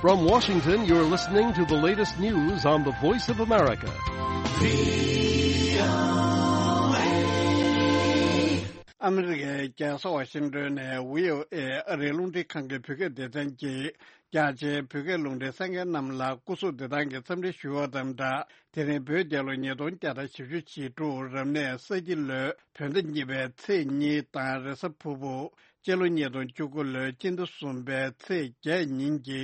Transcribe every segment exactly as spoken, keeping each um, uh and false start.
From Washington, you're listening to the latest news on the Voice of America. ཨ་མི་རི་ཀའི་རྒྱལ་ས་ཝ་ཤིང་ཏོན་ནས་བྷི་ཨོ་ཨེ་ཨ་རིའི་རླུང་འཕྲིན་ཁང་གི་བོད་སྐད་སྡེ་ཚན་གྱིས་རྒྱ་ཆེའི་བོད་སྐད་རླུང་འཕྲིན་གསན་མཁན་རྣམས་ལ་སྐུ་གཟུགས་བདེ་ཐང་གི་འཚམས་འདྲི་ཞུ་བ་དང་སྦྲགས། དེ་རིང་བོད་རྒྱལ་ལོ་ཉིས་སྟོང་བརྒྱ་དང་བཞི་བཅུ་ཞེ་དྲུག་རབ་གནས་ས་ཁྱི་ལོའི་བོད་ཟླ་གཉིས་པའི་ཚེས་གཉིས་དང་རེས་གཟའ་ཕུར་བུ། སྤྱི་ལོ་ཉིས་སྟོང་བཅུ་དགུ་ལོའི་སྤྱི་ཟླ་གསུམ་པའི་ཚེས་བརྒྱད་ཉིན་གྱི་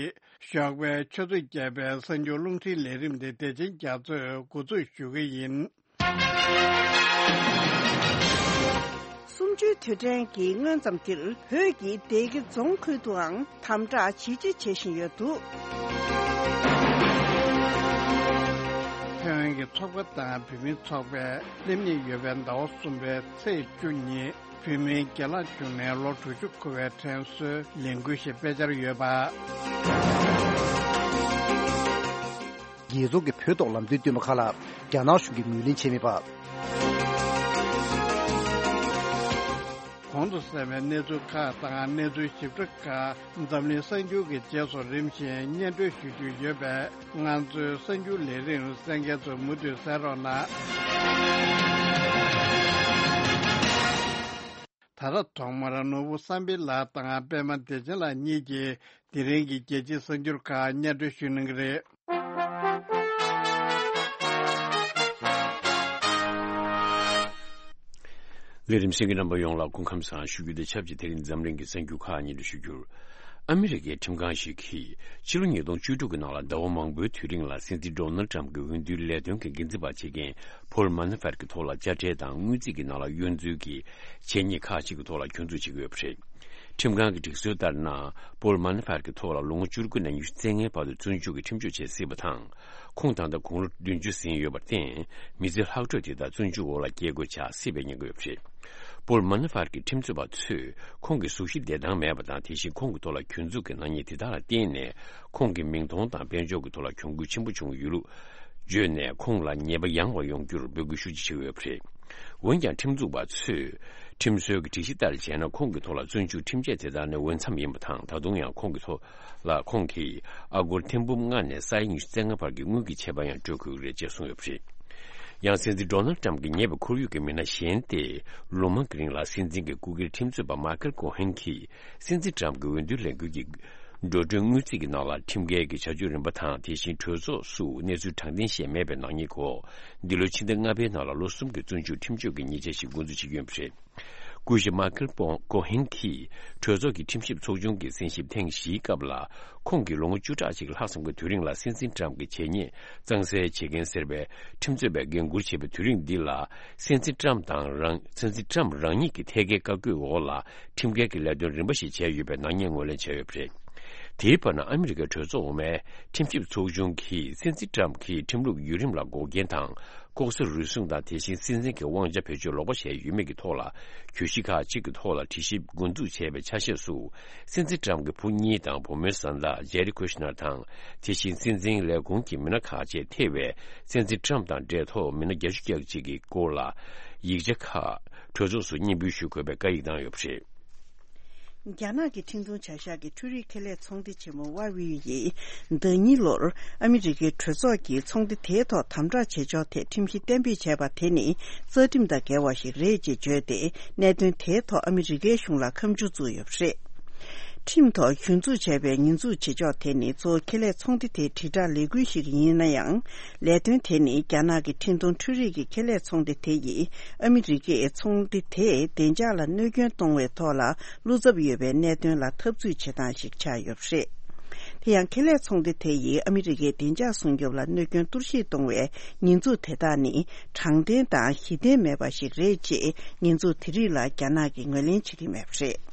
ཞོགས་པའི་ཆུ་ཚོད་བརྒྱད་པའི་གསར་འགྱུར་རླུང་འཕྲིན་ལས་རིམ་དེ་བདེ་ཆེན་རྒྱ་མཚོས་འགོ་འཛུགས་ཞུ་གི་ཡིན། གསུམ་བཅུའི་དུས་དྲན་གྱི་སྔོན་ཙམ་འདིར་བོད་ཀྱི་སྡེ་དགེ་རྫོང་ཁུལ་དུའང་དམ་དྲག་ཇེ་ཆེ་བྱེད་བཞིན་ཡོད་འདུག་ཐེ་ཝན་གྱི་ཚོགས་པ་དང་བོད་མིའི་ཚོགས་པས་སླེབས་ཉེ་ཡོད་པའི་ཟླ་བ་གསུམ་པའི་ཚེས་བཅུ་ཉིན་བོད་མིའི་སྒེར་ལངས་བྱུང་ནས་ལོ་དྲུག་ཅུ་འཁོར་བའི་དྲན་གསོའི་ལས་འགུལ་ཞིག་སྤེལ་འཆར་ཡོད་པ། རྒྱལ་ཚོགས་ཀྱི་བོད་ཐོག་ལམ་སྟོན་བསྟུད་མ་ཁག་ལ་རྒྱ་ནག་གཞུང་གིས་ངོས་ལེན་བྱས་མེད་པ། གོང་དུ་གསན་པའི་གནས་ཚུལ་ཁག་དང་གནས་ཚུལ་ཞིབ་ཕྲ་ཁག་འཛམ་གླིང་གསར་འགྱུར་གྱི་རྗེས་སུ་རིམ་བཞིན་སྙན་སྒྲོན་ཞུ་རྒྱུ་ཡོད་པས། ང་ཚོའི་གསར་འགྱུར་ལས་རིམ་གསན་མཁན་ཚོ་མུ་མཐུད་གསན་རོགས་གནང་། ད་ལྟ་ཐོག་མར་ནོར་བུ་བསམ་འཕེལ་ལགས་དང་པད་མ་བདེ་ཆེན་ལགས་གཉིས་ཀྱིས་དེ་རིང་གི་རྒྱལ་སྤྱིའི་གསར་འགྱུར་ཁག་སྙན་སྒྲོན་ཞུ་གནང་གི་རེད། ལས་རིམ་གསན་མཁན་རྣམ་པ་ཡོངས་ལ་སྐུ་ཁམས་བཟང་ཞུ་རྒྱུ་དང་ཆབས་ཅིག་དེ་རིང་འཛམ་གླིང་གི་གསར་འགྱུར་ཁག་སྙན་སྒྲོན་ཞུ་རྒྱུར། ཨ་མི་རི་ཀའི་ཁྲིམས་ཁང་ཞིག་གིས་ཕྱི་ལོ་ཉིས་སྟོང་བཅུ་དྲུག་གི་ནང་ལ་ཟླ་བ་མང་པོའི་དུས་རིང་ལ་སྲིད་འཛིན་ཌོ་ནལ་ཊམ་གྱི་འོས་བསྡུའི་ལས་དོན་གྱི་འགན་འཛིན་པ་བྱེད་མཁན་ཕོལ་མ་ན་ཧྥར་གྱི་ཐོག་ལ་དཔྱ་ཁྲལ་དང་དངུལ་རྩིས་ཀྱི་ནང་ལ་གཡོ་འཛུལ་གྱི་བྱས་ཉེས་ཁག་ཅིག་གི་ཐོག་ལ་གྱོང་འཛུགས་བྱེད་ཀྱི་ཡོད་པ་རེད། ཁྲིམས་ཁང་གི་སྒྲིག་སྲོལ་ལྟར་ན། ཕོལ་མ་ན་ཧྥར་གྱི་ཐོག་ལ་ལོ་ངོ་བཅུ་དགུ་ནས་ཉི་ཤུ་རྩ་ལྔའི་བར་དུ་བཙོན་འཇུག་གི་ཁྲིམས་གཅོད་བྱེད་སྲིད་པ་དང་། ཁོང་ད་ལྟ་དགུང་ལོ་བདུན་ཅུ་ཟིན་ཡོད་པར་བརྟེན། མི་ཚེ་ལྷག་འཕྲོས་དེ་དག་བཙོན་འཇུག་འོག་ལ་སྐྱེལ་དགོས་ཆགས་སྲིད་པའི་ཉེན་ཁ་ཡོད་པ་རེད། ཕོལ་མ་ན་ཧྥར་གྱི་ཁྲིམས་རྩོད་པ་ཚོས་ཁོང་གི་གཟུགས་གཞི་བདེ་ཐང་མེད་པ་དང་། དེ་བཞིན་ཁོང་གི་ཐོག་ལ་གྱོང་འཛུགས་ཀྱི་ནག་ཉེས་དེ་དག་ལ་བརྟེན་ནས། ཁོང་གི་མིང་མཐོང་དང་དཔལ་འབྱོར་གྱི་ཐོག་ལ་གྱོང་གུད་ཆེན་པོ་བྱུང་ཡོད་ལུགས་བརྗོད་ནས། ཁོང་ལ་ཉེས་པ་ཡང་བ་ཡོང་རྒྱུར་འབོད་སྐུལ་ཤུགས་ཆེ་བྱེད་ཀྱི་ཡོད་པ་རེད། འོན་ཀྱང་། ཁྲིམས་འཛུགས་པ་ཚོས་ཁྲིམས་སྲོལ་གྱི་སྒྲིག་གཞི་ལྟར་བྱས་ན། ཁོང་གི་ཐོག་ལ་བཙོན་འཇུག་ཁྲིམས་ཆད་དེ་དག་ནི་འོས་འཚམ་ཡིན་པ་དང་། ད་དུང་ཡང་ཁོང་གི་ཐོག་ལ་ཁོང་གིས་ཨ་སྒོར་ཐེར་འབུམ་ལྔ་ནས་ས་ཡ་ཉི་ཤུ་རྩ་ལྔ་བར་གྱི་དངུལ་གྱི་ཆད་པ་ཡང་སྤྲོད་དགོས་ཀྱི་རེད་ཅེས་གསུངས་ཡོད་པ་རེད། ཡང་། སྲིད་འཛིན་ཌོ་ནལ་ཊམ་གྱི་ཉེ་བའི་ཁོར་ཡུག་གི་མི་སྣ་གཞན་ཏེ། ལོ་མང་གི་རིང་ལ་སྲིད་འཛིན་གྱི་སྐུ་སྒེར་ཁྲིམས་རྩོད་པ་མཱ་ཁེལ་ཀོ་ཧན་གྱིས། སྲིད་འཛིན་ཊམ་གྱི་འོས་བསྡུའི་ལས་འགུལ་གྱི་འགྲོ་གྲོན་དངུལ་རྩིས་ཀྱི་ནང་ལ་ཁྲིམས་འགལ་གྱི་བྱ་སྤྱོད་རིམ་པ་དང་། དེ་བཞིན་གྲོས་ཚོགས་སུ་གནས་ཚུལ་དྲང་བདེན་བཤད་མེད་པའི་ནག་ཉེས་སྐོར། འདི་ལོའི་ཕྱི་ཟླ་ལྔ་པའི་ནང་ལ་ལོ་གསུམ་གྱི་བཙོན་འཇུག་ཁྲིམས་གཅོད་ཀྱི་ཉེས་ཆད་ཞིག་འགོ་འཛུགས་བྱེད་ཀྱི་ཡོད་པ་རེད། སྐུ་ཞབས་མཱ་ཁེལ་ཀོ་ཧན་གྱིས་གྲོས་ཚོགས་ཀྱི་ཁྲིམས་ཞིབ་ཚོགས་ཆུང་གི་གསན་ཞིབ་ཐེངས་བཞིའི་སྐབས་ལ། ཁོང་གིས་ལོ་ངོ་བཅུ་ཕྲག་གཅིག་ལྷག་ཙམ་གྱི་དུས་རིང་ལ་སྲིད་འཛིན་ཊམ་གྱི་བྱས་ཉེས་གཙང་སེལ་བྱེད་མཁན་ཟེར་བའི་ཁྲིམས་རྩོད་པས་འགན་འཁུར་བྱས་པའི་དུས་རིང་འདི་ལ། སྲིད་འཛིན་ཊམ་དང་རང་། སྲིད་འཛིན་ཊམ་རང་ཉིད་ཀྱི་ཐད་ཀའི་བཀའ་བཀོད་འོག་ལ་ཁྲིམས་འགལ་གྱི་ལས་དོན་རིམ་པ་ཞིག་བྱས་ཡོད་པའི་ནག་ཉེས་ངོས་ལེན་བྱས་ཡོད་པ་རེད། དེའི་བར་ན། ཨ་མི་རི་ཀའི་གྲོས་ཚོགས་འོག་མའི་ཁྲིམས་ཞིབ་ཚོགས་ཆུང་གིས་སྲིད་འཛིན་ཊམ་གྱིས་ཁྲིམས་ལུགས་བརྒྱུད་རིམ་ལ་འགོག་རྐྱེན་དང་། ལྐོག་ཟ་རུལ་སུངས་དང་། དེ་བཞིན་སྲིད་འཛིན་གྱི་དབང་ཆ་བེད་སྤྱོད་ལོག་པ་བྱས་ཡོད་མེད་ཀྱི་ཐོག་ལ། གྱོད་གཞི་ཁག་ཅིག་གི་ཐོག་ལ་དྲི་ཞིབ་འགོ་འཛུགས་བྱས་པའི་ཆ་ཤས་སུ། སྲིད་འཛིན་ཊམ་གྱི་བུ་གཉིས་དང་བུ་མོའི་བཟའ་ཟླ་ཇེ་རི་ཁུ་ཤི་ནར་དང་། དེ་བཞིན་སྲིད་འཛིན་ལས་ཁུངས་ཀྱི་མི་སྣ་ཁག་བཅས་ཐེ་བའི་སྲིད་འཛིན་ཊམ་དང་འབྲེལ་ཐོགས་མི་སྣ་བརྒྱད་ཅུ་གྱ་གཅིག་གི་སྐོར་ལ་ཡིག་ཆ་ཁག་གྲོས་ཚོགས་སུ་སྙན་འབུལ་ཞུ་དགོས་པའི་བཀའ་ཡིག་བཏང་ཡོད་པ་རེད། རྒྱ་ནག་གི་འཕྲིན་གཏོང་བྱ་གཞག་གི་འཕྲུལ་རིག་ཁེ་ལས་ཚོང་སྡེ་ཆེན་མོ་ཝ་ཝི་ཡིས་ཟླ་ཉིན་ལོར་ཨ་མི་རི་ཀའི་གྲོས་ཚོགས་ཀྱིས་ཚོང་སྡེ་དེའི་ཐོག་དམ་དྲག་བྱེད་ཕྱོགས་ཐད་ཁྲིམས་གཞི་གཏན་འབེབས་བྱས་པ་དེ་ནི་རྩ་ཁྲིམས་དང་འགལ་བ་ཞིག་རེད་ཅེས་བརྗོད་དེ། གནད་དོན་དེའི་ཐོག་ཨ་མི་རི་ཀའི་གཞུང་ལ་ཁ་མཆུ་བཙུགས་ཡོད་པ་རེད། ཁྲིམས་ཐོག་གཞི་འཛུགས་བྱས་པའི་ཉེས་འཛུགས་བྱེད་ཕྱོགས་དེ་ནི་གཙོ་བོ་ཁེ་ལས་ཚོང་སྡེ་དེའི་དྲིལ་བསྒྲགས་ལས་འགུལ་ཞིག་ཡིན་ན་ཡང་། ལས་དོན་དེ་ནི་རྒྱ་ནག་གི་འཕྲིན་གཏོང་འཕྲུལ་རིག་གི་ཁེ་ལས་ཚོང་སྡེ་དེ་ཡིས་ཨ་མི་རི་ཀའི་ཚོང་སྡེ་དེའི་བདེ་འཇགས་ལ་གནོད་སྐྱོན་གཏོང་བའི་ཐོག་ལ་བློ་འཚབ་ཡོད་པའི་གནད་དོན་ལ་འཐབ་རྩོད་བྱེད་སྟངས་ཤིག་ཆགས་ཡོད་པ་རེད། དེ་ཡང་། ཁེ་ལས་ཚོང་སྡེ་དེ་ཡིས་ཨ་མི་རི་ཀའི་བདེ་འཇགས་སྲུང་སྐྱོབ་ལ་གནོད་སྐྱོན་གཏོར་བཤིག་གཏོང་བའི་ཉེས་འཛུགས་དེ་དག་ནི་དྲང་བདེན་དང་གཞི་རྟེན་མེད་པ་ཞིག་རེད་ཅེས་ཉེས་འཛུགས་དེ་རིགས་ལ་རྒྱ་ནག་གིས་ངོས་ལེན་བྱེད་ཀྱི་མེད་པ་རེད།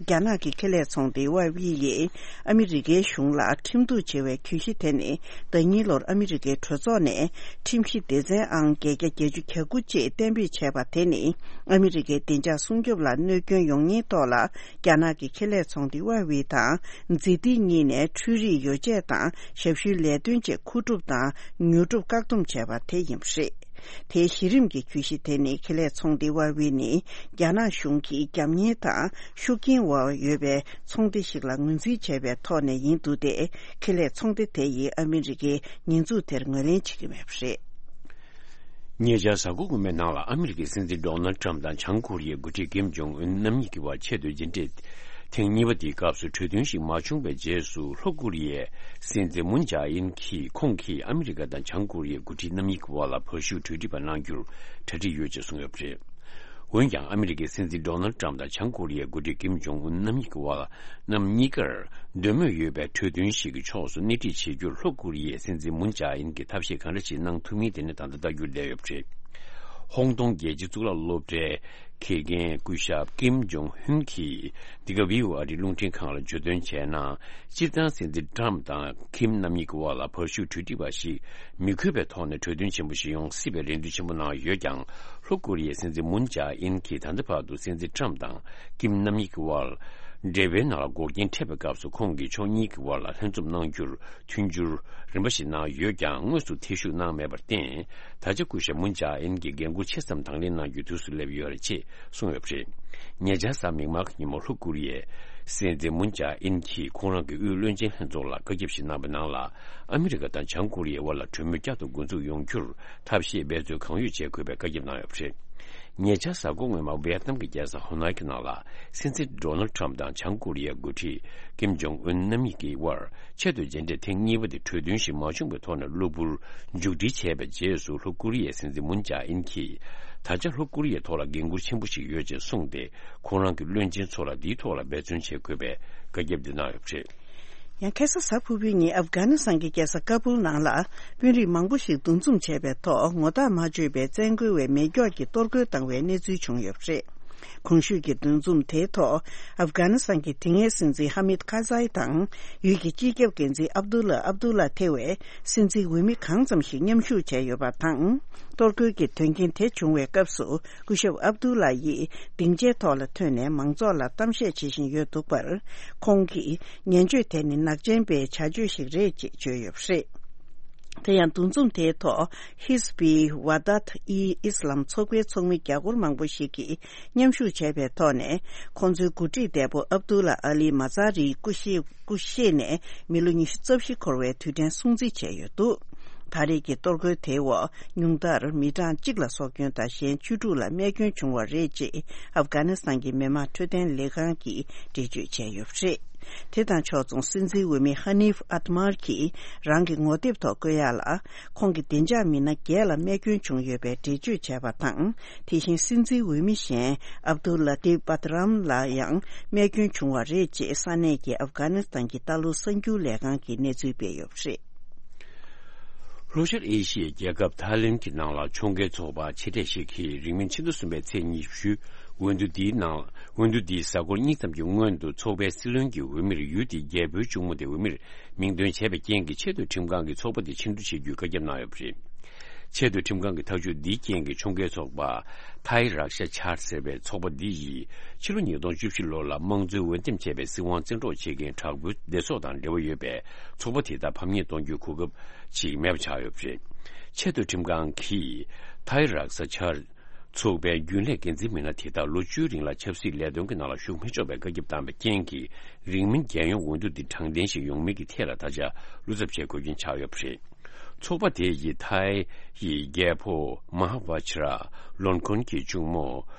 རྒྱ་ནག་གི་ཁེ་ལས་ཚོང་སྡེ་ཝའེ་ཝི་ཡིས་ཨ་མི་རི་ཀའི་གཞུང་ལ་ཁྲིམས་གཏུག་བྱེད་པའི་གྱོད་གཞི་དེ་ནི། ཟླ་ཉིན་ལོར་ཨ་མི་རི་ཀའི་གྲོས་ཚོགས་ནས་ཁྲིམས་གཞི་སྡེ་ཚན་ཨང་བརྒྱད་བརྒྱ་བརྒྱད་ཅུ་གྱ་དགུ་ཅེས་གཏན་འབེབས་བྱས་པ་དེ་ནི། ཨ་མི་རི་ཀའི་བདེ་འཇགས་སྲུང་སྐྱོབ་ལ་གནོད་སྐྱོན་ཡོང་ཉེན་ཐོག་ལ། རྒྱ་ནག་གི་ཁེ་ལས་ཚོང་སྡེ་ཝའེ་ཝི་དང་། ཛི་ཏི་གཉིས་ནས་འཕྲུལ་རིག་ཡོ་བྱད་དང་ཞབས་ཞུའི་ལས་དོན་བཅས་མཁོ་སྒྲུབ་དང་ཉོ་སྒྲུབ་བཀག་སྡོམ་བྱས་པ་དེ་ཡིན་པ་རེད། དེའི་གཞི་རིམ་གྱི་གྱོད་གཞི་དེ་ནི་ཁེ་ལས་ཚོང་སྡེ་ཝ་ཝེ་ནི་རྒྱ་ནག་གཞུང་གིས་རྒྱབ་གཉེར་དང་ཤུགས་རྐྱེན་འོག་ཡོད་པའི་ཚོང་སྡེ་ཞིག་ལ་ངོས་འཛིན་བྱས་པའི་ཐོག་ནས་ཡིན་འདུག་སྟེ། ཁེ་ལས་ཚོང་སྡེ་དེ་ཡིས་ཨ་མི་རི་ཀའི་ཉེས་འཛུགས་དེར་ངོས་ལེན་བྱེད་ཀྱི་མེད་པ་རེད། ཉེ་ཆར་གཟའ་འཁོར་སྔོན་མའི་ནང་ལ་ཨ་མི་རི་ཀའི་སྲིད་འཛིན་ཌོ་ནལ་ཊམ་དང་བྱང་ཀོ་རི་ཡའི་འགོ་ཁྲིད་ཀིམ་ཇོང་ཨུན་རྣམ་གཉིས་ཀྱི་བར་ཆེས་མཐོའི་མཇལ་འཕྲད་ཐེངས་གཉིས་པ་དེའི་སྐབས་སུ་གྲོས་མཐུན་ཞིག་མ་བྱུང་བའི་རྗེས་སུ། ལྷོ་ཀོ་རི་ཡའི་སྲིད་འཛིན་མུན་ཇཱ་ཨིན་གྱིས་ཁོང་གིས་ཨ་མི་རི་ཀ་དང་བྱང་ཀོ་རི་ཡའི་འགོ་ཁྲིད་རྣམ་གཉིས་ཀྱི་དབར་ལ་བར་ཞུགས་གྲོས་འདྲི་པ་གནང་རྒྱུར་གྲ་སྒྲིག་ཡོད་ཅེས་གསུངས་ཡོད་པ་རེད། འོན་ཀྱང་། ཨ་མི་རི་ཀའི་སྲིད་འཛིན་ཌོ་ནལ་ཊམ་དང་བྱང་ཀོ་རི་ཡའི་འགོ་ཁྲིད་ཀིམ་ཇོང་ཨུན་རྣམ་གཉིས་ཀྱི་དབར། རྣམ་གཉིས་ཀར་འདོད་མོས་ཡོད་པའི་གྲོས་མཐུན་ཞིག་གི་ཕྱོགས་སུ་སྣེ་ཁྲིད་བྱེད་རྒྱུར། ལྷོ་ཀོ་རི་ཡའི་སྲིད་འཛིན་མུན་ཇཱ་ཨིན་གྱིས་ཐབས་ཤེས་གང་འདྲ་ཞིག་གནང་ཐུབ་མིན་དེ་ནི་ད་ལྟ་ལྟ་རྒྱུར་བསྡད་ཡོད་པ་རེད། ཧོང་ཏོང་རྒྱལ་སྤྱིའི་གཙུག་ལག་སློབ་གྲྭའི་ཁེ་རྒན་སྐུ་ཞབས་ཀིམ་ཇོང་ཧུན་གྱིས་འདི་ག་བྷི་ཨོ་ཨེ་ཨ་རིའི་རླུང་འཕྲིན་ཁང་ལ་བརྗོད་དོན་བྱས་ན། སྤྱིར་བཏང་སྲིད་འཛིན་ཊམ་དང་ཀིམ་རྣམ་གཉིས་ཀྱི་དབར་ལ་བར་ཞུགས་གྲོས་འདྲི་པ་ཞིག་མི་དགོས་པའི་ཐོག་ནས་གྲོས་མཐུན་ཆེན་པོ་ཞིག་ཡོང་སྲིད་པའི་རེ་འདུན་ཆེན་པོ་གནང་ཡོད་ཀྱང་། ལྷོ་ཀོ་རི་ཡའི་སྲིད་འཛིན་མུན་ཇཱ་ཨིན་གྱིས་ད་ལྟ་བར་དུ་སྲིད་འཛིན་ཊམ་དང་ཀིམ་རྣམ་གཉིས་ཀྱི་དབར་འབྲེལ་བའི་ནང་ལ་འགོག་རྐྱེན་འཕྲད་པའི་སྐབས་སུ། ཁོང་གིས་ཕྱོགས་གཉིས་ཀྱི་དབར་ལ་ལྷན་འཛོམས་གནང་རྒྱུར་མཐུན་འགྱུར་རིམ་པ་ཞིག་གནང་ཡོད་ཀྱང་། དངོས་སུ་ཐེ་ཞུགས་གནང་མེད་པར་བརྟེན། ད་ཆ་སྐུ་ཞབས་མུན་ཇཱ་ཨིན་གྱིས་འགན་འཁུར་ཆེ་ཙམ་དང་ལེན་གནང་རྒྱུའི་དུས་སུ་སླེབས་ཡོད་རེད་ཅེས་གསུངས་ཡོད་པ་རེད། ཉེ་ཆར་གཟའ་མིག་དམར་གྱི་ཉིན་མོ། ལྷོ་ཀོ་རི་ཡའི་སྲིད་འཛིན་མུན་ཇཱ་ཨིན་གྱིས་ཁོང་རང་གི་དབུས་བློན་ཆེན་ལྷན་ཚོགས་ལ་བཀའ་ཁྱབ་ཞིག་གནང་བའི་ནང་ལ། ཨ་མི་རི་ཀ་དང་བྱང་ཀོ་རི་ཡའི་དབར་ལ་གྲོས་མོལ་བསྐྱར་དུ་འགོ་འཛུགས་ཡོང་རྒྱུར་ཐབས་ཤེས་འབད་རྩོལ་གང་ཡོད་བྱེད་དགོས་པའི་བཀའ་ཁྱབ་གནང་ཡོད་པ་རེད། ཉེ་ཆར་གཟའ་འཁོར་སྔོན་མ་ཝེ་ཏི་ནམ་གྱི་རྒྱལ་ས་ཧོ་ནའི་གི་ནང་ལ། སྲིད་འཛིན་ཌོ་ནལ་ཊམ་དང་བྱང་ཀོ་རི་ཡའི་འགོ་ཁྲིད་ཀིམ་ཇོང་ཨུན་རྣམ་གཉིས་ཀྱི་དབར་ཆེས་མཐོའི་མཇལ་འཕྲད་ཐེངས་གཉིས་པ་དེ་གྲོས་མཐུན་ཞིག་མ་བྱུང་བའི་ཐོག་ནས་གློ་བུར་མཇུག་སྒྲིལ་བྱས་པའི་རྗེས་སུ། ལྷོ་ཀོ་རི་ཡའི་སྲིད་འཛིན་མུན་ཇཱ་ཨིན་གྱིས། ད་ཆ་ལྷོ་ཀོ་རི་ཡའི་ཐོག་ལ་འགན་འཁུར་ཆེན་པོ་ཞིག་ཡོད་ཅེས་གསུངས་ཏེ། ཁོང་རང་གི་བློན་ཆེན་ཚོ་ལ་འདིའི་ཐོག་ལ་འབད་བརྩོན་བྱེད་དགོས་པའི་བཀའ་ཁྱབ་འདི་གནང་ཡོད་པ་རེད། ཡང་ཁ་སང་གཟའ་ཕུར་བུའི་ཉིན་ཨབ་གྷ་ནི་སི་ཐན་གྱི་རྒྱལ་ས་ཀ་པུལ་ནང་ལ་དཔོན་རིགས་མང་པོ་ཞིག་འདུ་འཛོམས་བྱས་པའི་ཐོག་ངོ་ཐག་མ་ཆོད་པའི་བཙན་རྒོལ་བའི་མེ་སྒྱོགས་ཀྱིས་གཏོར་རྒོལ་བཏང་བའི་གནས་ཚུལ་བྱུང་ཡོད་པ་རེད། གོང་ཞུས་ཀྱི་འདུ་འཛོམས་དེའི་ཐོག་ཨབ་གྷ་ནི་སི་ཐན་གྱི་དེ་སྔའི་སྲིད་འཛིན་ཧ་མིད་ཁ་ཛའི་དང་། ཡུལ་གྱི་སྤྱི་ཁྱབ་འགན་འཛིན་ཨབ་དུ་ལ་ཨབ་དུ་ལ་ཐེ་བའི་སྲིད་འཛིན་འོས་མི་གང་ཙམ་ཞིག་མཉམ་ཞུགས་བྱས་ཡོད་པ་དང་། གཏོར་རྒོལ་གྱི་དོན་རྐྱེན་དེ་བྱུང་བའི་སྐབས་སུ། སྐུ་ཞབས་ཨབ་དུ་ལ་ཡིས་སྡིངས་ཆའི་ཐོག་ལ་ཐོན་ནས་མང་ཚོགས་ལ་གཏམ་བཤད་བྱེད་བཞིན་ཡོད་འདུག་པར། ཁོང་གིས་ངན་སྤྱོད་དེ་ནི་ནག་ཅན་པའི་བྱ་སྤྱོད་ཞིག་རེད་ཅེས་བརྗོད་ཡོད་པ་རེད། དེ་ཡང་འདུ་འཛོམས་དེའི་ཐོག་ཧིས་བྷི་ཝ་དཱད་ཨི་ཨིས་ལམ་ཚོགས་པའི་ཚོགས་མི་བརྒྱ་སྐོར་མང་པོ་ཞིག་གིས་མཉམ་ཞུགས་བྱས་པའི་ཐོག་ནས། ཁོང་ཚོའི་འགོ་ཁྲིད་འདས་པོ་ཨབ་དུ་ལ་ཨ་ལི་མ་ཛཱ་རིའི་སྐུ་གཤེགས་སྐུ་གཤེགས་ནས་མི་ལོ་ཉི་ཤུ་རྩ་བཞི་འཁོར་བའི་དུས་དྲན་སྲུང་བརྩི་བྱས་ཡོད་འདུག་ད་རེས་ཀྱི་གཏོར་རྒོལ་དེའི་འོག་ཉུང་མཐར་མི་གྲངས་གཅིག་ལ་སྲོག་སྐྱོན་དང་གཞན་བཅུ་དྲུག་ལ་རྨས་སྐྱོན་བྱུང་བ་རེད་ཅེས་ཨབ་གྷ་ནི་སི་ཐན་གྱི་མི་དམངས་འཕྲོད་བསྟེན་ལས་ཁང་གིས་འགྲེལ་བརྗོད་བྱས་ཡོད་པ་རེད། དེ་དང་ཕྱོགས་མཚུངས་སྲིད་འཛིན་འོས་མི་ཧ་ནིབ་ཨ་ཏི་མར་གྱིས་རང་གི་ངོ་དེབ་ཐོག་བཀོད་ཡག་ལ། ཁོང་གི་བདེ་འཇགས་མི་སྣ་བརྒྱད་ལ་རྨས་སྐྱོན་བྱུང་ཡོད་པའི་འགྲེལ་བརྗོད་བྱས་པ་དང་། དེ་བཞིན་སྲིད་འཛིན་འོས་མི་གཞན་ཨབ་དུ་ལ་ཏིབ་པ་ཏི་རམ་ལ་ཡང་རྨས་སྐྱོན་བྱུང་བ་རེད་ཅེས་ས་གནས་ཀྱི་ཨབ་གྷ་ནི་སི་ཐན་གྱི་ལྟ་ཀློག་གསར་འགྱུར་ལས་ཁང་གིས་གནས་ཚུལ་སྤེལ་ཡོད་པ་རེད། ལྷོ་ཤར་ཨེ་ཤི་ཡའི་རྒྱལ་ཁབ་ཐའི་ལེན་གྱི་ནང་ལ་ཕྱོགས་འགལ་ཚོགས་པ་ཆེ་གྲས་ཤིག་གིས་རིང་མིན་ཕྱི་ཟླ་གསུམ་པའི་ཚེས་ཉི་ཤུ། འོས་བསྡུ་འདིའི་ནང་། འོས་བསྡུ་འདིའི་གཟའ་འཁོར་གཉིས་ཙམ་གྱི་སྔོན་དུ་ཚོགས་པའི་སྲིད་བློན་གྱི་འོས་མིར་ཡུལ་དེའི་རྒྱལ་པོའི་གཅུང་མོ་དེ་འོས་མིར་མིང་འདོན་བྱས་པའི་རྐྱེན་གྱིས། ཆེས་མཐོའི་ཁྲིམས་ཁང་གིས་ཚོགས་པ་དེ་ཕྱིར་བསྡུ་བྱེད་རྒྱུའི་བཀའ་ཁྱབ་གནང་ཡོད་པ་རེད། ཆེས་མཐོའི་ཁྲིམས་ཁང་གི་ཐག་གཅོད་འདིའི་རྐྱེན་གྱིས། ཕྱོགས་འགལ་ཚོགས་པ་ཐའི་རཀ་ཤ་ཆར་ཟེར་བའི་ཚོགས་པ་འདི་ཡིས་ཕྱི་ལོ་ཉིས་སྟོང་བཅུ་བཞི་ལོ་ལ་དམངས་གཙོའི་འོས་འདེམས་བྱས་པའི་སྲིད་དབང་བཙན་འཕྲོག་བྱེད་མཁན་དྲག་པོའི་སྡེ་ཚོགས་དང་འབྲེལ་བ་ཡོད་པའི་ཚོགས་པ་དེ་དག་ཕམ་ཉེས་གཏོང་རྒྱུའི་གོ་སྐབས་ཅིག་མེད་པ་ཆགས་ཡོད་པ་རེད། ཆེས་མཐོའི་ཁྲིམས་ཁང་གིས་ཐའི་རཀ་ཤ་ཆར་ཚོགས་པའི་རྒྱུན་ལས་འགན་འཛིན་མི་སྣ་དེ་དག་ལོ་བཅུའི་རིང་ལ་ཆབ་སྲིད་ལས་དོན་གྱི་ནང་ལ་ཞུགས་མི་ཆོག་པའི་བཀའ་ཁྱབ་བཏང་བའི་རྐྱེན་གྱིས། རིང་མིན་རྒྱལ་ཡོངས་འོས་བསྡུ་འདི་དྲང་བདེན་ཞིག་ཡོང་མིན་གྱི་ཐད་ལ་ད་ཆ་བློ་འཚབ་བྱེད་དགོས་རྐྱེན་ཆགས་ཡོད་པ་རེད། ཚོགས་པ་དེ་ཡིས་ཐའི་ཡི་རྒྱལ་པོ་མ་ཧཱ་བྷ་ཇ་ར་ལོན་ཁོན་གྱི་གཅུང་མོ་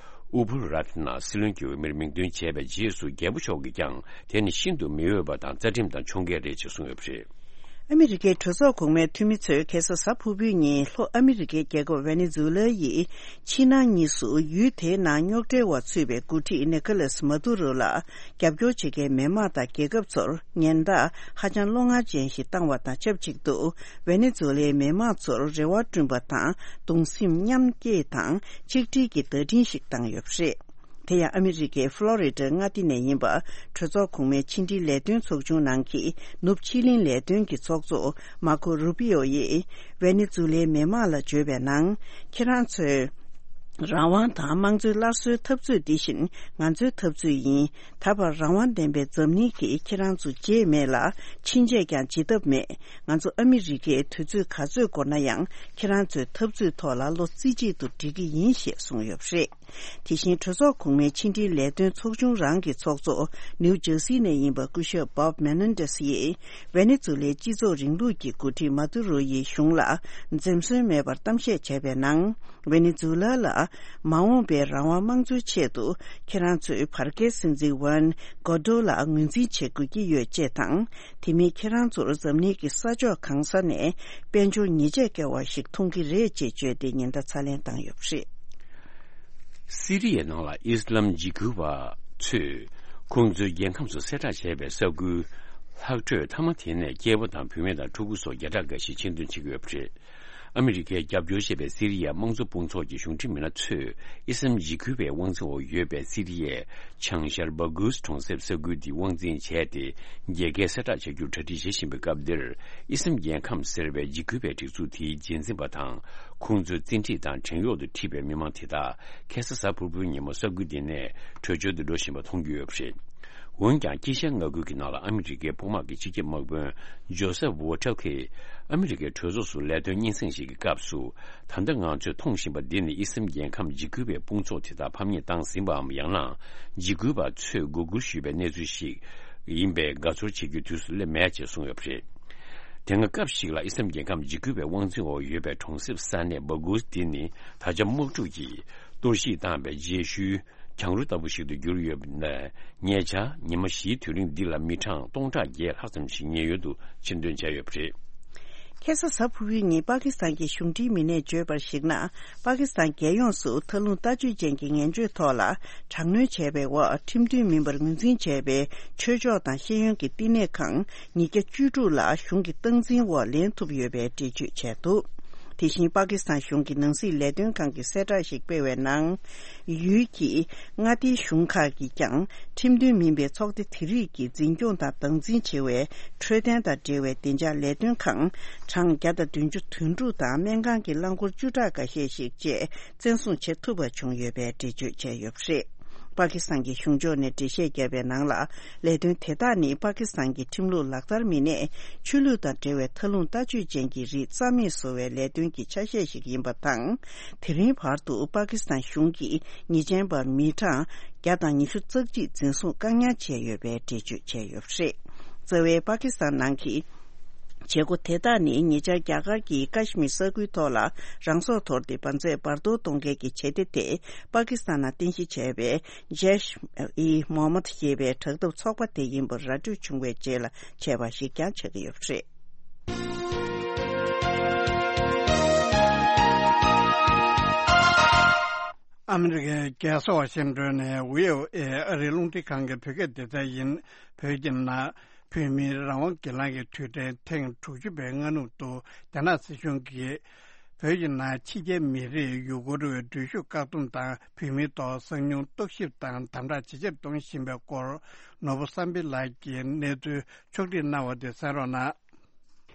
ཨུ་བུལ་རཏ་ན་སྲིད་བློན་གྱི་འོས་མིར་མིང་འདོན་བྱས་པའི་རྗེས་སུ། རྒྱལ་པོ་མཆོག་གིས་ཀྱང་དེ་ནི་ཤིན་ཏུ་མི་འོས་པ་དང་རྩ་ཁྲིམས་དང་ཕྱོགས་འགལ་རེད་ཅེས་གསུངས་ཡོད་པ་རེད། ཨ་མི་རི་ཀའི་གྲོས་ཚོགས་གོང་མའི་འཐུས་མི་ཚོས་ཁ་སང་གཟའ་ཕུར་བུའི་ཉིན་ལྷོ་ཨ་མི་རི་ཀའི་རྒྱལ་ཁབ་ཝེ་ནེ་ཛུ་ལ་ཡི་ཕྱི་ནང་གཉིས་སུ་ཡུལ་དེའི་ནང་རྙོག་དྲའི་འོག་ཚུད་པའི་འགོ་ཁྲིད་ནི་ཁོ་ལེས་མ་དུ་རོ་ལ་རྒྱབ་སྐྱོར་བྱེད་མཁན་མི་དམངས་དང་རྒྱལ་ཁབ་ཚོར་ཉེན་བརྡ་ཧ་ཅང་བློ་ངར་ཅན་ཞིག་བཏང་བ་དང་ཆབས་ཅིག་ཏུ། ཝེ་ནེ་ཛུ་ལའི་མི་དམངས་ཚོར་རེ་བ་བསྐྲུན་པ་དང་གདུང་སེམས་མཉམ་སྐྱེད་དང་ཆིག་སྒྲིལ་གྱི་བརྡ་འཕྲིན་ཞིག་བཏང་ཡོད་པ་རེད། དེ་ཡང་ཨ་མི་རི་ཀའི་ཕློ་རི་ཌའི་མངའ་སྡེ་ནས་ཡིན་པ། གྲོས་ཚོགས་གོང་མའི་ཕྱི་འབྲེལ་ལས་དོན་ཚོགས་ཆུང་ནང་གི་ནུབ་ཕྱེད་གླིང་ལས་དོན་གྱི་ཚོགས་གཙོ་མར་ཁོ་རུ་པི་ཨོ་ཡིས་ཝེ་ནེ་ཛུ་ལའི་མི་དམངས་ལ་བརྗོད་པའི་ནང་། ཁྱེད་རང་ཚོས་ རང་དབང་དང་དམངས་གཙོའི་སླར་གསོའི་འཐབ་རྩོད་འདི་བཞིན་ང་ཚོའི་འཐབ་རྩོད་ཡིན། ད་བར་རང་དབང་ལྡན་པའི་འཛམ་གླིང་གིས་ཁྱེད་རང་ཚོ་བརྗེད་མེད་ལ་ཕྱིན་ཆད་ཀྱང་བརྗེད་ཐབས་མེད། ང་ཚོ་ཨ་མི་རི་ཀས་དུས་ཚོད་ག་ཚོད་འགོར་ན་ཡང་ཁྱེད་རང་ཚོའི་འཐབ་རྩོད་ཐོག་ལ་བློ་རྩེ་གཅིག་ཏུ་སྒྲིལ་གྱི་ཡིན་ཞེས་གསུངས་ཡོད་པ་རེད། དེ་བཞིན་གྲོས་ཚོགས་གོང་མའི་ཕྱི་འབྲེལ་ལས་དོན་ཚོགས་ཆུང་རང་གི་ཚོགས་གཙོ་ནིའུ་ཇར་སི་ནས་ཡིན་པ་སྐུ་ཞབས་Bob Menendez་ཡིས་ཝེ་ནེ་ཛུ་ལའི་སྤྱི་ཚོགས་རིང་ལུགས་ཀྱི་འགོ་ཁྲིད་མ་དུ་རོ་ཡི་གཞུང་ལ་འཛེམ་ཟོན་མེད་པར་གཏམ་བཤད་བྱས་པའི་ནང་། ཝེ་ནེ་ཛུ་ལ་ལ་མ་འོངས་པའི་རང་དབང་དམངས་གཙོའི་ཆེད་དུ་ཁྱེད་རང་ཚོས་བར་བརྒལ་སྲིད་འཛིན་ཝན་གོ་ཏོ་ལ་ངོས་འཛིན་བྱེད་དགོས་ཀྱི་ཡོད་ཅེས་དང་། དེ་མིན་ཁྱེད་རང་ཚོར་འཛམ་གླིང་གི་ས་ཕྱོགས་གང་ས་ནས་དཔལ་འབྱོར་ཉེས་ཆད་བཀལ་བ་ཞིག་མཐོང་གི་རེད་ཅེས་བརྗོད་དེ་ཉེན་བརྡ་ཚ་ལན་བཏང་ཡོད་པ་རེད། སི་རི་ཡའི་ནང་ལ་ཨི་སི་ལམ་འཇིགས་སྐུལ་བ་ཚོས་ཁོང་ཚོའི་རྒྱལ་ཁམས་སུ་གསལ་བསྒྲགས་བྱས་པའི་ས་ཁུལ་ལྷག་འཕྲོས་མཐའ་མ་དེ་ནས་སྐྱེས་པ་དང་བུད་མེད་དང་ཕྲུ་གུ་སོགས་བརྒྱ་ཕྲག་འགའ་ཞིག་ཕྱིར་འདོན་བྱེད་ཀྱི་ཡོད་པ་རེད། ཨ་མི་རི་ཀས་རྒྱབ་སྐྱོར་བྱེད་པའི་སི་རི་ཡ་དམངས་གཙོ་དཔུང་ཚོགས་ཀྱི་གཞུང་འབྲེལ་མི་སྣ་ཚོས་ཨི་སི་ལམ་འཇིགས་སྐུལ་བའི་དབང་འཛིན་འོག་ཡོད་པའི་སི་རི་ཡའི་བྱང་ཤར་སྦ་གུས་གྲོང་གསེབ་ས་ཁུལ་འདི་དབང་འཛིན་བྱས་ཏེ། རྒྱལ་ཁའི་གསལ་བསྒྲགས་བྱ་རྒྱུར་གྲ་སྒྲིག་བྱེད་བཞིན་པའི་སྐབས་འདིར། ཨི་སི་ལམ་རྒྱལ་ཁམས་ཟེར་བའི་འཇིགས་སྐུལ་བའི་སྒྲིག་འཛུགས་དེའི་རྗེས་འཛིན་པ་དང་། ཁོང་ཚོའི་བཙན་ཁྲིད་དང་བྲན་གཡོག་ཏུ་ཁྲིད་པའི་མི་མང་དེ་དག་ཁ་སང་གཟའ་ཕུར་བུའི་ཉིན་མོ་ས་ཁུལ་འདི་ནས་བྲོས་བྱོལ་དུ་འགྲོ་བཞིན་པ་མཐོང་རྒྱུ་ཡོད་པ་རེད། འོན་ཀྱང་། དཀྱིལ་ཤར་མངའ་ཁུལ་གྱི་ནང་ལ་ཨ་མི་རི་ཀའི་དཔུང་དམག་གི་སྤྱི་ཁྱབ་དམག་དཔོན་ཇོ་སེབ་ཝོ་ཊལ་གྱིས་ཨ་མི་རི་ཀའི་གྲོས་ཚོགས་སུ་ལས་དོན་སྙན་སེང་ཞིག་གི་སྐབས་སུ། ད་ལྟ་ང་ཚོས་མཐོང་བཞིན་པ་འདི་ནི་ཨི་སི་ལམ་རྒྱལ་ཁམས་འཇིགས་སྐུལ་བའི་དཔུང་ཚོགས་དེ་དག་ཕམ་ཉེས་བཏང་ཟིན་པའམ། ཡང་ན་འཇིགས་སྐུལ་བ་ཚོས་མགོ་སྒུར་ཞུས་པའི་གནས་ཚུལ་ཞིག་ཡིན་པའི་དགའ་ཚོར་བྱེད་རྒྱུའི་དུས་སུ་སླེབས་མེད་ཅེས་གསུངས་ཡོད་པ་རེད། དེ་སྔ་སྐབས་ཤིག་ལ་ཨི་སི་ལམ་རྒྱལ་ཁམས་འཇིགས་སྐུལ་བའི་དབང་འཛིན་འོག་ཡོད་པའི་གྲོང་གསེབ་ས་གནས་སྦ་གུས་འདི་ནི་ད་ཆ་དམག་འཁྲུག་གིས་གཏོར་བཤིག་བཏང་བའི་རྗེས་ཤུལ། གྱང་རུ་ལྟ་བུ་ཞིག་ཏུ་གྱུར་ཡོད་པ་ནས། ཉེ་ཆར་ཉི་མ་བཞིའི་དུས་རིང་འདི་ལ་མི་གྲངས་སྟོང་ཕྲག་བརྒྱད་ལྷག་ཙམ་ཞིག་ཉེན་གཡོལ་དུ་ཕྱིར་འདོན་བྱས་ཡོད་པ་རེད། ཁ་སང་གཟའ་ཕུར་བུའི་ཉིན་པ་ཀི་སི་ཐན་གྱི་གཞུང་འབྲེལ་མི་སྣས་བརྗོད་པར་གཞིགས་ན། པ་ཀི་སི་ཐན་རྒྱལ་ཡོངས་སུ་མཐའ་ལྷུང་ལྟ་སྤྱོད་ཅན་གྱི་ངན་སྤྱོད་ཐོག་ལ་དྲག་གནོན་བྱས་པའི་འོག་ཁྲིམས་མཐུན་མིན་པར་ངོས་འཛིན་བྱས་པའི་ཆོས་ཕྱོགས་དང་ཤེས་ཡོན་གྱི་བསྟི་གནས་ཁང་ཉིས་བརྒྱ་བཅུ་དྲུག་ལ་གཞུང་གི་སྟངས་འཛིན་འོག་ལེན་ཐུབ་ཡོད་པའི་འགྲེལ་བརྗོད་བྱས་འདུག་དེ་བཞིན་པ་ཀི་སི་ཐན་གཞུང་གི་ནང་སྲིད་ལས་དོན་ཁང་གིས་གསལ་བསྒྲགས་ཤིག་སྤེལ་བའི་ནང་། ཡུལ་གྱི་མངའ་སྡེའི་གཞུང་ཁག་གིས་ཀྱང་ཁྲིམས་མཐུན་མིན་པའི་ཚོགས་སྡེ་དེ་རིགས་ཀྱིས་འཛིན་སྐྱོང་དང་སྟངས་འཛིན་བྱེད་པའི་འཕྲོད་བསྟེན་དང་འབྲེལ་བའི་བདེ་འཇགས་ལས་དོན་ཁང་གྲངས་བརྒྱ་དང་བདུན་ཅུ་དོན་དྲུག་དང་སྨན་ཁང་གི་རླངས་འཁོར་བཅུ་ཕྲག་འགའ་ཤས་ཤིག་བཅས་བཙན་བཟུང་བྱེད་ཐུབ་པ་བྱུང་ཡོད་པའི་འགྲེལ་བརྗོད་བྱས་ཡོད་པ་རེད། པ་ཀི་སི་ཐན་གྱི་གཞུང་ཕྱོགས་ནས་འགྲེལ་བཤད་བརྒྱབ་པའི་ནང་ལ། ལས་དོན་དེ་དག་ནི་པ་ཀི་སི་ཐན་གྱི་ཁྲིམས་ལུགས་ལག་བསྟར་མི་སྣས་ཆོས་ལུགས་དང་འབྲེལ་བའི་མཐའ་ལྷུང་ལྟ་སྤྱོད་ཅན་གྱི་རིགས་རྩ་མེད་བཟོ་བའི་ལས་དོན་གྱི་ཆ་ཤས་ཤིག་ཡིན་པ་དང་། དེ་རིང་བར་དུ་པ་ཀི་སི་ཐན་གཞུང་གིས་ཉེས་ཅན་པ་མི་གྲངས་བརྒྱ་དང་ཉི་ཤུ་རྩ་གཅིག་འཛིན་བཟུང་བཀག་ཉར་བྱས་ཡོད་པའི་འགྲེལ་བརྗོད་བྱས་ཡོད་པ་རེད། རྩ་བའི་པ་ཀི་སི་ཐན་ནང་གི་བྱེད་སྒོ་དེ་དག་ནི་ཉེ་ཆར་རྒྱ་གར་གྱིས་ཀ་ཤི་མིར་ས་ཁུལ་ཐོག་ལ་རང་སྲོག་དོར་ཏེ་བར་མཛད་བར་དོ་གཏོང་མཁན་གྱི་བྱེད་གཏེ་དེ་པ་ཀི་སི་ཐན་ནང་རྟེན་གཞི་བྱས་པའི་ཇེཤ་ཨི་མོ་ཧམ་མད་ཞེས་པའི་དྲག་འཐབ་ཚོགས་པ་དེ་ཡིན་པར་ར་སྤྲོད་བྱུང་བའི་རྗེས་ལ་བྱས་པ་ཞིག་ཀྱང་ཆགས་ཀྱི་ཡོད་པ་རེད། ཨ་མི་རི་ཀའི་རྒྱལ་ས་ཝ་ཤིང་ཏོན་ནས་ཝི་ཨོ་ཨེ་ཨ་རིའི་རླུང་འཕྲིན་ཁང་གི་བོད་སྐད་སྡེ་ཚན་ཡིན། བོད་ཀྱི་ནང་བོད་མིའི་རང་དབང་སྒེར་ལངས་ཀྱི་དུས་དྲན་ཐེངས་དྲུག་ཅུ་པའི་སྔ་ནུབ་ཏུ། རྒྱ་ནག་སྲིད་གཞུང་གིས་བོད་ཀྱི་ནང་ཕྱི་རྒྱལ་མི་རིགས་ཡུལ་སྐོར་འགྲོ་བའི་འགྲུལ་བཞུད་བཀག་སྡོམ་དང་། བོད་མིའི་ཐོག་གསང་མྱུལ་རྟོག་ཞིབ་དང་དམ་དྲག་ཇེ་ཆེར་གཏོང་བཞིན་པའི་སྐོར། ནོར་བུ་བསམ་འཕེལ་ལགས་ཀྱིས་གནས་ཚུལ་ཕྱོགས་སྒྲིག་གནང་བ་དེ་གསན་རོགས་གནང་།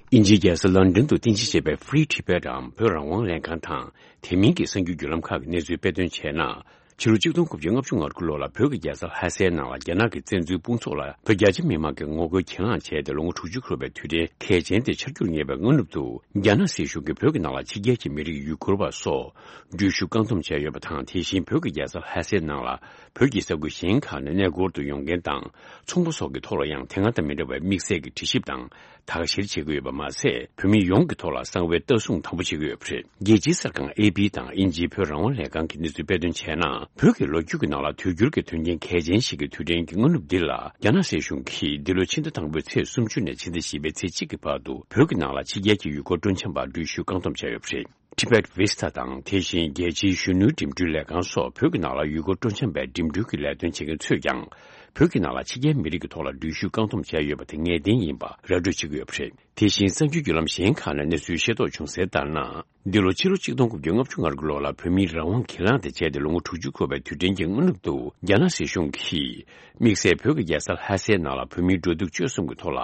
དབྱིན་ཇིའི་རྒྱལ་ས་ལོན་ཌོན་དུ་རྟེན་གཞི་བྱས་པའི་Free Tibet འམ་བོད་རང་དབང་ལས་ཁང་དང་དེ་མིན་གྱི་གསར་འགྱུར་བརྒྱུད་ལམ་ཁག་གི་གནས་ཚུལ་དཔེ་སྟོན་བྱས་ན། ཕྱི་ལོ་ཆིག་སྟོང་དགུ་བརྒྱ་ལྔ་བཅུ་ང་དགུ་ལོ་ལ་བོད་ཀྱི་རྒྱལ་ས་ལྷ་སའི་ནང་ལ་རྒྱ་ནག་གི་བཙན་འཛུལ་དཔུང་ཚོགས་ལ་བོད་རྒྱ་ཆེ་མི་མང་གིས་ངོ་རྒོལ་གྱེན་ལངས་བྱས་ཏེ་ལོ་ངོ་དྲུག་ཅུ་འཁོར་བའི་དུས་དྲན་གལ་ཆེན་དེ་འཆར་འགྱུར་ཉེ་བའི་སྔ་ནུབ་ཏུ། རྒྱ་ནག་སྲིད་གཞུང་གིས་བོད་ཀྱི་ནང་ལ་ཕྱི་རྒྱལ་གྱི་མི་རིགས་ཡུལ་སྐོར་བ་སོགས་འགྲུལ་བཞུད་བཀག་སྡོམ་བྱས་ཡོད་པ་དང་། དེ་བཞིན་བོད་ཀྱི་རྒྱལ་ས་ལྷ་སའི་ནང་ལ་བོད་ཀྱི་ས་ཁུལ་གཞན་ཁག་ནས་གནས་སྐོར་དུ་ཡོང་མཁན་དང་། ཚོང་པ་སོགས་ཀྱི་ཐོག་ལ་ཡང་དེ་སྔ་དང་མི་འདྲ་བའི་དམིགས་བསལ་གྱི་དྲི་ཞིབ་དང་། དག་བཤེར་བྱེད་ཀྱི་ཡོད་པ་མ་ཟད། བོད་མི་ཡོངས་ཀྱི་ཐོག་ལ་གསང་བའི་ལྟ་སྲུང་དམ་པོ་བྱེད་ཀྱི་ཡོད་པ་རེད། རྒྱལ་སྤྱིའི་གསར་ཁང་ཨེ་པི་དང་དབྱིན་ཇིའི་བོད་རང་དབང་ལས་ཁང་གི་གནས་ཚུལ་དཔེ་སྟོན་བྱས་ན། བོད་ཀྱི་ལོ་རྒྱུས་ཀྱི་ནང་ལ་དུས་འགྱུར་གྱི་དོན་རྐྱེན་གལ་ཆེན་ཞིག་གི་དུས་དྲན་གྱི་སྔ་ནུབ་འདི་ལ། རྒྱ་ནག་སྲིད་གཞུང་གིས་འདི་ལོ་ཕྱི་ཟླ་དང་པོའི་ཚེས་སུམ་ཅུ་ནས་ཕྱི་ཟླ་བཞི་པའི་ཚེས་གཅིག་གི་བར་དུ། བོད་ཀྱི་ནང་ལ་ཕྱི་རྒྱལ་གྱི་ཡུལ་སྐོར་སྤྲོ་འཆམ་པར་འགྲུལ་བཞུད་བཀག་སྡོམ་བྱས་ཡོད་པ་རེད། Tibet Vista དང་། དེ་བཞིན་རྒྱལ་སྤྱིའི་གཞོན་ནུའི་འགྲིམ་འགྲུལ་ལས་ཁང་སོགས་བོད་ཀྱི་ནང་ལ་ཡུལ་སྐོར་སྤྲོ་འཆམ་པའི་འགྲིམ་འགྲུལ་གྱི་ལས་དོན་བྱེད་མཁན་ཚོས་ཀྱང་། བོད་ཀྱི་ནང་ལ་ཕྱི་རྒྱལ་མི་རིགས་ཀྱི་ཐོག་ལ་འགྲུལ་བཞུད་བཀག་སྡོམ་བྱས་ཡོད་པ་དེ་ངེས་གཏན་ཡིན་པ་ར་སྤྲོད་བྱེད་ཀྱི་ཡོད་པ་རེད། དེ་བཞིན་གསར་འགྱུར་བརྒྱུད་ལམ་གཞན་ཁག་ནས་གནས་ཚུལ་ཤེས་རྟོགས་བྱུང་གསལ་ལྟར་ན། འདི་ལོ་ཕྱི་ལོ་ཆིག་སྟོང་དགུ་བརྒྱ་ལྔ་བཅུ་ང་དགུ་ལོ་ལ་བོད་མིའི་རང་དབང་གྱེན་ལངས་དེ་བྱས་ཏེ་ལོ་ངོ་དྲུག་ཅུ་འཁོར་བའི་དུས་དྲན་གྱི་སྔ་ནུབ་ཏུ། རྒྱ་ནག་སྲིད་གཞུང་གིས་དམིགས་བསལ་བོད་ཀྱི་རྒྱལ་ས་ལྷ་སའི་ནང་ལ་བོད་མིའི་འགྲོ་འདུག་སྤྱོད་གསུམ་གྱི་ཐོག་ལ།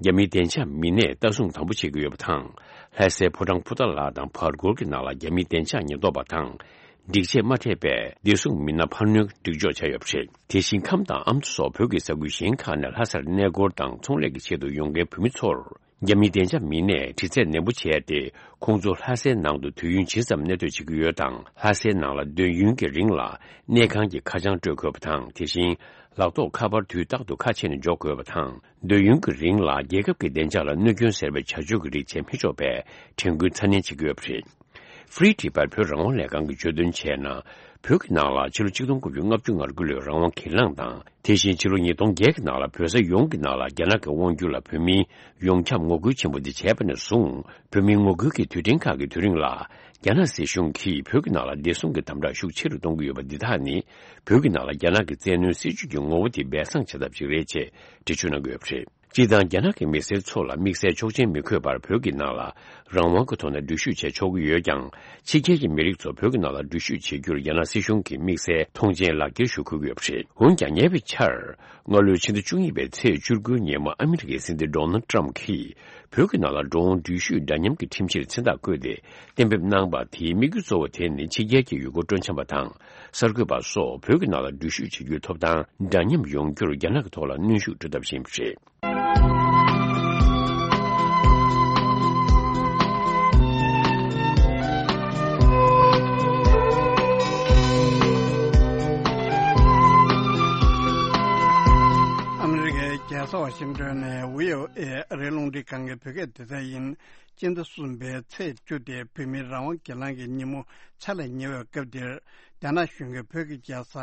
རྒྱ་མིའི་བདེ་འཇགས་མི་སྣས་ལྟ་སྲུང་དམ་པོ་བྱེད་ཀྱི་ཡོད་པ་དང་། ལྷ་སའི་ཕོ་བྲང་ཕུ་ཐག་ལ་དང་བར་སྐོར་གྱི་ནང་ལ་རྒྱ་མིའི་བདེ་འཇགས་ཉེན་རྟོག་པ་དང་། སྒྲིག་ཆས་མ་འཕྲད་པས་བདེ་སྲུང་མི་སྣ་འཕར་སྣོན་སྒྲིག་འཇོག་བྱས་ཡོད་པ་རེད། དེ་བཞིན་ཁམས་དང་ཨ་མདོ་སོགས་བོད་ཀྱི་ས་ཁུལ་གཞན་ཁག་ནས་ལྷ་སར་གནས་སྐོར་དང་ཚོང་ལས་ཀྱི་ཆེད་དུ་ཡོང་མཁན་བོད་མི་ཚོར། རྒྱ་མིའི་བདེ་འཇགས་མི་སྣས་དྲི་རྩད་ནན་པོ་བྱས་ཏེ། ཁོང་ཚོ་ལྷ་སའི་ནང་དུ་དུས་ཡུན་ཇི་ཙམ་གནས་སྡོད་བྱེད་ཀྱི་ཡོད་དང་། ལྷ་སའི་ནང་ལ་སྡོད་ཡུན་གྱི་རིང་ལ་གནས་ཁང་གི་ཁ་བྱང་སྤྲོད་དགོས་པ་དང་། དེ་བཞིན་ལག་ཐོགས་ཁ་པར་དུས་རྟག་ཏུ་ཁ་ཕྱེ་ནས་འཇོག་དགོས་པ་དང་། སྡོད་ཡུན་གྱི་རིང་ལ་རྒྱལ་ཁབ་ཀྱི་བདེ་འཇགས་ལ་གནོད་སྐྱོན་ཟེར་བའི་བྱ་སྤྱོད་ཀྱི་རིགས་བྱེད་མི་ཆོག་པའི་དྲན་སྐུལ་ཚ་ནན་བྱེད་ཀྱི་ཡོད་པ་རེད། Free Tibet བོད་རང་དབང་ལས་ཁང་གིས་བརྗོད་དོན་བྱས་ན། བོད་ཀྱི་ནང་ལ་ཕྱི་ལོ་ཆིག་སྟོང་དགུ་བརྒྱ་ལྔ་བཅུ་ང་དགུ་ལོའི་རང་དབང་གྱེན་ལངས་དང་། དེ་བཞིན་ཕྱི་ལོ་ཉིས་སྟོང་བརྒྱད་ཀྱི་ནང་ལ་བོད་ས་ཡོངས་ཀྱི་ནང་ལ་རྒྱ་ནག་གི་དབང་སྒྱུར་ལ་བོད་མིའི་ཡོངས་ཁྱབ་ངོ་རྒོལ་ཆེན་པོ་འདི་བྱས་པ་ནས་བཟུང་། བོད་མིའི་ངོ་རྒོལ་གྱི་དུས་དྲན་ཁག་གི་དུས་རིང་ལ། རྒྱ་ནག་སྲིད་གཞུང་གིས་བོད་ཀྱི་ནང་ལ་བདེ་སྲུང་གི་དམ་དྲག་ཤུགས་ཆེ་རུ་གཏོང་གི་ཡོད་པ་འདི་དག་ནི། བོད་ཀྱི་ནང་ལ་རྒྱ་ནག་གི་བཙན་གནོན་སྲིད་བྱུས་ཀྱི་ངོ་བོ་དེ་སྦས་གསང་བྱེད་ཐབས་ཤིག་རེད་ཅེས་འགྲེལ་བརྗོད་གནང་གི་ཡོད་པ་རེད། སྤྱིར་བཏང་རྒྱ་ནག་གི་མི་སེར་ཚོ་ལ་དམིགས་བསལ་ཆོག་མཆན་མི་འཁོད་པར་བོད་ཀྱི་ནང་ལ་རང་དབང་གི་ཐོག་ནས་འགྲུལ་བཞུད་བྱེད་ཆོག་གི་ཡོད་ཀྱང་། ཕྱི་རྒྱལ་གྱི་མི་རིགས་ཚོ་བོད་ཀྱི་ནང་ལ་འགྲུལ་བཞུད་བྱེད་རྒྱུར་རྒྱ་ནག་སྲིད་གཞུང་གིས་དམིགས་བསལ་མཐོང་མཆན་ལག་འཁྱེར་ཞུ་དགོས་ཀྱི་ཡོད་པ་རེད། འོན་ཀྱང་ཉེ་བའི་ཆར། སྔ་ལོའི་ཕྱི་ཟླ་བཅུ་གཉིས་པའི་ཚེས་བཅུ་དགུའི་ཉིན་མོ་ཨ་མི་རི་ཀའི་སྲིད་འཛིན་ཌོ་ནལ་ཊམ་གྱིས་བོད་ཀྱི་ནང་ལ་འགྲོ་འོང་འགྲུལ་བཞུད་འདྲ་མཉམ་གྱི་ཁྲིམས་གཞིར་མཚན་རྟགས་བཀོད་དེ་གཏན་འབེབས་གནང་བ་དེའི་དམིགས་ཡུལ་གཙོ་བོ་དེ་ནི་ཕྱི་རྒྱལ་གྱི་ཡུལ་སྐོར་སྤྲོ་འཆམ་པ་དང་གསར་འགོད་པ་སོགས་བོད་ཀྱི་ནང་ལ་འགྲུལ་བཞུད་བྱེད་རྒྱུའི་ཐོབ་ཐང་འདྲ་མཉམ་ཡོང་རྒྱུར་རྒྱ་ནག་གི་ཐོག་ལ་གནོན་ཤུགས་སྤྲོད་ཐབས་ཤིག་ཡིན་པ་རེད། ཨ་མི་རི་ཀའི་རྒྱལ་ས་ཝ་ཤིང་ཏོན་ནས་བྷི་ཨོ་ཨེ་ཨ་རིའི་རླུང་འཕྲིན་ཁང་གི་བོད་སྐད་སྡེ་ཚན་ཡིན། སྤྱི་ཟླ་གསུམ་པའི་ཚེས་བཅུ་སྟེ་བོད་མིའི་རང་དབང་སྒེར་ལངས་ཀྱི་ཉིན་མོ་ཆ་ལས་ཉེ་བའི་སྐབས་འདིར། རྒྱ་ནག་གཞུང་གིས་བོད་ཀྱི་རྒྱལ་ས་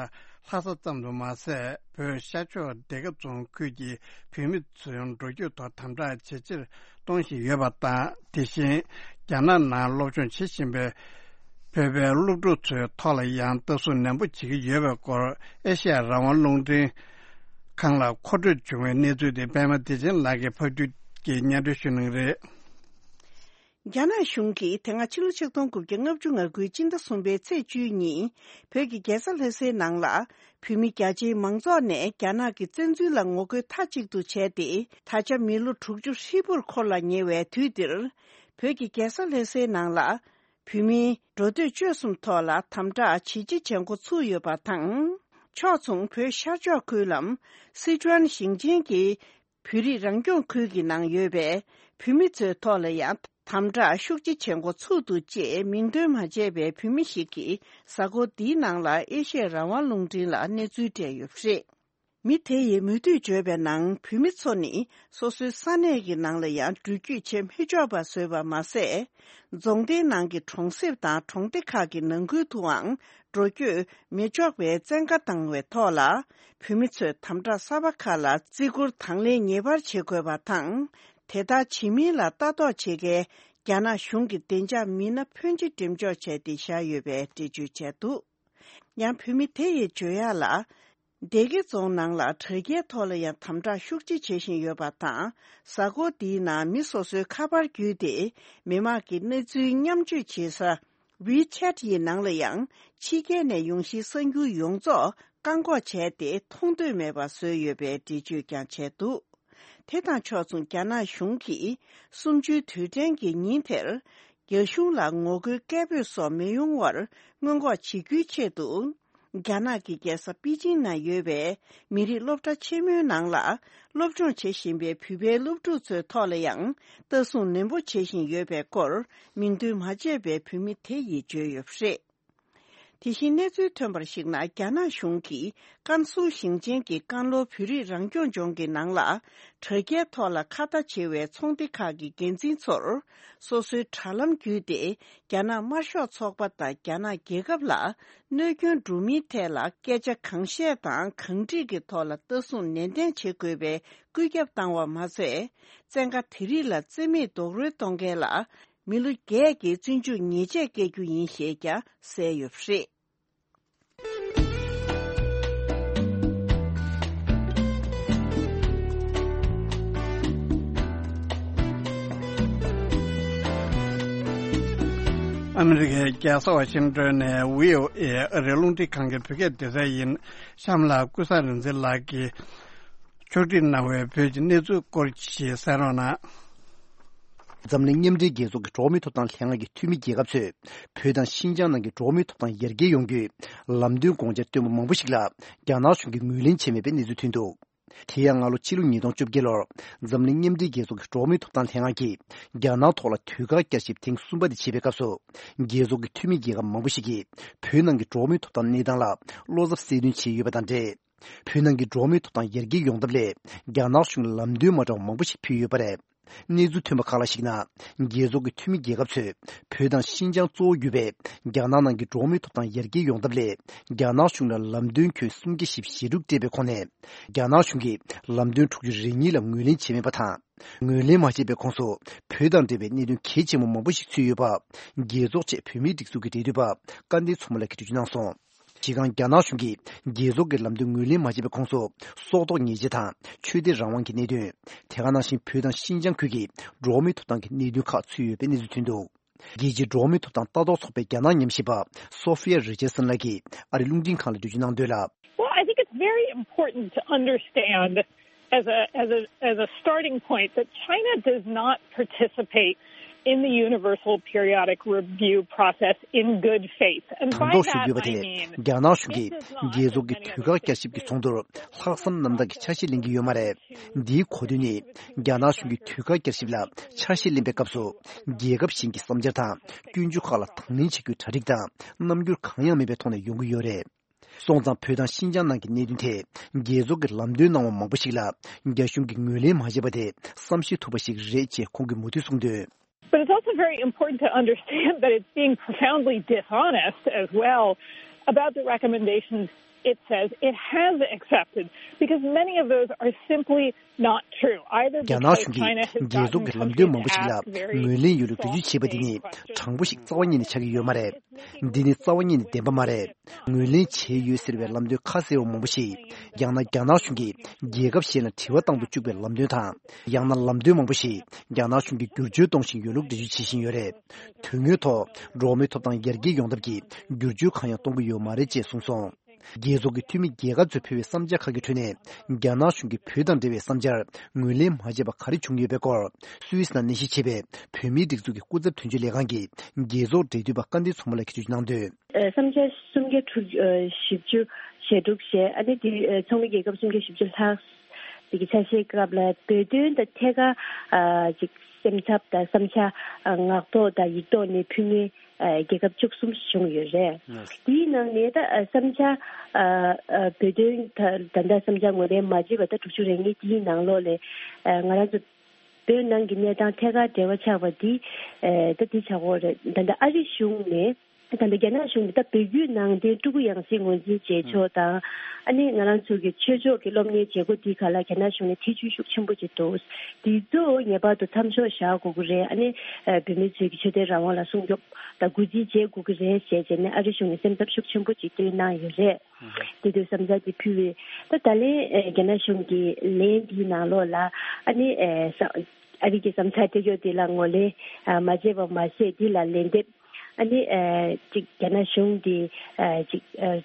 ལྷ་ས་ཙམ་དུ་མ་ཟད། བོད་ཤར་ཕྱོགས་སྡེ་དགེ་རྫོང་ཁུལ་གྱི་བོད་མི་ཚོའི་འགྲོ་སྐྱོད་ཐོག་དམ་དྲག་ཇེ་ཆེར་གཏོང་བཞིན་ཡོད་པ་དང་། དེ་བཞིན་རྒྱ་ནག་ནང་སློབ་སྦྱོང་བྱེད་བཞིན་པའི་བོད་པའི་སློབ་ཕྲུག་ཚོའི་ཐོག་ལ་ཡང་ལྟ་སྲུང་ནན་པོ་བྱེད་ཀྱི་ཡོད་པའི་སྐོར། ཨེ་ཤེ་ཡ་རང་དབང་རླུང་འཕྲིན་ཁང་ལ་མཁོ་སྤྲོད་བྱུང་བའི་གནས་ཚུལ་དེ་པད་མ་བདེ་ཆེན་ལགས་ཀྱིས་ཕབ་སྒྱུར་གྱིས་སྙན་སྒྲོན་ཞུ་གནང་གི་རེད། རྒྱ་ནག་གཞུང་གིས་དེ་སྔ་ཕྱི་ལོ་ཆིག་སྟོང་དགུ་བརྒྱ་ལྔ་བཅུ་ང་དགུའི་སྤྱི་ཟླ་གསུམ་པའི་ཚེས་བཅུའི་ཉིན། བོད་ཀྱི་རྒྱལ་ས་ལྷ་སའི་ནང་ལ། བོད་མི་རྒྱ་ཆེའི་མང་ཚོགས་ནས་རྒྱ་ནག་གི་བཙན་འཛུལ་ལ་ངོ་རྒོལ་མཐའ་གཅིག་ཏུ་བྱས་ཏེ། ད་ཆ་མི་ལོ་དྲུག་ཅུ་ཧྲིལ་པོར་འཁོར་ལ་ཉེ་བའི་དུས་འདིར། བོད་ཀྱི་རྒྱལ་ས་ལྷ་སའི་ནང་ལ། བོད་མིའི་འགྲོ་སྡོད་སྤྱོད་གསུམ་ཐོག་ལ་དམ་དྲག་ཇེ་ཆེ་བྱེད་འགོ་ཚུགས་ཡོད་པ་དང་། ཕྱོགས་མཚུངས་བོད་ཤར་ཕྱོགས་ཁུལ་ལམ། སི་ཁྲོན་ཞིང་ཆེན་གྱི་བོད་རིགས་རང་སྐྱོང་ཁུལ་གྱི་ནང་ཡོད་པའི་བོད་མི་ཚོའི་ཐོག་ལ་ཡང་དམ་དྲག་ཤུགས་ཆེ་བྱེད་འགོ་ཚུགས་འདུག་ཅེས་མིང་འདོན་མ་བྱས་པའི་བོད་མི་ཞིག་གིས་གཟའ་འཁོར་འདིའི་ནང་ལ་ཨེ་ཤེ་ཡ་རང་དབང་རླུང་འཕྲིན་ལ་གནས་ཚུལ་སྤྲད་ཡོད་པ་རེད། མི་དེ་ཡིས་མུ་མཐུད་བརྗོད་པའི་ནང་། བོད་མི་ཚོ་ནི་སོ་སོའི་ས་གནས་ཀྱི་ནང་ལ་ཡང་འགྲུལ་སྐྱོད་བྱེད་མི་ཆོག་པ་བཟོས་པ་མ་ཟད། རྫོང་སྡེའི་ནང་གི་གྲོང་གསེབ་དང་གྲོང་སྡེ་ཁག་གི་ནང་ཁུལ་དུའང་འགྲོ་སྐྱོད་མི་ཆོག་པའི་བཙན་བཀའ་བཏང་བའི་ཐོག་ལ། བོད་མི་ཚོས་དམ་དྲག་གསར་པ་ཁག་ལ་བརྩི་བཀུར་དང་ལེན་ངེས་པར་བྱེད་དགོས་པ་དང་། དེ་ལྟར་བྱེད་མིན་ལ་ལྟ་རྟོག་བྱེད་མཁན་རྒྱ་ནག་གཞུང་གི་བདེ་འཇགས་མི་སྣ་ཕོན་ཆེ་འགྲེམས་འཇོག་བྱས་ཏེ་བཞག་ཡོད་པའི་འགྲེལ་བརྗོད་བྱས་འདུག་ཡང་བོད་མི་དེ་ཡིས་བརྗོད་ཡག་ལ། སྡེ་དགེ་རྫོང་ནང་ལ་དྲ་རྒྱའི་ཐོག་ལ་ཡང་དམ་དྲག་ཤུགས་ཆེ་བྱེད་བཞིན་ཡོད་པ་དང་། གཟའ་འཁོར་འདིའི་ནང་མི་སོ་སོའི་ཁ་པར་བརྒྱུད་དེ་མི་མང་གི་གནས་ཚུལ་མཉམ་སྤྱོད་བྱེད་ས་ཝི་ཆེ་ཊི་ཡི་ནང་ལ་ཡང་ཕྱི་རྒྱལ་ནས་ཡོང་གཞིའི་གསར་འགྱུར་ཡོངས་རྫོགས་བཀག་འགོག་བྱས་ཏེ་མཐོང་འདོད་མེད་པ་བཟོས་ཡོད་པའི་འགྲེལ་བརྗོད་ཀྱང་བྱས་འདུག་དེ་དང་ཕྱོགས་མཚུངས་རྒྱ་ནག་གཞུང་གིས་གསུམ་བཅུའི་དུས་དྲན་གྱི་ཉིན་དེར། རྒྱ་གཞུང་ལ་ངོ་རྒོལ་སྐད་འབོད་སོགས་མི་ཡོང་བར་སྔོན་འགོག་བྱེད་རྒྱུའི་ཆེད་དུ། རྒྱ་ནག་གི་རྒྱལ་ས་པེ་ཅིང་ན་ཡོད་པའི་མི་རིགས་སློབ་གྲྭ་ཆེན་མོའི་ནང་ལ་སློབ་སྦྱོང་བྱེད་བཞིན་པའི་བོད་པའི་སློབ་ཕྲུག་ཚོའི་ཐོག་ལ་ཡང་ལྟ་སྲུང་ནན་པོ་བྱེད་བཞིན་ཡོད་པའི་སྐོར་མིང་འདོན་མ་བྱས་པའི་བོད་མི་དེ་ཡིས་བརྗོད་ཡོད་པ་རེད། དེ་བཞིན་གནས་ཚུལ་ཐོན་པར་གཞིགས་ན། རྒྱ་ནག་གཞུང་གིས་ཀན་སུའུ་ཞིང་ཆེན་གྱི་ཀན་ལྷོ་བོད་རིགས་རང་སྐྱོང་ལྗོངས་ཀྱི་ནང་ལ་དྲ་རྒྱའི་ཐོག་ལ་ཁ་བརྡ་བྱེད་པའི་ཚོགས་སྡེ་ཁག་གི་འགན་འཛིན་ཚོར་སོ་སོའི་དྲ་ལམ་བརྒྱུད་དེ་རྒྱ་ནག་དམར་ཤོག་ཚོགས་པ་དང་རྒྱ་ནག་རྒྱལ་ཁབ་ལ་གནོད་སྐྱོན་འགྲོ་མིན་ཐད་ལ་སྐད་ཆ་གང་བཤད་དང་གང་དྲིས་ཀྱི་ཐོག་ལ་ལྟ་སྲུང་ནན་ཏན་བྱེད་དགོས་པའི་བཀོད་ཁྱབ་བཏང་བ་མ་ཟད། བཙན་བཀའ་དེ་རིགས་ལ་བརྩི་མེད་རྡོག་རོལ་གཏོང་མཁན་ལ། མི་ལོ་བརྒྱད་ཀྱི་བཙོན་འཇུག་ཉེས་ཆད་བཀལ་རྒྱུ་ཡིན་ཞེས་ཀྱང་གསལ་ཡོད་པ་རེད། ཨ་མི་རི་ཀའི་རྒྱལ་ས་ཝ་ཤིང་ཏོན་ནས་བྷི་ཨོ་ཨེ་ཨ་རིའི་རླུང་འཕྲིན་ཁང་གི་བོད་སྐད་སྡེ་ཚན་ཡིན། གཤམ་ལ་ཀུན་བཟང་རིག་འཛིན་ལགས་ཀྱིས་ཕྱོགས་སྒྲིག་གནང་བའི་བོད་ཀྱི་གནས་ཚུལ་སྐོར་ཞིག་གསན་རོགས་གནང་། འཛམ་གླིང་མཉམ་འབྲེལ་རྒྱལ་ཚོགས་ཀྱི་འགྲོ་བ་མིའི་ཐོབ་ཐང་ལྷན་ཁང་གི་འཐུས་མི་རྒྱལ་ཁབ་ཚོས་བོད་དང་ཤིན་ཅང་ནང་གི་འགྲོ་བ་མིའི་ཐོབ་ཐང་ཡར་རྒྱས་ཡོང་རྒྱུའི་ལམ་སྟོན་དགོངས་འཆར་བཏོན་པ་མང་པོ་ཞིག་ལ་རྒྱ་ནག་གཞུང་གིས་ངོས་ལེན་བྱས་མེད་པའི་གནས་ཚུལ་ཐོན་འདུག་དེ་ཡང་སྔ་ལོ་ཕྱི་ལོ་ཉིས་སྟོང་བཅོ་བརྒྱད་ལོར་འཛམ་གླིང་མཉམ་འབྲེལ་རྒྱལ་ཚོགས་ཀྱི་འགྲོ་བ་མིའི་ཐོབ་ཐང་ལྷན་ཁང་གིས་རྒྱ་ནག་ཐོག་ལ་དུས་བཀག་བསྐྱར་ཞིབ་ཐེངས་གསུམ་པ་དེ་བྱས་པའི་སྐབས་སུ། རྒྱལ་ཚོགས་ཀྱི་འཐུས་མི་རྒྱལ་ཁབ་མང་པོ་ཞིག་གིས་བོད་ནང་གི་འགྲོ་བ་མིའི་ཐོབ་ཐང་གནས་སྟངས་ལ་བློ་འཚབ་གསལ་སྟོན་བྱས་ཡོད་པ་དང་འབྲེལ། བོད་ནང་གི་འགྲོ་བ་མིའི་ཐོབ་ཐང་ཡར་རྒྱས་ཡོང་ཐབས་སླད་རྒྱ་ནག་གཞུང་ལ་ལམ་སྟོན་མ་འདྲ་བ་མང་པོ་ཞིག་ཕུལ་ཡོད་པ་རེད། གནས་ཚུལ་ཐོན་པ་ཁག་ལ་གཞིགས་ན། རྒྱལ་ཚོགས་ཀྱི་འཐུས་མི་རྒྱལ་ཁབ་ཚོས་བོད་དང་ཤིན་ཅང་གཙོ་བོ་གྱུར་པའི་རྒྱ་ནག་ནང་གི་འགྲོ་བ་མིའི་ཐོབ་ཐང་ཡར་རྒྱས་ཡོང་ཐབས་སླད་རྒྱ་ནག་གཞུང་ལ་ལམ་སྟོན་ཁྱོན་སུམ་བརྒྱ་བཞི་བཅུ་ཞེ་དྲུག་སྤྲད་པའི་ཁོངས་ནས། རྒྱ་ནག་གཞུང་གིས་ལམ་སྟོན་དྲུག་ཅུ་རེ་གཉིས་ལ་ངོས་ལེན་བྱས་མེད་པ་དང་། ངོས་ལེན་མ་བྱས་པའི་ཁོངས་སུ་བོད་དང་འབྲེལ་བའི་གནད་དོན་གལ་ཆེན་པོ་མང་པོ་ཞིག་ཚུད་ཡོད་པ། རྒྱལ་ཚོགས་ཆེད་བོད་མིའི་སྒྲིག་འཛུགས་ཀྱི་འབྲེལ་མཐུད་པ་སྐལ་ལྡན་མཚོ་མོ་ལགས་ཀྱིས་འགྲེལ་བརྗོད་གནང་སོང་། སྤྱིར་བཏང་རྒྱ་ནག་གཞུང་གིས་རྒྱལ་ཚོགས་ཀྱི་ལམ་སྟོན་ངོས་ལེན་མ་བྱས་པའི་ཁོངས་སུ་སྲོག་ཐོག་ཉེས་ཆད་དང་ཆོས་དད་རང་དབང་གི་གནད་དོན། དེ་ག་ནང་བཞིན་བོད་དང་ཤིན་ཅང་ཁུལ་གྱི་འགྲོ་བ་མིའི་ཐོབ་ཐང་གི་གནད་དོན་ཁག་ཚུད་ཡོད་པའི་གནས་ཚུལ་ཐོན་འདུག་རྒྱལ་སྤྱིའི་འགྲོ་བ་མིའི་ཐོབ་ཐང་ལྟ་རྟོག་ཚོགས་པའི་རྒྱ་ནག་ཉམས་ཞིབ་པ་སོ་ཧྥི་ཡ་རི་ཅར་སན་ལགས་ཀྱིས་ཨ་རིའི་རླུང་འཕྲིན་ཁང་ལ་འགྲེལ་བརྗོད་གནང་དོན་ལ། Well, I think it's very important to understand as a, as a, as a starting point that China does not participate in the Universal Periodic Review process in good faith. And by that I mean རྒྱ་ནག་གཞུང་གིས་རྒྱལ་ཚོགས་ཀྱི་དུས་བཀག་བསྐྱར་ཞིབ་ཀྱི་ཚོགས་འདུར་ལྷག་བསམ་རྣམ་དག་གི་ཆ་ཤས་ལེན་གྱི་ཡོད་མ་རེད། འདིའི་གོ་དོན་ནི། རྒྱ་ནག་གཞུང་གིས་དུས་བཀག་བསྐྱར་ཞིབ་ལ་ཆ་ཤས་ལེན་པའི་སྐབས་སུ། རྒྱལ་ཁབ་གཞན་གྱི་བསམ་འཆར་དང་སྐྱོན་བརྗོད་ཁག་ལ་དང་ལེན་བྱེད་རྒྱུའི་གྲ་སྒྲིག་དང་རྣམ་འགྱུར་གང་ཡང་མེད་པའི་ཐོག་ནས་ཡོང་གི་ཡོད་རེད། སོང་ཙང་བོད་དང་ཤིན་ཅང་ནང་གི་གནད་དོན་ཐད་རྒྱལ་ཚོགས་ཀྱི་ལམ་སྟོན་གནང་བ་མང་པོ་ཞིག་ལ་རྒྱ་གཞུང་གིས་ངོས་ལེན་མ་བྱས་པ་དེ་བསམ་ཤེས་ཐུབ་པ་ཞིག་རེད་ཅེས་ཁོང་གིས་མུ་མཐུད་གསུངས་དོན། But it's also very important to understand that it's being profoundly dishonest as well about the recommendations it says it has accepted, because many of those are simply not true, either རྒྱ་ནག་གཞུང་གིས་རྒྱལ་ཚོགས་ཀྱི་ལམ་སྟོན་མང་པོ་ཞིག་ལ་ངོས་ལེན་ཡོད་ལུགས་འགྲེལ་བརྗོད་བྱས་པ་འདི་ནི་དྲང་པོ་ཞིག་རྩ་བ་ཉིད་ནས་ཆགས་ཀྱི་ཡོད་མ་རེད། འདི་ནི་རྩ་བ་ཉིད་ནས་བདེན་པ་མ་རེད། ངོས་ལེན་བྱས་ཡོད་ཟེར་བའི་ལམ་སྟོན་ཁ་གསལ་བ་མང་པོ་ཞིག་ཡང་ན་རྒྱ་ནག་གཞུང་གིས་རྒྱལ་ཁབ་གཞན་ལ་དྲི་བ་བཏང་དུ་བཅུག་པའི་ལམ་སྟོན་དང་། ཡང་ན་ལམ་སྟོན་མང་པོ་ཞིག་རྒྱ་ནག་གཞུང་གིས་བསྒྱུར་བཅོས་གཏོང་བཞིན་ཡོད་ལུགས་འགྲེལ་བརྗོད་བྱེད་བཞིན་ཡོད་རེད། དོན་དངོས་ཐོག་འགྲོ་བ་མིའི་ཐོབ་ཐང་ཡར་རྒྱས་ཡོང་ཐབས་ཀྱི་བསྒྱུར་བཅོས་གང་ཡང་གཏོང་གི་ཡོད་མ་རེད་ཅེས་གསུངས་སོང་། རྒྱལ་ཚོགས་ཀྱི་འཐུས་མི་རྒྱལ་ཁབ་ཚོས་ཕུལ་བའི་བསམ་འཆར་ཁག་གི་ཁྲོད་ནས། རྒྱ་ནག་གཞུང་གིས་བོད་དང་འབྲེལ་བའི་བསམ་འཆར་ངོས་ལེན་མ་བྱས་པ་ག་རེ་བྱུང་ཡོད་པའི་སྐོར། སུད་སི་ནང་གནས་གཞི་བྱེད་པའི་བོད་མིའི་སྒྲིག་འཛུགས་ཀྱི་སྐུ་ཚབ་དོན་གཅོད་ལས་ཁང་གི་རྒྱལ་ཚོགས་འབྲེལ་མཐུད་པ་སྐལ་ལྡན་མཚོ་མོ་ལགས་ཀྱིས་འགྲེལ་བརྗོད་གནང་དོན། ཨ། བསམ་འཆར་སུམ་བརྒྱ་དྲུག་ཨ། བཞི་བཅུ་ཞེ་དྲུག་བཞེས། ཨ་ནི་དེ་ཨ། ཚོགས་མི་རྒྱལ་ཁབ་སུམ་བརྒྱ་བཞི་བཅུ་ལྷག་དེ་གི་ཆ་ཤས་སྐབས་ལ་བོད་དོན་དང་ཐད་ཀར་ཨ། ཅིག་སེམས་འཚབ་དང་བསམ་འཆར་ཨ། ངག་ཐོག་དང་ཡིག་ཐོག་ནས་ཕུལ་མཁན་ཨ། རྒྱལ་ཁབ་བཅུ་གསུམ་བྱུང་ཡོད་རེད། དེའི་ནང་ནས་ད་ཨ། བསམ་འཆར་ཨ། ཨ། བོད་དོན་ད་ད་ལྟ་བསམ་འཆར་ངོས་ལེན་མ་བྱས་པ་ད་དྲུག་ཅུ་རེ་གཉིས་དེའི་ནང་ལོགས་ལས་ཨ། ང་རང་ཚོ་བོད་ནང་གི་གནས་སྟངས་ཐད་ཀར་འབྲེལ་བ་ཆགས་པ་འདི་ཨ། ད་འདི་ཆགས་ཀྱི་ཡོད་རེད། ད་ལྟ་ཨ་རི་གཞུང་ནས། ད་ལྟ་རྒྱ་ནག་གཞུང་གིས་ད་བོད་བརྒྱུད་ནང་བསྟན་སྤྲུལ་སྐུ་ཡང་སྲིད་ངོས་འཛིན་བྱེད་ཕྱོགས་དང་། ཨ་ནི་ང་རང་ཚོ་གི་ཆོས་ཕྱོགས་ཀྱི་སློབ་གཉེར་བྱེད་སྒོ་དེའི་ཁ་ལ་རྒྱ་ནག་གཞུང་ནས་ཐེ་བྱུས་ཤུགས་ཆེན་པོ་ཅིག་འདུག་དེ་ཚོ་ངེས་པར་དུ་མཚམས་འཇོག་བཞག་དགོས་ཀྱི་རེད། ཨ་ནི་ཨ། བོད་མི་ཚོའི་གི་ཆོས་དད་རང་དབང་ལ་སྲུང་སྐྱོབ་དང་གུས་བརྩི་བྱེད་དགོས་ཀྱི་རེད་ཟེར་བྱས་ནས་ཨ་རི་གཞུང་ནས་སེམས་འཚབ་ཤུགས་ཆེན་པོ་ཅིག་བཏོན་གནང་ཡོད་རེད། དེ་དུས་བསམ་འཆར་དེ་ཕུལ་བས། ད་ད་ལན་ཨ། རྒྱ་ནག་གཞུང་གི་ལན་དེའི་ནང་ལོགས་ལ་ཨ་ནི་ཨ། ས་ཨ་རི་གི་བསམ་འཆར་སྤྲད་ཕྱོགས་དེ་ལ་ངོས་ལེན་ཨ། མ་བྱས་པ་མ་ཟད། དེ་ལ་ལན་འདེབས། ཨ་ནི་ཨ། ཅིག་རྒྱ་ནག་གཞུང་འདི་ཨ། ཅིག་ཨ།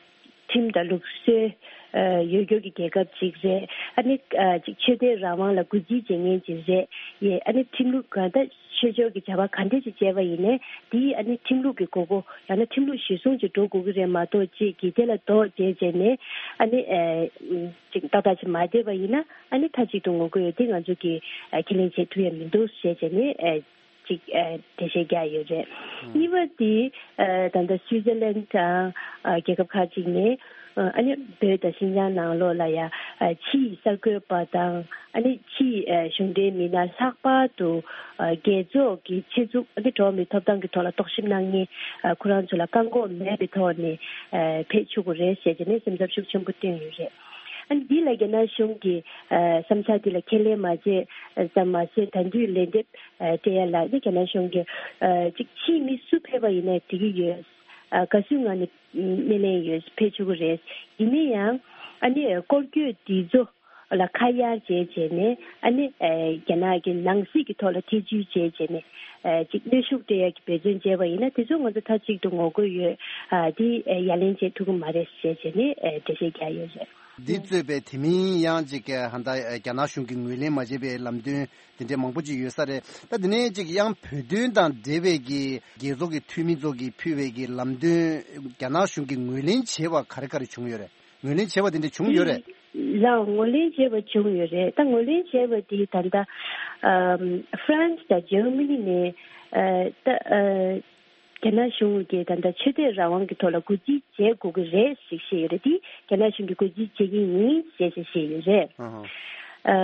ཁྲིམས་དང་ལུགས་སྲོལ་ཨ། ཡོད་རྒྱུ་གི་རྒྱལ་ཁབ་ཅིག་རེད། ཨ་ནི་ཨ། ཅིག་ཆོས་དད་རང་དབང་ལ་གུས་བརྩི་བྱེད་མཁན་ཅིག་རེད། ཡེ། ཨ་ནི་ཁྲིམས་ལུགས་གང་ལྟར་ཆོས་ཕྱོགས་ཀྱི་བྱ་བ་གང་འདྲ་ཞིག་བྱས་པ་ཡིན་ནའི་དེ་ཨ་ནི་ཁྲིམས་ལུགས་ཀྱི་དགོས་མཁོ་ཡང་ན་ཁྲིམས་ལུགས་གཞིར་བཟུང་ཅིག་འགྲོ་དགོས་ཀྱི་རེད་མ་གཏོགས། ཅིག་གི་དེ་ལ་དོགས་བྱས་བྱས་ནས་ཨ་ནི་ཨ། ཅིག་ཏག་ཏག་ཅིག་མ་བསྡད་པ་ཡིན་ན་ཨ་ནི་མཐའ་གཅིག་ཏུ་ངོ་རྒོལ་ཡོད་དེ་ང་ཚོ་གིས་ཨ། ཁས་ལེན་བྱེད་ཐུབ་ཡ་མི་འདུག་ཞེས་བྱས་ནས་ཨ། ཅིག་ཨ། འགྲེལ་བཤད་རྒྱག་ཡོད་རེད། གཉིས་པ་དེ་ཨ། ད་ལྟ་སུའི་ཙར་ལན་དང་ཨ། རྒྱལ་ཁབ་ཁག་ཅིག་ནས་ཨ། ཨ་ནི་བོད་དང་ཤིན་ཅང་ནང་ལོགས་ལ་ཡ་ཨ། ཕྱིའི་གསར་འགོད་པ་དང་ཨ་ནི་ཕྱིའི་ཨ། གཞུང་འབྲེལ་མི་སྣ་ལྷག་པར་དུ་ཨ། རྒྱལ་ཚོགས་ཀྱི་ཆེད་འཛུགས་ཨ་ནི་འགྲོ་བ་མིའི་ཐོབ་ཐང་གི་ཐོག་ལ་རྟོག་ཞིབ་གནང་མཁན་ཨ། ཁོ་རང་ཚོ་ལ་བཀག་འགོག་མེད་པའི་ཐོག་ནས་ཨ། ཕེབས་ཆོག་གི་རེད་ཟེར་བྱས་ནས་སེམས་འཚབ་ཤུགས་ཆེན་པོ་བཏོན་ཡོད་རེད། ཨ་ནི་འདི་ལ་རྒྱ་ནག་གཞུང་གིས་ཨ། བསམ་འཆར་འདི་ལ་ཁས་ལེན་མ་བྱས་ཙམ་མ་ཟད། ད་དུང་ལན་འདེབས་ཨ། སྤྲད་ཡ་ལ་ནི་རྒྱ་ནག་གཞུང་གིས་ཨ། ཅིག་ཕྱིའི་མི་སུ་ཕེབས་པ་ཡིན་ནའི་འགྲིག་གི་ཡོད། ཨ། དགའ་བསུའི་ངང་ནས་སྣེ་ལེན་ཡོད། ཕེབས་ཆོག་གི་རེད། ཡིན་ན་ཡང་ཨ་ནི་སྐོར་སྐྱོད་འདི་ཚོ་ལ་ཁ་གཡར་བྱས་བྱས་ནས་ཨ་ནི་ཨ། རྒྱ་ནག་གི་ནང་སྲིད་ཀྱི་ཐོག་ལ་ཐེ་བྱུས་བྱས་བྱས་ནས་ཨ། ཅིག་གནོན་ཤུགས་སྤྲད་ཡ་གི་འབད་བརྩོན་བྱས་པ་ཡིན་ན་དེ་ཚོ་ང་ཚོ་མཐའ་གཅིག་ཏུ་ངོ་རྒོལ་ཡོད། ཨ། དེ་ཨ། ཡ་ལན་བྱེད་ཐུབ་ཀྱི་མ་རེད་ཟེར་བྱས་ནས་ཨ། འགྲེལ་བཤད་རྒྱག་ཡོད་རེད། འདི་གཙོས་པའི་དེ་མིན་ཡང་ཅིག་ཧ་ད་རྒྱ་ནག་གཞུང་གིས་ངོས་ལེན་མ་བྱས་པའི་ལམ་སྟོན་དེ་འདྲའི་མང་པོ་ཅིག་ཡོད་ས་རེད། ད་དེ་ནས་ཅིག་ཡང་བོད་དོན་དང་འབྲེལ་བའི་གི་རྒྱལ་ཚོགས་ཀྱི་འཐུས་མི་ཚོ་གིས་ཕུལ་བའི་གི་ལམ་སྟོན་རྒྱ་ནག་གཞུང་གིས་ངོས་ལེན་བྱས་པ་ག་རེ་ག་རེ་བྱུང་ཡོད་རེད། ངོས་ལེན་བྱས་པ་དེ་འདྲ་བྱུང་ཡོད་རེད། ལགས། ངོས་ལེན་བྱས་པ་བྱུང་ཡོད་རེད། ད་ངོས་ལེན་བྱས་པ་དེ་ད་ལྟ་ཨམ་ཧྥ་རན་སི་དང་ཇར་མ་ནི་ནས་ཨ་ད་ཨ་རྒྱ་ནག་གཞུང་གིས་ད་ལྟ་ཆོས་དད་རང་དབང་གི་ཐོག་ལ་གུས་བརྩི་བྱེད་དགོས་ཀྱི་རེད་ཞེས་བཤད་ཡོད་རེད། དེ་རྒྱ་ནག་གཞུང་གིས་གུས་བརྩི་བྱེད་ཀྱི་ཡིན་ཞེས་བཤད་ཡོད་རེད། ཨ་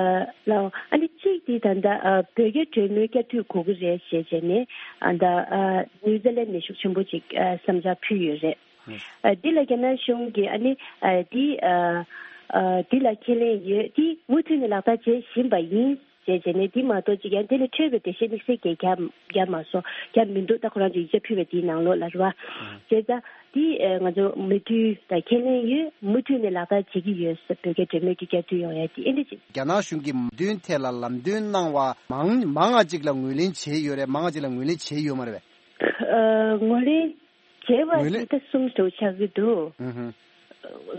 ཧ། ཨ་ལགས། ཨ་ནི་གཅིག་དེ་ད་ལྟ་ཨ་བོད་རྒྱ་གྲོས་མོལ་བསྐྱར་མཐུད་དགོས་ཀྱི་རེད་ཞེས་བྱས་ནས་ཨ་ད་ཨ་ནིའུ་ཛི་ལན་ནས་ཤུགས་ཆེན་པོ་ཅིག་ཨ་བསམ་འཆར་ཕུལ་ཡོད་རེད། ཨ་འདི་ལ་རྒྱ་ནག་གཞུང་གིས་ཨ་ནི་ཨ་འདི་ཨ་ཨ་འདི་ལ་ཁས་ལེན་ཡོད། འདི་མུ་མཐུད་ནས་ལག་བསྟར་བྱེད་བཞིན་པ་ཡིན་ཞེས་བྱས་ནས། འདི་མ་གཏོགས་ཅིག་ཡང་འདི་ལས་འཕྲོས་པའི་འགྲེལ་བཤད་དམིགས་བསལ་གྱི་རྒྱབ་རྒྱབ་མ་སོང་། རྒྱབ་མི་འདུག་ད་ཁོ་རང་ཚོས་ཡིག་ཆ་ཕུལ་བའི་དེའི་ནང་ལོགས་ལ་རེད་བ། བྱས་ཙང་འདི་ཨ་ང་ཚོ་མོས་མཐུན་དང་ཁས་ལེན་ཡོད། མུ་མཐུད་ནས་ལག་བསྟར་བྱེད་ཀྱི་ཡོད་ཟེར། བོད་རྒྱ་གྲོས་མོལ་གྱི་བསྐྱར་མཐུད་ཡོང་ཡ་དེ་ཨེ་འདྲ་ཅིག་རྒྱ་ནག་གཞུང་གིས་མོས་མཐུན་ཐད་ལ་ལམ་སྟོན་གནང་བ་མང་མང་ང་ཅིག་ལ་ངོས་ལེན་བྱས་ཡོད་རེད། མང་ང་ཅིག་ལ་ངོས་ལེན་བྱས་ཡོད་མ་རེད་པས། ཨ་ངོས་ལེན་བྱས་པ་ངོས་ལེན་དེ་ད་གསུམ་དུ་ཆགས་ཀྱི་འདུག་ཨུ་ཧུ།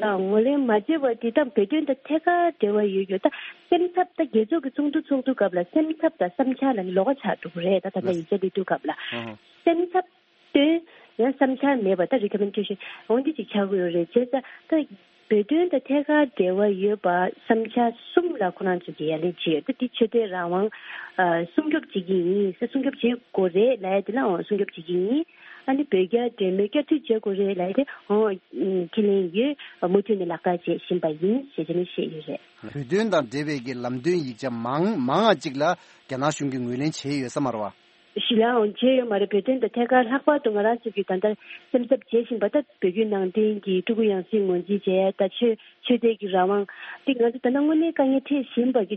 ལགས། ངོས་ལེན་མ་བྱས་པ་དེ་ད་བོད་དོན་དང་ཐད་ཀར་འབྲེལ་བ་ཡོད་ཡོད། ད་སེམས་འཚབ། ད་རྒྱལ་ཚོགས་ཀྱི་ཚོགས་འདུ་ཚོགས་དུས་སྐབས་ལ་སེམས་འཚབ་དང་བསམ་འཆར་ལ་ནི་ལོགས་ཀ་ཆགས་འགྲོ་གི་རེད། ད་ད་ལྟ་ཡིག་ཆ་སླེབས་དུས་སྐབས་ལ་ཨུ་ཧུ། སེམས་འཚབ་སྟོན། ཡང་བསམ་འཆར་མེད་པ། ད་རི་ཀོ་མེན་ཌེ་ཤན་འོ་འདི་ཅིག་ཆགས་ཀྱི་ཡོད་རེད། བྱས་ཙང་ད་བོད་དོན་དང་ཐད་ཀར་འབྲེལ་བ་ཡོད་པ་བསམ་འཆར་གསུམ་ལ་ཁོ་རང་ཚོས་ཀྱིས་ཡ་ལན་བྱས་ཡོད། ད་འདི་ཆོས་དད་རང་དབང་ཨ་སྲུང་སྐྱོབ་བྱེད་ཀྱི་ཡིན་ཟེར། སྲུང་སྐྱོབ་བྱེད་དགོས་རེད་ལབ་ཡ་དེ་ལའང་སྲུང་སྐྱོབ་བྱེད་ཀྱི་ཡིན། ཨ་ནི་བོད་རྒྱ་འབྲེལ་མོལ་བསྐྱར་མཐུད་བྱེད་དགོས་རེད་ལབ་ཡ་དེ་འོ་ཁས་ལེན་ཡོད། མུ་མཐུད་ནས་ལག་བསྟར་བྱེད་བཞིན་པ་ཡིན་ཞེས་བྱས་ནས་བཤད་ཡོད་རེད། བོད་དོན་དང་འབྲེལ་བའི་གི་ལམ་སྟོན་ཡིག་ཆ་མང་མང་ང་ཅིག་ལ་རྒྱ་ནག་གཞུང་གིས་ངོས་ལེན་བྱས་ཡོད་ས་མ་རེད་བ། ཞི་ལའང་བྱས་ཡོད་མ་རེད། བོད་དོན་དང་ཐད་ཀར་ལྷག་པར་དུ་ང་རང་ཚོ་གིས་ད་ལྟ་སེམས་འཚབ་བྱེད་བཞིན་པ་ད་བོད་བརྒྱུད་ནང་བསྟན་གྱི་སྤྲུལ་སྐུ་ཡང་སྲིད་ངོས་འཛིན་བྱས་ཡ། ད་ཆོས་ཆོས་དད་ཀྱི་རང་དབང་དེ་ང་ཚོ་ད་ལྟ་དངོས་གནས་དཀའ་ངལ་འཕྲད་བཞིན་པ་གི་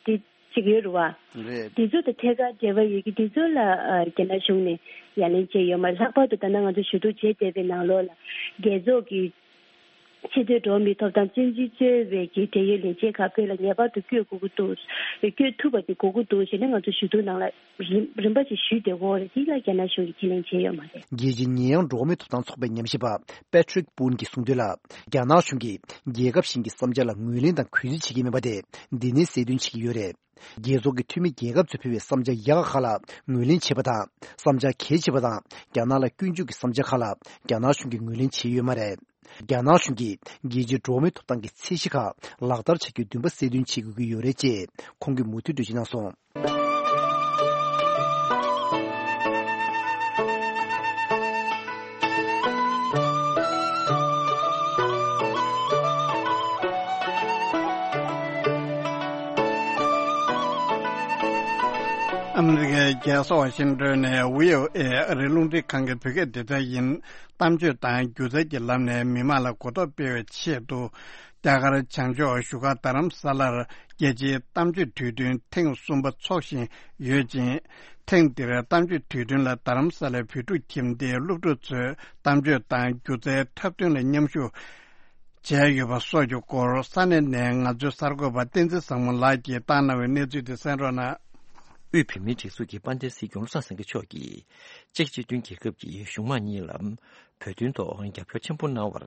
དེ་གཅིག་ཡོད་རེད་བ། རེད། དེ་ཚོ་དང་ཐད་ཀར་འབྲེལ་བ་ཡོད་ཀྱི་དེ་ཚོ་ལ་ཨ་རྒྱ་ནག་གཞུང་ནས་ཡ་ལན་བྱས་ཡོད་མ་རེད། ལྷག་པར་དུ་ད་ལྟ་ང་ཚོ་ཞུ་གཏུག་བྱས་བསྡད་པའི་ནང་ལོགས་ལ་རྒྱལ་ཚོགས་ཀྱི་ཆེས་མཐོའི་འགྲོ་བ་མིའི་ཐོབ་ཐང་བཙོན་འཛུལ་གཙོས་པའི་གི་འབྲེལ་ཡོད་ལས་བྱེད་ཁག་བོད་ལ་ངེས་པར་དུ་བསྐྱོད་དགོས་ཀྱི་འདུག་བསྐྱོད་ཐུབ་པ་དེ་དགོས་ཀྱི་འདུག་ཟེར་ནས་ང་ཚོ་ཞུ་གཏུག་ནང་ལ་རིམ་རིམ་པ་ཞིག་ཞུས་བསྡད་ཡོད་རེད། དེ་ལ་རྒྱ་ནག་གཞུང་གིས་ཁས་ལེན་བྱས་ཡོད་མ་རེད། རྒྱལ་སྤྱིའི་ཉེ་ཡངས་འགྲོ་བ་མིའི་ཐོབ་ཐང་ཚོགས་པའི་ཉམས་ཞིབ་པ་པེ་ཁྲིག་པུན་གྱིས་གསུངས་དོན་ལ། རྒྱ་ནག་གཞུང་གིས་རྒྱལ་ཁབ་གཞན་གྱི་བསམ་འཆར་ལ་ངོས་ལེན་དང་གུས་བརྩི་བྱེད་ཀྱི་མེད་པ་དེ་འདི་ནས་གསལ་སྟོན་བྱེད་ཀྱི་ཡོད་རེད། རྒྱལ་ཚོགས་ཀྱི་འཐུས་མི་རྒྱལ་ཁབ་ཚོས་ཕུལ་བའི་བསམ་འཆར་ཡག་ག་ཁག་ལ་ངོས་ལེན་བྱེད་པ་དང་། བསམ་འཆར་གལ་ཆེ་བ་དང་རྒྱ་ནག་ལ་སྐྱོན་བརྗོད་ཀྱི་བསམ་འཆར་ཁག་ལ་རྒྱ་ནག་གཞུང་གིས་ངོས་ལེན་བྱས་ཡོད་མ་རེད། རྒྱ་ནག་གཞུང་གིས་རྒྱལ་སྤྱིའི་འགྲོ་བ་མིའི་ཐོབ་ཐང་གི་ཚད་གཞི་ཁག་ལག་བསྟར་བྱ་རྒྱུའི་འདུན་པ་གསལ་སྟོན་བྱེད་དགོས་ཀྱི་ཡོད་རེད་ཅེས་ཁོང་གིས་མུ་མཐུད་འགྲེལ་བརྗོད་གནང་སོང་། ཨ་མི་རི་ཀའི་རྒྱལ་ས་ཝ་ཤིང་ཏོན་ནས་བྷི་ཨོ་ཨེ་ཨ་རིའི་རླུང་འཕྲིན་ཁང་གི་བོད་སྐད་སྡེ་ཚན་ཡིན། གཏམ་བརྗོད་དང་སྒྱུ་རྩལ་གྱི་ལམ་ནས་མི་མང་ལ་གོ་རྟོགས་སྤེལ་བའི་ཆེད་དུ། རྒྱ་གར་བྱང་ཕྱོགས་བཞུགས་སྒར་རྡ་རམ་ས་ལར་རྒྱལ་སྤྱིའི་གཏམ་བརྗོད་དུས་སྟོན་ཐེངས་གསུམ་པ་འཚོགས་བཞིན་ཡོད་ཅིང་། ཐེངས་འདིར་གཏམ་བརྗོད་དུས་སྟོན་ལ་རྡ་རམ་ས་ལའི་བོད་ཕྲུག་ཁྱིམ་སྡེའི་སློབ་ཕྲུག་ཚོས་གཏམ་བརྗོད་དང་སྒྱུ་རྩལ་འཁྲབ་སྟོན་ལ་མཉམ་ཞུགས་བྱས་ཡོད་པ་སོགས་ཀྱི་སྐོར་ས་གནས་ནས་ང་ཚོའི་གསར་འགོད་པ་བསྟན་འཛིན་བཟང་མོ་ལགས་ཀྱིས་བཏང་གནང་བའི་གནས་ཚུལ་དེ་གསན་རོགས་གནང་། དབུས་བོད་མིའི་སྒྲིག་འཛུགས་ཀྱི་དཔལ་ལྡན་སྲིད་སྐྱོང་བློ་བཟང་སེང་གེ་མཆོག་གིས་ཅེཀ་སྤྱི་མཐུན་རྒྱལ་ཁབ་ཀྱི་གཞུང་མང་གཉིས་ལ་བོད་དོན་ཐོག་རྒྱབ་སྐྱོར་ཆེན་པོ་གནང་བར་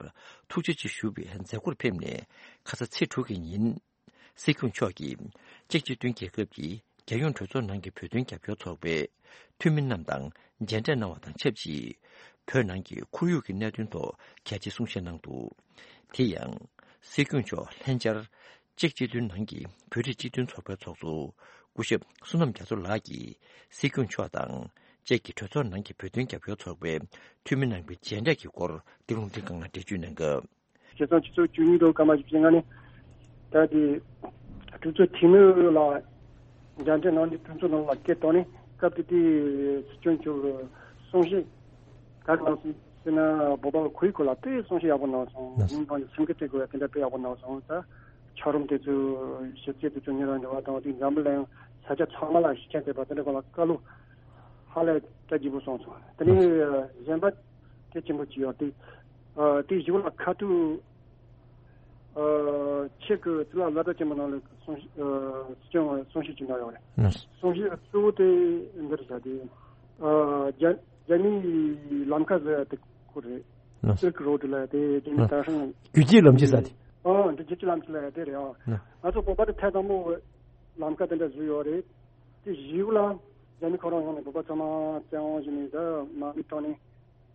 ཐུགས་རྗེ་ཆེ་ཞུ་བའི་མཛད་སྒོར་ཕེབས་ནས་ཁ་ས་ཚེས་དྲུག་གི་ཉིན། སྲིད་སྐྱོང་མཆོག་གིས་ཅེཀ་སྤྱི་མཐུན་རྒྱལ་ཁབ་ཀྱི་རྒྱལ་ཡོངས་གྲོས་ཚོགས་ནང་གི་བོད་དོན་རྒྱབ་སྐྱོར་ཚོགས་པའི་འཐུས་མི་རྣམས་དང་མཇལ་འཕྲད་གནང་བ་དང་ཆབས་ཅིག་བོད་ནང་གི་ཁོར་ཡུག་གི་གནད་དོན་ཐོག་གལ་ཆེའི་གསུང་བཤད་གནང་འདུག་དེ་ཡང་། སྲིད་སྐྱོང་མཆོག་ལྷན་བཅར་ཅེཀ་སྤྱི་མཐུན་ནང་གི་བོད་རིགས་སྤྱི་མཐུན་ཚོགས་པའི་ཚོགས་གཙོ་སྐུ་ཞབས་བསོད་ནམས་རྒྱ་མཚོ་ལགས་ཀྱིས་སྲིད་སྐྱོང་མཆོག་དང་ཅེཀ་གི་གྲོས་ཚོགས་ནང་གི་བོད་དོན་རྒྱབ་སྐྱོར་ཚོགས་པའི་འཐུས་མི་རྣམ་པའི་མཇལ་འཕྲད་ཀྱི་སྐོར་འདི་རུང་འདི་གང་ལ་འགྲེལ་བརྗོད་གནང་སྐབས། ཕྱི་ཟླ་ཆུ་ཚོད་བཅུ་གཉིས་དང་སྐར་མ་བཞི་བཅུ་ཞེ་ལྔ་ནས་ད་དེ་གྲོས་ཚོགས་འཐུས་མི་ལ་མཇལ་འཕྲད་གནང་ནས་གྲོས་ཚོགས་ནང་ལ་སྐད་བཏང་ནས་སྐབས་དེ་དུས་སྲིད་སྐྱོང་མཆོག་གིས་གསུང་བཤད་ག་རེ་གནང་སོང་ཟེར་ན་བོད་པ་ཁོར་ཡུག་སྐོར་ལ་དཔེ་གསུང་བཤད་ཡག་པོ་གནང་སོང་། གནང་སོང་། མིང་དང་སེམས་ཁུར་སྤྲད་དགོས་ཡ་དེ་འདྲ་དཔེ་ཡག་པོ་གནང་སོང་། ད་འཁྱགས་རོམ་དེ་ཚོ་ཞིབ་དཔྱད་དེ་ཚོ་ཉེ་རང་འབྲེལ་བ་དང་དེ་འཛམ་བུ་གླིང་ས་ཆ་ཚང་མ་ལ་ཤེས་ཆ་བྱས་པ་དེ་འདྲ་སྐོར་ལ་བཀའ་སློབ་ཧ་ལས་ད་ལྗིད་པོ་གསུངས་སོང་། དེ་ནས་གཞན་པ་གལ་ཆེན་པོ་ཅིག་ཡོད་དེ། ཨ་དེ་གཞུག་ལ་ཁ་ཐུག་ཨ་ཆེད་ཀྱི་ཙི་ལ་བླ་བྲ་ཆེན་པོ་ནང་ལ་གསུང་ཨ་སྲིད་སྐྱོང་གསུང་བཤད་ཅིག་གནང་ཡོད་རེད། གསུང་བཤད་གཙོ་བོ་དེ་འདིར་བྱ་དེ་ཨ་རྒྱ་རྒྱ་མིའི་ལམ་ཁ་ཟེར་ཡ་དེ་ཁོ་རེད། སིལཀ་རོ་ཌི་ལ་དེ་རྒྱ་མི་དྭ་ཧྲང་རྒྱུད་གཅིག་ལམ་གཅིག་ཟེར་དེ། ཨོ་འདི་རྒྱལ་སྤྱིའི་ལམ་ཁ་ལ་ཡ་དེ་རེད་ཨ། ང་ཚོ་བོད་པ་དེ་ཐེངས་དང་པོ་ལམ་ཁ་དེ་འདྲ་བཟོས་ཡོད་རེད། དེ་གཞིས་ལ་རྒྱ་མི་ཁོ་རང་ཡོང་ནས་བོད་པ་ཚང་མ་བཙན་དབང་བྱས་ནས་ད་དམག་མི་བཏང་ནས་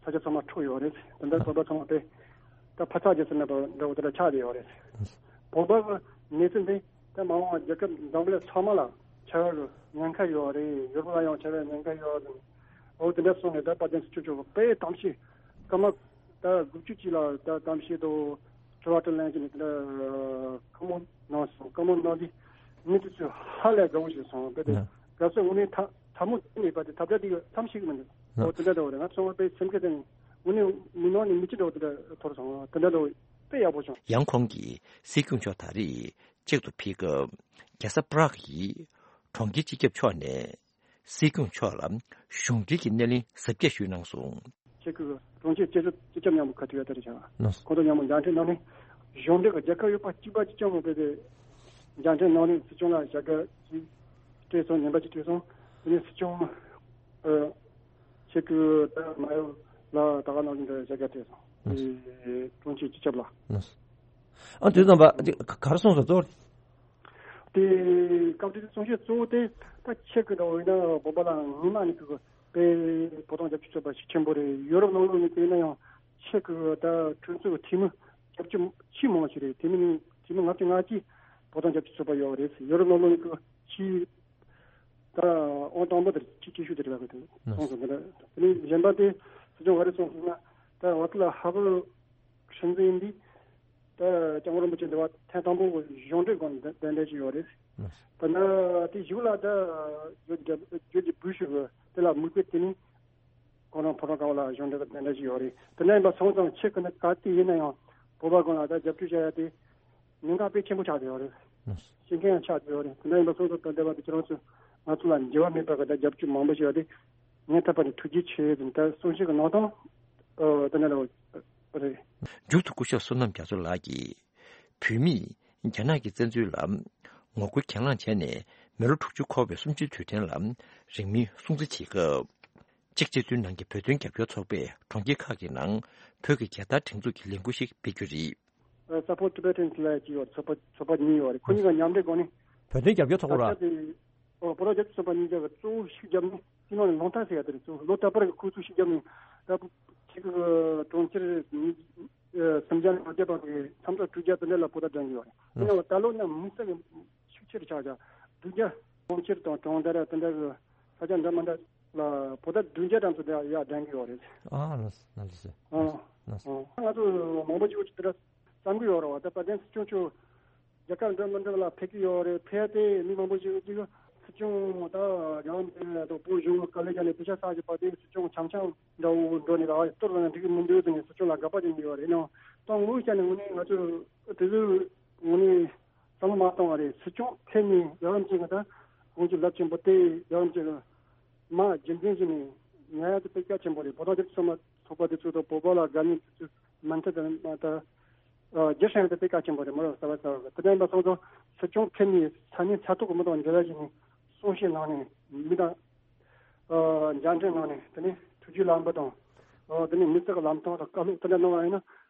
ས་ཆ་ཚང་མ་འཕྲོག་ཡོད་རེད། དེ་འདྲ་བོད་པ་ཚང་མ་དེ་ད་ཕ་ཚག་རྒྱ་ཟེར་ན་འདྲ་བོ་དེ་འདྲ་ཆགས་བསྡད་ཡོད་རེད། བོད་པ་གི་གནས་ཚུལ་འདི་ད་མ་འོངས་པ་རྒྱལ་ཁབ་འཛམ་བུ་གླིང་ཚང་མ་ལ་ཆེ་བའི་ཉེན་ཁ་ཡོད་རེད། ཡུ་རོབ་ལ་ཡང་ཆེ་བའི་ཉེན་ཁ་ཡོད་རེད། འོ་དེ་འདྲ་སོང་ནས་ད་དཔལ་ལྡན་སྲིད་སྐྱོང་མཆོག་དཔེ་གཏམ་བཤད་སྐར་མ་ད་དགུ་བཅུ་ཅིག་ལ་ད་གཏམ་བཤད་དང་དྲི་བ་དྲིས་ལན་བྱས་ནས་དེ་འདྲ་བཀའ་མོལ་གནང་སོང་། བཀའ་མོལ་གནང་དུས་མི་དེ་ཚོས་ཧ་ལས་དགའ་བོ་ཞིག་སོང་། དཔེ་དེ་ཡ། དགའ་སོང་། དངོས་གནས་ཐ་ཐ་མོ་དེ་ནས་པ་དེ་ཐབས་བརྒྱ་དེ་གི་མཚམས་ཤིག་མི་འདུག་ཡ། འོ་དེ་འདྲ་འདྲ་བོ་རེད། ང་ཚོ་དཔེ་སེམས་ཁྲལ་དེ་ནས་དངོས་གནས་མི་ནང་ནས་མི་ཅི་འདྲ་བོ་དེ་འདྲ་ཐོར་སོང་། དེ་འདྲ་འདྲ་བོ་དཔེ་ཡག་པོ་བྱུང་། ཡང་ཁོང་གིས་སྲིད་སྐྱོང་མཆོག་ད་རེས་གཅིག་ཏུ་ཕེབས་སྐབས་རྒྱལ་ས་པ་རག་གི་གྲོང་ཁྱེར་སྤྱི་ཁྱབ་མཆོག་ནས་སྲིད་སྐྱོང་མཆོག་ལ་གཞུང་འབྲེལ་གྱི་སྣེ་ལེན་གཟབ་རྒྱས་ཞུས་གནང་སོང་། ཆེད་ཁུལ་གྲོང་ཁྱེར་སྤྱི་ཁྱབ་སྤྱི་ཁྱབ་མཉམ་དུ་ག་ཐུག་ཡ་དེ་རེད་བྱ། ལགས་སོ། ཁོང་ཚོ་མཉམ་དུ་མཇལ་འཕྲད་གནང་ནས་གཞུང་འབྲེལ་གྱི་རྒྱལ་ཁབ་ཡོད་པ་གཅིག་པ་གཅིག་རྐྱང་མ་དཔེ་དེ་མཇལ་འཕྲད་གནང་ནས་སྲིད་སྐྱོང་ལ་བྱ་དགའ་ཅིག་སྤྲད་སོང་། ཉན་པ་ཅིག་སྤྲད་སོང་། དེ་ནས་སྲིད་སྐྱོང་ཨ་ཆེད་ཁུལ་ད་མ་ཡོ་ལ་ད་ག་ནང་བཞིན་དུ་བྱ་དགའ་སྤྲད་སོང་། ལགས་སོ། དེ་གྲོང་ཁྱེར་སྤྱི་ཁྱབ་ལ། ལགས་སོ། ཨ་དེ་ཙམ་པ་ག་རེ་གསུངས་སོང་གཙོ་བོ། དེ་སྐབས་དེ་གསུང་བཤད་གཙོ་བོ་དེ་ད་ཆེད་ཁུལ་འདྲ་བོ་ཡིན་ན་བོད་པ་ལ་སྔོན་མ་ནས་ཁུ་དཔེ་བོད་དོན་རྒྱབ་སྐྱོར་བྱེད་པ་ཤུགས་ཆེན་པོ་རེད། ཡོ་རོབ་ནང་ལོགས་ནས་བལྟས་ན་ཡང་ཆེད་ཁུལ་ད་གྲོས་ཚོགས་འཐུས་མི་བརྒྱད་ཅུ་ཕྱིན་མང་ཞིག་རེད། དེ་མིན་འཐུས་མི་ལྔ་བཅུ་ང་གཅིག་བོད་དོན་རྒྱབ་སྐྱོར་བྱེད་པ་ཡོད་རེད། ཡོ་རོབ་ནང་ལོགས་ནས་ཁུ་ཆེས་ད་ཨང་དང་པོ་དེ་ཆེས་ཆེ་ཤོས་དེ་རེད་ལབ་དགོས་དེ་གསུངས་སོང་། དེ་འདྲ་དེ་ནས་གཞན་པ་དེ་སྲིད་སྐྱོང་ག་རེ་གསུངས་སོང་ན་ད་ཝ་ཏི་ལ་ཧ་གོ་ཧྲིན་ཙིན་འདི་ད་སྐྱབས་མགོན་རིན་པོ་ཆེ་འདི་བ་ཐེངས་དང་པོ་གཞུང་འབྲེལ་སྒང་ནས་གདན་འདྲེན་ཞུས་ཡོད་རེད། ད་ནི་དེ་གཞུག་ལ་ད་ཇོར་ཇི་ཇོར་ཇི་བུ་ཤ་གི་དེ་ལ་མིག་དཔེ་བལྟས་ནས་ཁོ་རང་ཕོ་བྲང་དཀར་པོ་ལ་གཞུང་འབྲེལ་གདན་འདྲེན་ཞུས་ཡོད་རེད། དེ་འདྲ་ཡིན་པ་སོང་ཙང་ཆེད་ཁུལ་ནི་ག་དུས་ཡིན་ན་ཡང་བོད་པ་ཀུན་ལ་ད་རྒྱབ་སྐྱོར་བྱ་ཡ་དེ་ཉེན་ཁ་དཔེ་ཆེན་པོ་ཆགས་བསྡད་ཡོད་རེད། ཤེས་མཁན་ཡང་ཆགས་བསྡད་ཡོད་རེད། དེ་འདྲ་ཡིན་པ་སོང་ཙང་ད་འདས་པ་དེ་ཁྱེད་རང་ཚོས་ང་ཚོ་ལ་འགྱུར་བ་མེད་པ་གི་ད་རྒྱབ་སྐྱོར་མང་པོ་ཞིག་ཡོད་རེད། ངས་ཐོག་པ་ནས་ཐུགས་རྗེ་ཆེ་ཟེར་ནས་ད་གསུང་བཤད་ཀྱི་ནང་དོན་ཨ་དེ་འདྲ་རེད། མཇུག་ཏུ་སྐུ་ཞབས་བསོད་ནམས་རྒྱ་མཚོ་ལགས་ཀྱིས་བོད་མིས་རྒྱ་ནག་གི་བཙན་འཛུལ་ལ་ངོ་རྒོལ་གྱེན་ལངས་བྱས་ནས་མི་ལོ་དྲུག་ཅུ་འཁོར་བའི་གསུམ་བཅུའི་དུས་དྲན་ལ་རིང་མིན་སྲུང་བརྩི་བྱེད་སྐབས། ཅེཀ་སྤྱི་མཐུན་ནང་གི་བོད་དོན་རྒྱབ་སྐྱོར་ཚོགས་པས་གྲོང་ཁྱེར་ཁག་གི་ནང་བོད་ཀྱི་རྒྱལ་དར་སྒྲེང་འཛུགས་ཀྱི་ལས་འགུལ་ཞིག་སྤེལ་རྒྱུ་རེད། Support Tibetans ལབ་ཀྱི་ཡོད། ཚོགས་པ་ཚོགས་པ་གཉིས་ཡོད་རེད། ཁོ་གཉིས་ཀ་མཉམ་འབྲེལ་སྒོ་ནས་བོད་དོན་རྒྱབ་སྐྱོར་ཚོགས་པ་ར། ད་ཆ་དེ་ཨོ་བོད་རང་རྒྱལ་གཅེས་ཚོགས་པ་གཉིས་ཀ་གཙོ་བོ་ཤུགས་བརྒྱབ་ནས་སྤྱི་ནོར་ནས་ལོ་ལྟར་ཟེར་ཡ་དེ་རེད། གཙོ་བོ་ལོ་ལྟར་པར་གྱི་ཁོ་ཚོས་ཤུགས་བརྒྱབ་ནས་ད་ཆེ་གི་གྲོང་ཁྱེར་ཉིས་ཨ་སུམ་བརྒྱ་ནས་ལོ་བརྒྱ་བར་གྱི་འཆམ་ཕྲ་དྲུག་བརྒྱ་དེ་འདྲ་ལ་པོ་ཏ་སྒྲེང་གི་ཡོད་རེད། ཡིན་ནའང་ད་ལོ་ན་མི་སེར་གྱི་ཤུགས་ཆེར་ཆག་ཆག་དྲུག་བརྒྱ་གྲོང་ཁྱེར་དང་གྲོང་རྡལ་དེ་འདྲ་གི་ས་ཆ་འདྲ་མི་འདྲ་ལ་པོ་ཏ་བདུན་བརྒྱ་ཙམ་ཚོ་དེ་ཡར་སྒྲེང་གི་ཡོད་རེད། ཨ་ལགས་སོ་ལགས་སོ། ཨ་ལགས་སོ། ཨ་ང་ཚོ་མང་པོ་ཅིག་དེ་འདྲ་བསམ་གི་ཡོད་རེད་བ། ད་དཔལ་ལྡན་སྲིད་སྐྱོང་མཆོག་རྒྱལ་ཁབ་འདྲ་མི་འདྲ་ལ་ཕེབས་ཀྱི་ཡོད་རེད། ཕེབས་ཏེ་མི་མང་པོ་ཞིག་གིས་སྲིད་སྐྱོང་ད་རྒྱལ་བ་འབྲས་སྤུངས་དང་བོད་གཞུང་གི་དཀའ་ལས་བརྒྱབ་ནས་དེ་ཆ་ས་ཞིག་པ་དེ་སྲིད་སྐྱོང་འཆམ་འཆམ་འདྲ་བོ་འགྲོ་ནས་ར་གཏོར་བ་འགྲིག་གི་མི་འདུག་ཟེར་ནས་སྲིད་སྐྱོང་ལ་དགག་པ་བྱེད་ཀྱི་ཡོད་རེད། ཡིན་ནའང་ད་ངོ་བོ་བཤད་ནས་དངོས་གནས་ང་ཚོས་དེ་ཚོའི་དངོས་གནས་བསམ་བློ་མ་གཏོང་བ་རེད། སྲིད་སྐྱོང་ཕེབས་ནས་རྒྱལ་བ་འབྲས་སྤུངས་ད་དགོངས་ཀྱི་རླབས་ཆེན་པོ་དེ་རྒྱལ་བ་འབྲས་སྤུངས་མ་རྒྱུན་འཛིན་བྱས་ནས་ཉར་ཡ་དེ་དཔེ་གལ་ཆེན་པོ་རེད། བོད་དོན་རྒྱབ་སྐྱོར་ཚོགས་པ་དེ་ཚོ་དང་བོད་པ་ལ་དགའ་ཉེ་དེ་ཚོས་མ་མཐའ་དང་མ་མཐའ་རྒྱུ་ཧྲེང་དེ་དཔེ་གལ་ཆེན་པོ་རེད། མོ་རང་ས་བ་ས་བ་དེ་འདྲ་ཡིན་པ་སོང་ཙང་སྲིད་སྐྱོང་ཕེབས་ནས་ས་གནས་ས་ཐོག་གི་མི་དང་འབྲེལ་བ་བྱས་ནས་གསུང་བཤད་གནང་ནས་མི་དང་མཇལ་འཕྲད་གནང་ནས་དེ་ནས་ཐུགས་རྗེ་ལམ་བུ་དང་དེ་ནས་མི་ཚེ་གི་ལམ་སྟོན་དང་བཀའ་སློབ་དེ་འདྲ་གནང་བ་ཡིན་ན་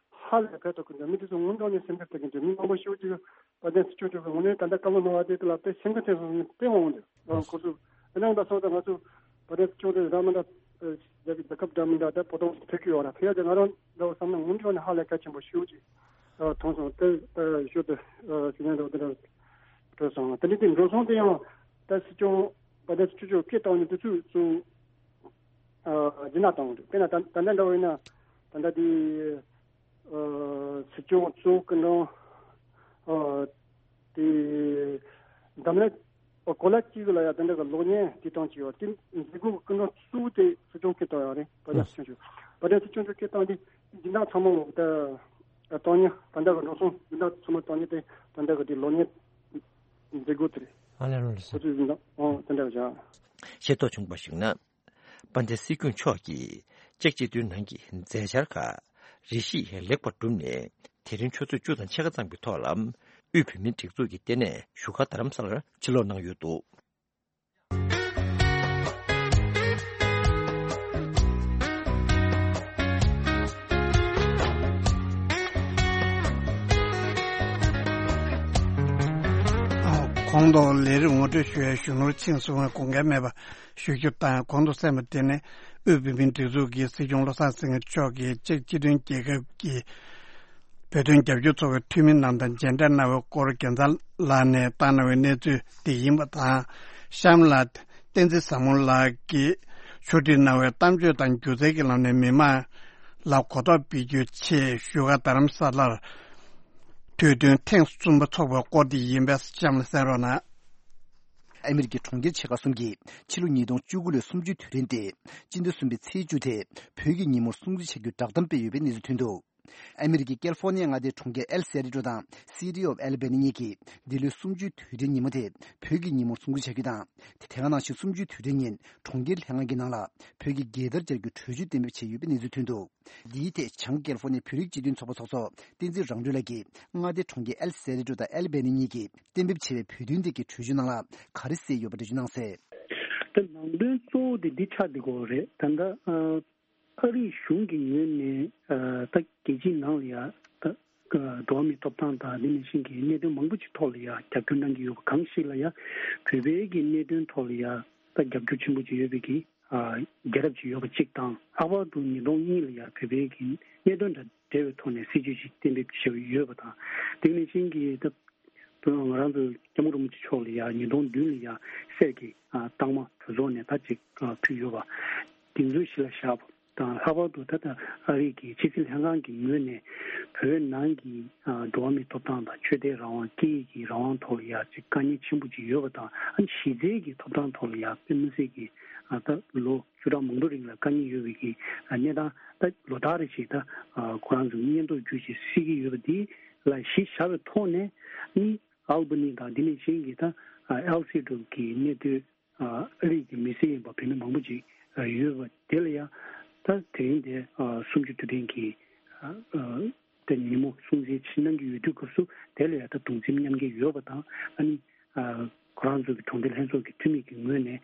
ཧ་ལས་ཕན་ཐོགས་ཀྱི་འདུག་མི་དེ་ཚོ་དངོས་གནས་ནས་སེམས་ཁུར་ཐེབས་ཀྱི་འདུག་མི་མང་པོ་ཤོད་ཀྱི་ཡོད། དཔལ་ལྡན་སྲིད་སྐྱོང་མཆོག་གིས་དངོས་གནས་ད་ལྟ་བཀའ་སློབ་གནང་བ་དེ་དེ་ལ་དཔེ་སེམས་ཁུར་ཐེབས་སོང་ནས་དཔེ་མང་བོ་འདུག་ཨ་ཁོ་ཚོ་དེ་འདྲ་ཡིན་པ་སོང་ཙང་ང་ཚོ་དཔལ་ལྡན་སྲིད་སྐྱོང་དེ་རང་མི་འདྲ་རྒྱལ་རྒྱལ་ཁབ་འདྲ་མི་འདྲ་ད་བོད་དོན་ཐེབས་ཀྱི་ཡོད་ར། ཕེབས་ཡ་དེ་ང་རང་འདྲ་བོ་བསམ་ན་དངོས་གནས་ནས་ཧ་ལས་གལ་ཆེན་པོ་ཤོད་ཀྱི་མཐོང་སོང་། དེ་ཤོད་དུ་ཞུ་ཉན་འདྲ་བོ་དེ་འདྲ་འགྲོ་སོང་། དེ་འདྲ་དེ་འགྲོ་སོང་དེ་ཡང་ད་སྲིད་སྐྱོང་དཔལ་ལྡན་སྲིད་སྐྱོང་མཆོག་སྐད་བཏང་ནས་དུས་ཚོད་ཚོ་རྒྱུན་ལ་བཏང་འདུག་དཔེར་ན་ད་ད་ལྟ་འདྲ་བོ་ཡིན་ན་ད་ལྟ་དེ། ཨ་སྲིད་སྐྱོང་གཙོ་བོ་སྐུ་མགྲོན་ཨ་དེ་འཛམ་གླིང་གོ་ལ་གཅིག་ལ་ཡ་དེ་འདྲ་གི་གློག་བརྙན་དེ་བཏང་གི་ཡོད། དེ་མཛད་སྒོ་གི་སྐུ་མགྲོན་གཙོ་བོ་དེ་སྲིད་སྐྱོང་སྐད་བཏང་ཡོད་རེད། དཔལ་ལྡན་སྲིད་སྐྱོང་མཆོག་དཔལ་ལྡན་སྲིད་སྐྱོང་མཆོག་སྐད་བཏང་དེ་སྦྱིན་བདག་ཚང་མ་ལོག་ད་བཏང་ཉིན་ད་ལྟ་གི་འགྲོ་སོང་སྦྱིན་བདག་ཚང་མ་བཏང་ཉིན་དེ་དེ་འདྲ་གི་དེ་གློག་བརྙན་མཛད་སྒོ་དེ་རེད། ཨ་ལས་རོགས་རེད། ཁོ་ཚོས་སྦྱིན་བདག་ཨོ་དེ་འདྲ་བྱ། ཤེས་རྟོགས་བྱུང་བར་གཞིགས་ན། དཔལ་ལྡན་སྲིད་སྐྱོང་མཆོག་གིས་ཅེཀ་སྤྱི་མཐུན་ནང་གི་མཛད་འཆར་ཁག་རེ་ཞིག་ལེགས་པར་གྲུབ་ནས། དེ་རིང་ཆུ་ཚོད་བཅུ་དང་ཕྱེད་ཀ་ཙམ་གྱི་ཐོག་ལ་དབུས་བོད་མིའི་སྒྲིག་འཛུགས་ཀྱི་ལྟེ་གནས་བཞུགས་སྒར་རྡ་རམ་ས་ལར་ཕྱིར་ལོག་གནང་ཡོད་འདུག་གོང་དུ་ལས་རིམ་ངོ་སྤྲོད་ཞུ་ཡའི་གཞོན་ནུར་ཆིངས་སུ་དགོངས་འགལ་མེད་པ་ཞུ་རྒྱུ་དང་། གོང་དུ་གསན་པ་དེ་ནི་དབུས་བོད་མིའི་སྒྲིག་འཛུགས་ཀྱི་སྲིད་སྐྱོང་བློ་བཟང་སེང་གེ་མཆོག་གིས་ཅེཀ་སྤྱི་མཐུན་རྒྱལ་ཁབ་ཀྱི་བོད་དོན་རྒྱབ་སྐྱོར་ཚོགས་པའི་འཐུས་མི་རྣམས་དང་མཇལ་འཕྲད་གནང་བའི་སྐོར་རྒྱལ་མཚན་ལགས་ནས་བཏང་གནང་བའི་གནས་ཚུལ་འདི་ཡིན་པ་དང་། གཤམ་ལ་བསྟན་འཛིན་བཟང་མོ་ལགས་ཀྱིས་ཕྱོགས་སྒྲིག་གནང་བའི་གཏམ་བརྗོད་དང་སྒྱུ་རྩལ་གྱི་ལམ་ནས་མི་མང་ལ་གོ་རྟོགས་སྤེལ་རྒྱུའི་ཆེད་བཞུགས་སྒར་རྡ་རམ་ས་ལར་དུས་སྟོན་ཐེངས་གསུམ་པ་འཚོགས་པའི་སྐོར་འདི་ཡིན་པས། གཤམ་ལ་གསན་རོགས་གནང་། ཨ་མི་རི་ཀའི་གྲོང་ཁྱེར་ཆེ་ཁག་གསུམ་གྱིས་ཕྱི་ལོ་ཉིས་སྟོང་བཅུ་དགུ་ལོའི་གསུམ་བཅུའི་དུས་དྲན་ཏེ། སྤྱི་ཟླ་གསུམ་པའི་ཚེས་བཅུ་དེ་བོད་ཀྱི་ཉིན་མོར་སྲུང་བརྩི་བྱ་རྒྱུའི་བསྒྲགས་གཏམ་སྤེལ་ཡོད་པའི་གནས་ཚུལ་ཐོན་འདུག་ཨ་མི་རི་ཀའི་ཀལ་ཧྥོར་ནི་ཡའི་མངའ་སྡེའི་གྲོང་ཁྱེར་ཨེལ་སེ་རི་ཏོ་དང་སི་ཊི་ཨོཕ་ཨལ་བྷ་ནི་གཉིས་ཀྱིས་འདི་ལོའི་གསུམ་བཅུའི་དུས་དྲན་ཉིན་མོ་དེ་བོད་ཀྱི་ཉིན་མོར་སྲུང་བརྩི་བྱ་རྒྱུ་དང་། དེ་ག་ནང་བཞིན་གསུམ་བཅུའི་དུས་དྲན་ཉིན་གྲོང་ཁྱེར་ལྷན་ཁང་གི་ནང་ལ་བོད་ཀྱི་རྒྱལ་དར་སྦྱར་རྒྱུའི་གྲོས་ཆོད་གཏན་འབེབས་བྱས་ཡོད་པའི་གནས་ཚུལ་ཐོན་འདུག་འདིའི་ཐད་བྱང་ཀལ་ཧྥོར་ནི་ཡའི་བོད་རིགས་སྤྱི་མཐུན་ཚོགས་པ་ཚོགས་གཙོ་བསྟན་འཛིན་རང་གྲོལ་ལགས་ཀྱིས་མངའ་སྡེའི་གྲོང་ཁྱེར་ཨེལ་སེ་རི་ཏོ་དང་ཨལ་བྷ་ནི་གཉིས་ཀྱིས་གཏན་འབེབས་བྱས་པའི་བོད་དོན་ཐད་ཀྱི་གྲོས་ཆོད་ནང་ལ་ག་རེ་གསལ་ཡོད་པ་འགྲེལ་བརྗོད་གནང་གསལ། ད་ནང་དོན་གཙོ་བོ་དེ་འདི་ཆགས་བསྡད་ཀྱི་ཡོད་རེད། ད་ལྟ་ཨ་ཨ་རིའི་གཞུང་གི་ངོས་ནས་ཨ་ད་རྒྱལ་སྤྱིའི་ནང་ལ་ཡ་ད་ཨ་འགྲོ་བ་མིའི་ཐོབ་ཐང་དང་འདི་ནང་བཞིན་གྱི་གནད་དོན་མང་པོ་ཅིག་ཐོག་ལ་ཡ་རྒྱབ་སྐྱོར་གནང་གི་ཡོད་པ་གང་ཞིག་ལ་ཡ་བོད་པའི་གི་གནད་དོན་ཐོག་ལ་ཡ་ད་རྒྱབ་སྐྱོར་ཆེན་པོ་ཅིག་ཡོད་པའི་གི་ཨ་རྒྱལ་རབས་ཅིག་ཡོད་པ་གཅིག་དང་། ལྷག་པར་དུ་ཉིས་སྟོང་གཉིས་ལ་ཡང་བོད་པའི་གི་གནད་དོན་དང་འབྲེལ་བའི་ཐོག་ནས་སྲིད་ཇུས་ཤིག་གཏན་འབེབས་བྱས་ཡོད་པ་དང་། དེ་ནང་བཞིན་གྱི་ད་ང་རང་ཚོའི་སྐྱབས་མགོན་རིན་པོ་ཆེ་མཆོག་ལ་ཡང་ཉིས་སྟོང་བདུན་ལ་ཡང་གསེར་གྱི་ཨ་རྟགས་མ་གྲོས་ཚོགས་ནས་ད་ཅིག་ཨ་ཕུལ་ཡོད་པ། དེ་ཚོའི་གཞི་ལ་བཞག་པ་དང་། ལྷག་པར་དུ་ད་ལྟ་ཨ་རི་གི་ཕྱི་སྲིད་ལྷན་ཁང་གི་ངོས་ནས་བོད་ནང་གི་ཨ་འགྲོ་བ་མིའི་ཐོབ་ཐང་དང་ཆོས་དད་རང་དབང་སྐད་ཡིག་གི་རང་དབང་ཐོག་ལ་ཡང་ཅིག་དཀའ་ངལ་ཆེན་པོ་ཅིག་ཡོད་པ་དང་། ཨ་གཞི་རྩའི་གི་ཐོབ་ཐང་ཐོག་ལ་ཡང་དཔེ་མི་སྲིད་ཀྱི་ཨ་ད་ལོ་བཅུ་ཕྲག་མང་པོའི་རིང་ལ་དཀའ་ངལ་ཡོད་པའི་གི་གནས་སྟངས་ད་ལོ་ལྟར་རེ་བཞིན་ད་ཁོ་རང་ཚོ་སྙན་ཐོ་བརྒྱུད་བྱས་གསལ་གྱི་ཡོད་པ་འདི་ལ་གཞི་བཞག་པའི་ཐོག་ནས་ནི་ཨལ་བྷ་ནི་དང་འདི་ནས་གཞན་གྱི་ད་ཨལ་སི་རུ་གི་གནས་སྡོད་ཨ་རིགས་ཀྱི་མི་སེར་ཡིན་པ་བོད་མི་མང་པོ་ཅིག་ཡོད་པ་དེ་ལ་ཡང་ད་དེ་རིང་དེ་གསུམ་བཅུ་དུས་དྲན་གྱི་ད་ཉིན་མོ་སྲུང་བརྩི་གནང་གི་ཡོད་དུས་སྐབས་སུ་དེ་ལ་ཡང་ད་གདུང་སེམས་མཉམ་སྐྱེད་ཡོད་པ་དང་། ཨ་ནི། ཁོ་རང་ཚོ་གི་གྲོང་སྡེ་ལྷན་ཚོགས་ཀྱི་འཐུས་མི་གི་ངོས་ནས་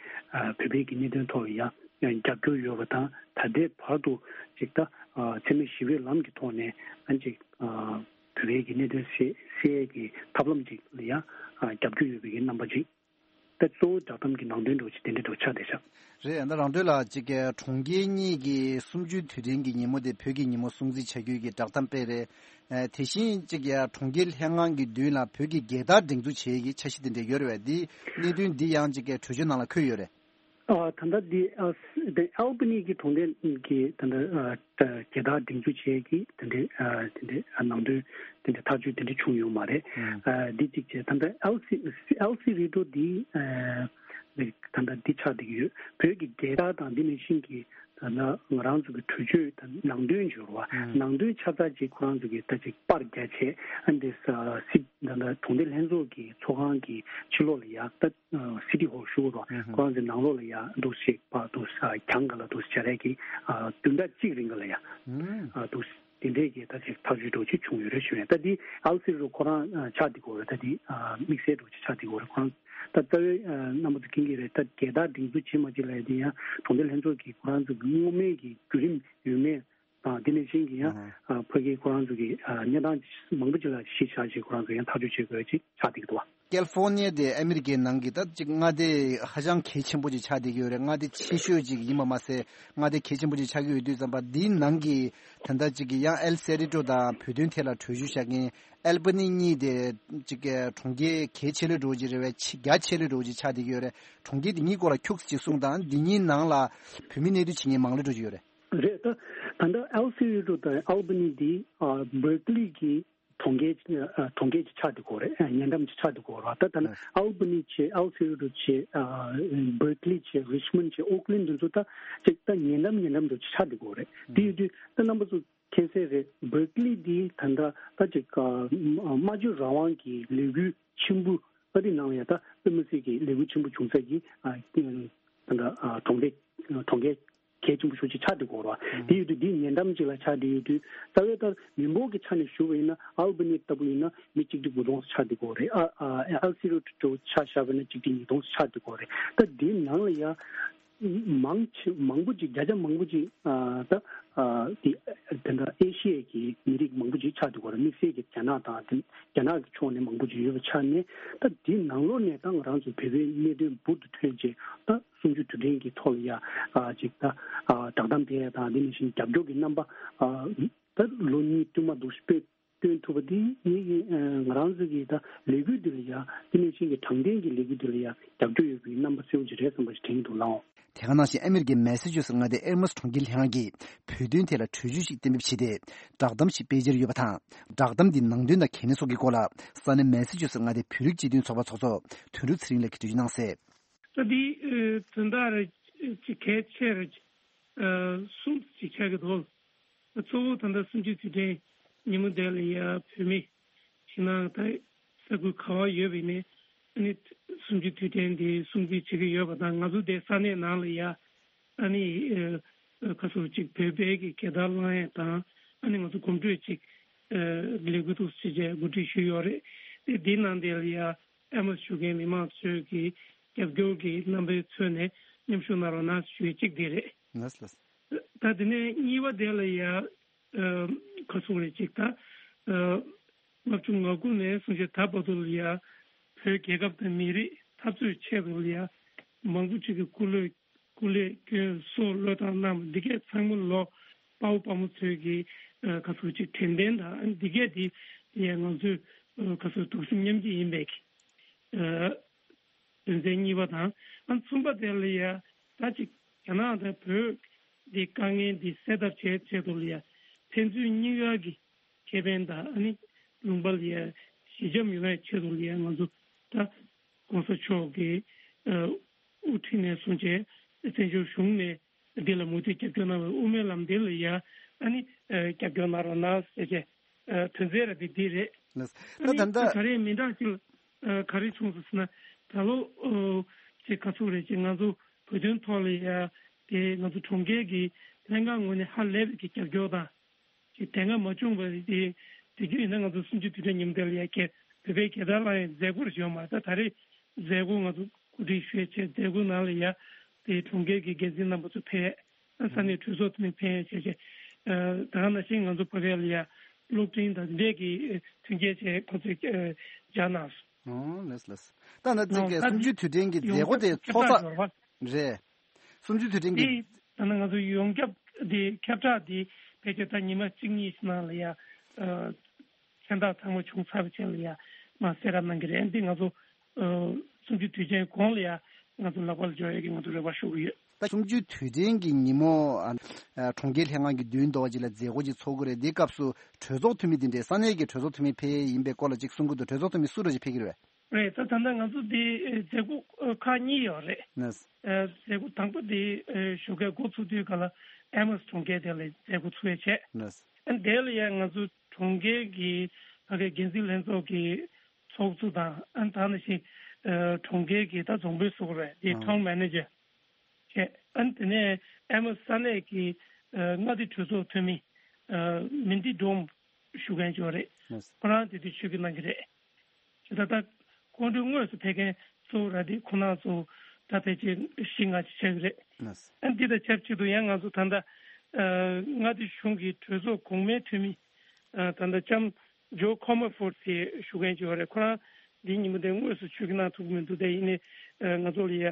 བོད་པའི་གི་གནད་དོན་ཐོག་ལ་ཡང་རྒྱབ་སྐྱོར་ཡོད་པ་དང་། ད་ལྟའི་བར་དུ་ཅིག་ད་འཚེ་མེད་ཞི་བའི་ལམ་གྱི་ཐོག་ནས་ཨ་ཅིག་བོད་པའི་གི་གནད་དོན་སེལ་སེལ་ཡས་ཀྱི་ཐབས་ལམ་ཅིག་ལ་ཡང་རྒྱབ་སྐྱོར་ཡོད་པའི་གི་རྣམ་པ་ཅིག་ད་གཙོ་བོ་བསྒྲགས་གཏམ་གྱི་ནང་དོན་འདྲ་བོ་ཅིག་དེ་འདྲ་འདྲ་བོ་ཆགས་བསྡད་ཤག་རེད། ད་རང་འདོད་ལ་གཅིག་གི་གྲོང་ཁྱེར་གཉིས་ཀྱི་གསུམ་བཅུའི་དུས་དྲན་གྱི་ཉིན་མོ་དེ་བོད་ཀྱི་ཉིན་མོ་སྲུང་བརྩི་བྱ་རྒྱུ་གི་བསྒྲགས་གཏམ་སྤེལ་རེད། ཨ་དེ་བཞིན་གཅིག་གི་གྲོང་ཁྱེར་ལྷན་ཁང་གི་མདུན་ལ་བོད་ཀྱི་རྒྱལ་དར་སྒྲེང་འཛུགས་བྱེད་ཀྱི་འཆར་གཞི་དེ་འདྲ་ཡོད་རེད་བས། འདི་གནད་དོན་འདི་ཡང་གཅིག་གི་གྲོས་ཆོད་ནང་ལ་འཁོད་ཡོད་རེད། ཨ་ད་ལྟ་འདི་ཨ་དེ་ཨལ་བྷ་ནི་གི་གྲོང་སྡེ་གི་ད་ལྟ་ཨ་རྒྱལ་དར་སྒྲེང་འཛུགས་བྱེད་ཀྱི་དེ་འདྲའི་ཨ་དེ་འདྲའི་ཨ་ནང་དོན་དེ་འདྲའི་ཐག་གཅོད་དེ་འདྲ་བྱུང་ཡོད་མ་རེད། ཨ་འདི་གཅིག་བྱས། ད་ལྟ་ཨལ་སི་ཨལ་སི་རི་ཏོ་འདི་ཨ་ད་ལྟ་འདི་ཆགས་བསྡད་ཀྱི་ཡོད། བོད་ཀྱི་རྒྱལ་དར་དང་འདི་ནང་བཞིན་གྱི་ད་ལྟ་ང་རང་ཚོ་གི་གྲོས་ཆོད་དང་ནང་དོན་འབྱོར་བ་ནང་དོན་ཆ་ཚང་ཅིག་ཁོ་རང་ཚོ་གི་ད་ཅིག་པར་རྒྱག་བྱས། ཨ་འདི་ས་སི་ད་ལྟ་གྲོང་སྡེ་ལྷན་ཚོགས་ཀྱི་ཚོགས་ཁང་གི་ཕྱི་ལོགས་ལ་ཡ་ད། སི་ཊི་ཧོལ་ཞུ་དགོས་རེད་བ། ཁོ་རང་ཚོའི་ནང་ལོགས་ལ་ཡ་འདུག་ཞིག་པ་འདུག་ས་གྱང་ག་ལ་འདུག་སྦྱར་ཡས་ཀྱི་བདུན་ཕྲག་གཅིག་རིང་ག་ལ་ཡ་འདུག་དེ་འདྲས་ཀྱི་ད་ཅིག་ཐག་གཅོད་འདྲ་ཅིག་བྱུང་ཡོད་རེད་ཞུ་ཡ། ད་འདི་ཨལ་སི་རུ་ཁོ་རང་ཆགས་བསྡད་ཀྱི་ཡོད་རེད། ད་འདི་དམིགས་བསལ་འདྲ་ཅིག་ཆགས་བསྡད་ཀྱི་ཡོད་རེད། ཁོ་རང་ད་རྩ་བའི་རྣམ་པ་ཚོ་མཁྱེན་གྱི་རེད། ད་རྒྱལ་དར་སྒྲེང་འཛུགས་བྱེད་མ་བྱེད་ལ་ཡ་དེ་ཡང་གྲོང་སྡེ་ལྷན་ཚོགས་ཀྱི་ཁོ་རང་ཚོ་གི་སྔོན་མའི་གི་བརྒྱུད་རིམ་ཡོད་མེད། དང་དེ་ནས་གཞན་གྱི་ཡང་ཕ་གི་ཁོ་རང་ཚོ་གི་གནས་སྟངས་མང་པོ་ཅིག་ལ་གཞི་བཞག་ཅིག་ཁོ་རང་ཚོ་ཡང་ཐག་གཅོད་བྱེད་དགོས་ཅིག་ཆགས་བསྡད་ཀྱི་འདུག་བ། ཀལ་ཧྥོར་ནི་ཡ་དེ་ཨ་མི་རི་ཀའི་ནང་གི་ད་ཅིག་མངའ་སྡེ་ཧ་ཅང་གལ་ཆེན་པོ་ཅིག་ཆགས་བསྡད་ཀྱི་ཡོད་རེད། མངའ་སྡེ་ཆེ་ཤོས་ཅིག་ཡིན་པ་མ་ཟད་མངའ་སྡེ་གལ་ཆེན་པོ་ཅིག་ཆགས་ཀྱི་ཡོད་དུས་ཙམ་པ་འདིའི་ནང་གི་ད་ལྟ་ཅིག་གི་ཡང་ཨེལ་སེ་རི་ཏོ་དང་བོད་དོན་ཐད་ལ་གྲོས་གཞི་བཞག་མཁན་ཨལ་བྷ་ནི་གཉིས་དེ་ཅིག་གི་གྲོང་ཁྱེར་གལ་ཆེ་ལོས་འགྲོ་ཅིག་རེད་བས། ཆེ་རྒྱ་ཆེ་ལོས་འགྲོ་ཅིག་ཆགས་བསྡད་ཀྱི་ཡོད་རེད། གྲོང་ཁྱེར་དེ་གཉིས་སྐོར་ལ་ཁྱུག་ཙམ་ཅིག་གསུངས་དང་། འདི་གཉིས་ནང་ལ་བོད་མི་གནས་སྡོད་བྱེད་མཁན་མང་ལོས་འགྲོ་ཅིག་ཡོད་རེད། རེད། ད་ད་ལྟ་ཨལ་སི་རི་ཏོ་དང་ཨལ་བྷ་ནི་འདི་ཨ་བྷར་ཀ་ལི་གི་གྲོང་ཁྱེར་ཨ་གྲོང་ཁྱེར་ཅིག་ཆགས་བསྡད་ཀྱི་ཡོད་རེད། ཨ་ཉེ་འགྲམ་ཅིག་ཆགས་བསྡད་ཀྱི་ཡོད་རེད། ད་ད་ལྟ་ཨལ་བྷ་ནི་བྱས། ཨལ་སི་རི་ཏོ་བྱས། ཨ་བྷར་ཀ་ལི་བྱས། རི་ཆི་མོན་ཌི་བྱས། ཨོ་ཀ་ལན་འདི་ཚོ་ད་ཅིག་ད་ཉེ་འགྲམ་ཉེ་འགྲམ་དུ་ཆགས་བསྡད་ཀྱི་ཡོད་རེད། དེ་ཡོད་དུས་ད་རྣམ་པ་ཚོ་མཁྱེན་གསལ་རེད། བྷར་ཀ་ལི་འདི་ད་ལྟ་ད་ཅིག་ཨ་སྨྲ་བརྗོད་རང་དབང་གི་ལས་འགུལ་ཆེན་པོ་ཨ་རི་ནང་ལ་ཡ་ད་དཔེ་མི་སྲིད་ཀྱི་ལས་འགུལ་ཆེན་པོ་བྱུང་ས་ཀྱི་ཨ་ད་ལྟ་ཨ་གྲོང་སྡེ་གྲོང་ཁྱེར་གལ་ཆེན་པོ་ཞེ་པོ་ཅིག་ཆགས་བསྡད་ཀྱི་ཡོད་རེད་བ། དེ་ཡོད་དུས་འདི་ཉེ་འགྲམ་ཅིག་ལ་ཆགས་བསྡད་ཡོད་དུས་རྩ་བའི་ལྟར་མི་འབོར་གྱི་ཆ་ནས་ཞུ་བ་ཡིན་ན་ཨལ་བྷ་ནི་ལྟ་བུ་ཡིན་ན་མི་གཅིག་ཁྲི་དགུ་སྟོང་ཙམ་ཆགས་བསྡད་ཀྱི་ཡོད་རེད། ཨ་ཨ་ཨལ་སི་རི་ཏོ་ཆ་བཞག་པ་ཡིན་ན་གཅིག་ཁྲི་ཉིས་སྟོང་ཙམ་ཆགས་བསྡད་ཀྱི་ཡོད་རེད། ད་འདི་ནང་ལ་ཡ་ མང་ཆེ་མང་པོ་ཅིག་བརྒྱ་ཆ་མང་པོ་ཅིག་ཨ་ད་ཨ་དེ་དེ་འདྲ་ཨེ་ཤི་ཡའི་གི་མི་རིགས་མང་པོ་ཅིག་ཆགས་འདུག་ག་ར། དམིགས་བསལ་གྱི་རྒྱ་ནག་དང་དེ་རྒྱ་ནག་གི་ཕྱོགས་ནས་མང་པོ་ཅིག་ཡོད་པ་ཆགས་ནས། ད་དེ་ནང་ལོགས་ནས་ད་ང་རང་ཚོ་བོད་པའི་གནད་དོན་འབུར་དུ་ཐོན་རྗེས་ད་གསུམ་བཅུ་དུས་དྲན་གྱི་ཐོག་ལ་ཡ་ཨ་ཅིག་ད་ཨ་བསྒྲགས་གཏམ་སྤེལ་ཡ་དང་དེ་ནང་བཞིན་རྒྱབ་སྐྱོར་གྱི་རྣམ་པ་ཨ་ད་ལོ་གཉིས་བསྟུད་མར་འདུག་སྤེལ་སྟོན་ཐུབ་པ་འདི་ངེད་ཀྱི་ཨ་ང་རང་ཚོ་གི་ད་ལས་འགུལ་འདི་ལ་ཡ་དེ་ནང་བཞིན་གྱི་དྲང་བདེན་གྱི་ལས་འགུལ་འདི་ལ་ཡ་རྒྱབ་སྐྱོར་ཡོད་པའི་རྣམ་པ་གསལ་པོ་ཅིག་རེད་བསམ་པ་ཞིག་དྲན་གྱི་འདུག་ལགས། དེ་ག་ནང་བཞིན་ཨ་མི་རི་ཀའི་མེ་སེ་ཅུ་སེ་མངའ་སྡེའི་ཨེ་མོས་གྲོང་ཁྱེར་ལྷན་ཁང་གིས་བོད་དོན་ཐད་ལ་གྲོས་ཆོད་ཞིག་གཏན་འབེབས་བྱས་ཏེ་བསྒྲགས་གཏམ་ཞིག་སྤེལ་འཆར་ཡོད་པ་དང་། བསྒྲགས་གཏམ་འདིའི་ནང་དོན་དང་གལ་གནད་སོགས་ཀྱི་སྐོར་ལ་ས་གནས་མེ་སེ་ཅུ་སེ་མངའ་སྡེའི་བོད་རིགས་སྤྱི་མཐུན་ཚོགས་པ་ཚོགས་གཙོ་དོན་གྲུབ་ཚེ་རིང་ལགས་ཀྱིས་འགྲེལ་བརྗོད་གནང་གསལ། ད་འདི་ཨ་དོན་དག་རེ་ཅིག་གལ་ཆེ་རེ་ཅིག་ཨ་གསུམ་ཅིག་ཆགས་ཀྱི་འདུག། གཙོ་བོ་ད་ལྟ་གསུམ་བཅུའི་དུས་དྲན་ཉིན་མོ་དེ་ལ་ཡ་བོད་མི་ཕྱི་ནང་ད་ས་ཁུལ་ག་བ་ཡོད་པ་ཡིན་ནའི་ཨ་ནི་གསུམ་བཅུའི་དུས་དྲན་འདི་སྲུང་བརྩི་བྱེད་ཀྱི་ཡོད་པ་དང་། ང་ཚོ་དེ་ས་གནས་ནང་ལ་ཡ་ཨ་ནི་ཨ་ཁ་སོ་ཅིག་བོད་པའི་གི་རྒྱལ་དར་བསླང་ཡས་དང་ཨ་ནི་ང་ཚོ་གོམ་བགྲོད་ཅིག་ཨ་ལས་འགུལ་འདུག་ཅེས་བྱས་གོ་སྒྲིག་ཞུས་ཡོད་རེད། དེ་འདི་ནང་དེ་ལ་ཡ་ཨེ་མོས་ཞུ་མཁན་མི་མང་ཚོས་ཀྱི་རྒྱབ་སྐྱོར་གྱི་རྣམ་པའི་ཚུལ་ནས་མཉམ་ཞུགས་གནང་རོགས་གནང་ཞུ་ཡས་གཅིག་དེ་རེད། ལགས་ལགས། ད་དེ་ནས་གཉིས་པ་དེ་ལ་ཡ་ཨ་ག་སོང་རེད་ཅིག་ད་ཨ་ལྔ་བཅུ་ང་དགུ་ནས་བཟུང་བྱས་ད་བར་དུ་ལ་ཡ་བོད་རྒྱལ་ཁབ་དང་མི་རིགས་འཐབ་རྩོད་ཆེད་དུ་ལ་ཡ་མང་པོ་ཅིག་གི་སྐུ་ལས་སྐུ་ལས་སྐྱོན་སྲོག་བློས་བཏང་གནང་བ་འདི་གས་ཚང་མ་ལོ་དཔའ་བོ་དཔའ་མོ་ཚོས་ཀྱི་ཨ་ག་སོང་ཅིག་དྲན་རྟེན་དང་འདི་གས་དེ་ལ་ཡ་ང་ཚོས་ཨ་ག་སོང་གདུང་སེམས་མཉམ་སྐྱེད་ཡིན་པའི་གི་ཨ་དོན་ཚན་གཉིས་པ་དང་། ཨ་གསུམ་པ་དེ་ལ་ཡ་ད་ཅིག་རྒྱ་ནག་དང་བོད་འདི་དཀའ་ངལ་འདི་སེལ་ཐབས་བྱེད་ཆེད་དུ་ལ་ཡ་ཕན་ཚུན་གཉིས་ཀ་གི་ཁེ་ཕན་དང་ཨ་ནི་ལུང་པ་ལ་ཡ་ཞི་འཇམ་ཡོང་བའི་ཆེད་དུ་ལ་ཡ་ང་ཚོ་ད་༸གོང་ས་མཆོག་གི་ཨ་དབུ་ཁྲིད་ནས་བཟུང་བྱས་བཙན་བྱོལ་གཞུང་ནས་འདི་ལ་མུ་མཐུད་རྒྱབ་སྐྱོར་གནང་བའི་དབུ་མའི་ལམ་འདི་ལ་ཡ་ཨ་ནི་ཨ་རྒྱབ་སྐྱོར་གནང་རོགས་གནང་ཟེར་བྱས་ཨ་དོན་ཚན་ར་འདི་འདི་རེད། ལགས། ཨ་ད་ནི་ད་ད་ལྟ་ག་རེ་མི་འདྲ་ཅིག་ཨ་ག་རེ་བྱུང་སོང་ཟེར་ན། ད་ལོ་ཨོ་ཅིག་ག་ཚོད་རེད་ཅིག་ང་ཚོ་བོད་དོན་ཐོག་ལ་ཡ་དེ་ང་ཚོ་གྲོང་ཁྱེར་གྱི་ལྷན་ཁང་ངོས་ནས་ཧ་ལས་པའི་གི་རྒྱབ་སྐྱོར་དང་ཅིག་དེ་སྔ་མ་བྱུང་བ་དེ་དེ་རྒྱུ་ཡིན་ན་ང་ཚོ་གསུམ་བཅུའི་དུས་དྲན་ཉིན་མོ་དེ་ལ་ཡ་གི་བོད་པའི་རྒྱལ་དར་བསླང་ཡའི་མཛད་སྒོ་རེ་བྱུང་མ་རེད། ད་ད་རེས་མཛད་སྒོ་ང་ཚོ་གོ་སྒྲིག་ཞུས་བྱས་མཛད་སྒོ་ནང་ལ་ཡ་དེ་གྲོང་ཁྱེར་གྱི་འགན་འཛིན་རྣམ་པ་ཚོ་ཕེབས། ས་གནས་གྲོས་ཚོགས་ཐོན་ཕན་བྱས་བྱས། ད་ག་ནང་བཞིན་ང་ཚོ་བོད་པའི་ལ་ཡ་གློག་འཕྲིན་དང་འདི་འདྲས་ཀྱི་མཐུན་རྐྱེན་བྱས་ཁོ་ཚོས་སྦྱར་གནང་སོང་། ཨོ་ལགས་ལགས། ད་ན་ཅིག་གི་གསུམ་བཅུའི་དུས་དྲན་གྱི་མཛད་སྒོ་དེ་ཚོགས་ས་རེད། གསུམ་བཅུའི་དུས་དྲན་གྱི་འདི་ད་ནི་ང་ཚོ་ཡོངས་ཁྱབ་འདི་ཁྱབ་བསྒྲགས་འདི་ཕལ་ཆེར་ད་ཉི་མ་གཅིག་གཉིས་ནང་ལ་ཡ་མཚན་རྟགས་ཚང་མ་བྱུང་ཚར་བའི་རྗེས་ལ་ཡ་མ་གསལ་བསྒྲགས་གནང་གི་རེད། འདི་ང་ཚོ་གསུམ་བཅུའི་དུས་ཆེན་གོང་ལ་ཡ་ང་ཚོ་ལག་པ་ལ་འབྱོར་ཡ་གི་ང་ཚོ་རེ་བ་ཞུ་གི་ཡོད། ད་གསུམ་བཅུའི་དུས་དྲན་གྱི་ཉིན་མོ་ཨ་ཨ་གྲོང་ཁྱེར་ལྷན་ཁང་གི་མདུན་དུ་ཅིག་ལ་མཛད་སྒོ་ཅིག་ཚོགས་ཀྱི་རེད། འདིའི་སྐབས་སུ་གྲོས་ཚོགས་འཐུས་མི་འདི་འདྲའི་ས་གནས་ཀྱི་གྲོས་ཚོགས་འཐུས་མི་ཕེབས་ཡིན་པའི་སྐོར་ལ་ཅིག་གསུང་གི་འདུག། གྲོས་ཚོགས་འཐུས་མི་སུ་འདྲ་ཅིག་ཕེབས་ཀྱི་རེད་པས། རེད། ད་ད་ལྟ་ང་ཚོ་འདི་མཛད་སྒོ་ཁག་གཉིས་ཡོད་རེད། ལགས། མཛད་སྒོ་དང་པོ་འདི་ཞོགས་ཀས་འགོ་ཚུགས་དུས་ག་ལ་ཨེ་མོས་གྲོང་ཁྱེར་དེ་ལ་མཛད་སྒོ་ཚུགས་ཡས་བྱས། ལགས། ཨ་དེ་ལ་ཡང་ང་ཚོ་གྲོང་ཁྱེར་གྱི་ཕ་གའི་འགན་འཛིན་ལྷན་ཚོགས་ཀྱི་ཚོགས་གཙོ་དང་ཨ་ད་ནང་བཞིན་གྲོང་ཁྱེར་གྱི་ད་རྫོང་དཔོན་ཟེར་དགོས་རེད། དེ་ཨང་ཊའུན་མེ་ནེ་ཇར་བྱས། ཨ་ནི་དེ་ནས་ཨེ་མོས་ས་གནས་ཀྱི་མངའ་སྡེ་གྲོས་ཚོགས་འཐུས་མི་མིན་ཏི་ཌོམ་ཞུ་མཁན་ཅིག་ཡོད་རེད། ལགས། ཁོ་རང་དེ་དུས་ཆིབས་བསྒྱུར་གནང་གི་རེད། ཇི་ལྟར་ད་ཁོང་ཚོའི་དངོས་སུ་ཕེབས་མཁན་གཙོ་བོ་ར་དེ་ཁོང་རྣམ་ཚོ་ད་ཕལ་ཆེར་བཞི་ལྔ་ཅིག་ཆགས་ཀྱི་རེད། ལགས། ཨ་འདི་དང་ཆབས་ཅིག་ཏུ་ཡང་ང་ཚོ་ད་ལྟ་ཨ་མངའ་སྡེ་གཞུང་གི་གྲོས་ཚོགས་གོང་མའི་འཐུས་མི་ཨ་ད་ལྟ་ལྕམ་ཇོ་ཁོ་མོ་ཕོར་ཟེར་ཞུ་མཁན་ཅིག་ཡོད་རེད། ཁོ་རང་འདིའི་ཉིན་མོ་དེ་དངོས་སུ་ཆིབས་བསྒྱུར་གནང་ཐུབ་ཀྱི་མི་འདུག། དེ་ཡིན་ནའི་ཨ་ང་ཚོ་ལ་ཡ་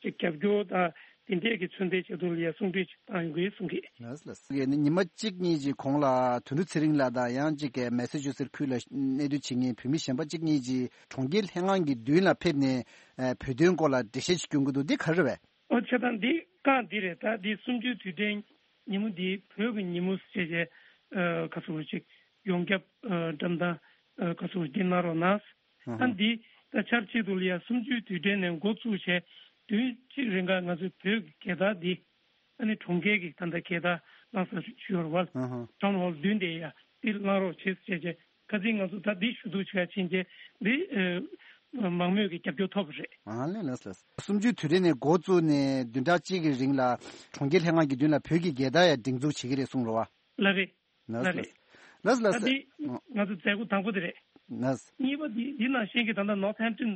ཅིག་རྒྱབ་སྐྱོར་དང་དེ་འདྲས་ཀྱི་མཚོན་རྟགས་ཆེད་དུ་ལ་ཡ་གསུང་གྲོས་ཅིག་བཏང་ཡོང་གི་གསུང་གི། ལགས་ལགས། ཉི་མ་གཅིག་གཉིས་ཀྱི་གོང་ལ་དོན་གྲུབ་ཚེ་རིང་ལགས་དང་ཡང་གཅིག་གི་མེ་སེ་ཆུ་སེ་ཊི་ཁུལ་ལ་གནས་སྡོད་བྱེད་མཁན་བོད་མི་གཞན་པ་གཅིག་གཉིས་ཀྱིས་གྲོང་ཁྱེར་ལྷན་ཁང་གི་མདུན་ལ་ཕེབས་ནས་བོད་དོན་སྐོར་ལ་འགྲེལ་བཤད་ཅིག་སྐྱོན་གྱི་འདུག། འདི་ག་རེ་རེད་པས། ཨོ་བྱས་ཙང་འདི་རྐང་འདི་རེད། ད་འདི་གསུམ་བཅུའི་དུས་དྲན་ཉིན་མོ་འདི་བོད་ཀྱི་ཉིན་མོ་ཞེས་བྱས་ཨ་ག་ཚོད་ཅིག་ཡོངས་ཁྱབ་ཨ་འགྲེམས་སྟོན་ཨ་ག་ཚོད་འདི་གནང་རོགས་གནང་། ཨ་འདི་ད་ཆབས་ཅིག་ཏུ་ལ་ཡ་གསུམ་བཅུའི་དུས་དྲན་ནས་འགོ་བཙུགས་བྱས་དུས་གཅིག་རིང་ག་ང་ཚོའི་བོད་ཀྱི་རྒྱལ་དར་འདི་ཨ་ནི་གྲོང་ཁྱེར་གྱི་ད་ལྟ་རྒྱལ་དར་བསླངས་ས་ཞུ་བར་ཝལ་ཨ་ཧ་ཊའུན་ཧོལ་མདུན་དེ་ཡ་འདི་བསླངས་རོགས་བྱེད་ཅེས་བྱས། ཁ་སང་ང་ཚོ་ད་འདི་ཞུ་གཏུག་བྱེད་ཡ་ཕྱིན་ཆད་འདི་ཨ་མང་མོས་ཀྱི་རྒྱབ་སྐྱོར་ཐོབ་པ་རེད། ཨ་ལས་ལགས་ལགས། གསུམ་བཅུའི་དུས་དྲན་ནས་འགོ་བཙུགས་ནས་བདུན་ཕྲག་གཅིག་གི་རིང་ལ་གྲོང་ཁྱེར་ལྷན་ཁང་གི་མདུན་ལ་བོད་ཀྱི་རྒྱལ་དར་ཡང་སྒྲེང་འཛུགས་བྱེད་ཀྱི་རེད་གསུངས་རེད་པ། ལགས་རེད། ལགས་ལགས་ལགས་ལགས། ད་འདི་ང་ཚོ་མཛད་སྒོ་དང་པོ་དེ་རེད། ལགས། གཉིས་པ་འདི་འདི་ནང་བཞིན་གྱི་ད་ལྟ་ནོར་ཐེམ་ཊོན་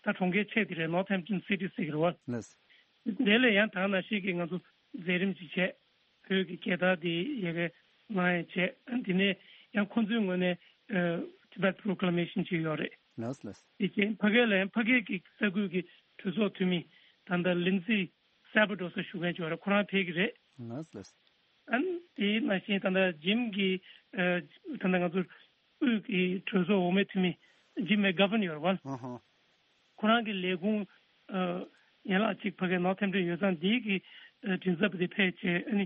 ད་གྲོང་ཁྱེར་ཆེ་དེ་རེད། ནོར་ཐེམ་ཊོན་སི་ཊི་ཟེར་གྱི་རེད་པ། ལགས། དེ་ལས་ཡང་ད་ནང་བཞིན་གྱི་ང་ཚོ་མཛད་རིམ་ཅིག་བྱས། བོད་ཀྱི་རྒྱལ་དར་དེ་ཡ་གི་ང་ཡང་བྱས། དེ་ནས་ཡང་ཁོང་ཚོའི་ངོས་ནས་ཨ་Tibet Proclamation ཅིག་ཡོད་རེད། ལགས་ལགས། དེ་རྐྱེན་ཕ་གི་ལ་ཡང་ཕ་གི་གི་ས་ཁུལ་གྱི་གྲོས་ཚོགས་འཐུས་མི་ད་ལྟ་ལིན་ཛི་སེ་བྷ་ཌོ་ས་ཞུ་མཁན་ཅིག་ཡོད་རེད། ཁོ་རང་ཕེབས་ཀྱི་རེད། ལགས་ལགས། ཨ་ནི་དེའི་ནང་བཞིན་ད་ལྟ་ཇིམ་གྱི་ཨ་ད་ལྟ་ང་ཚོ་དབུས་ཀྱི་གྲོས་ཚོགས་འོག་མའི་འཐུས་མི་ཇིམ་མེག་གྷ་ཝན་ཡོད་རེད་བ། ཨ་ཧ། ཁོ་རང་གི་ལས་ཁུངས་ཨ་ཡན་ལག་གཅིག་ཕ་གིའི་Northampton ཡོད་ཙང་། དེའི་གི་ཨ་མགྲིན་ཚབ་དེ་ཕེབས་བྱས། ཨ་ནི་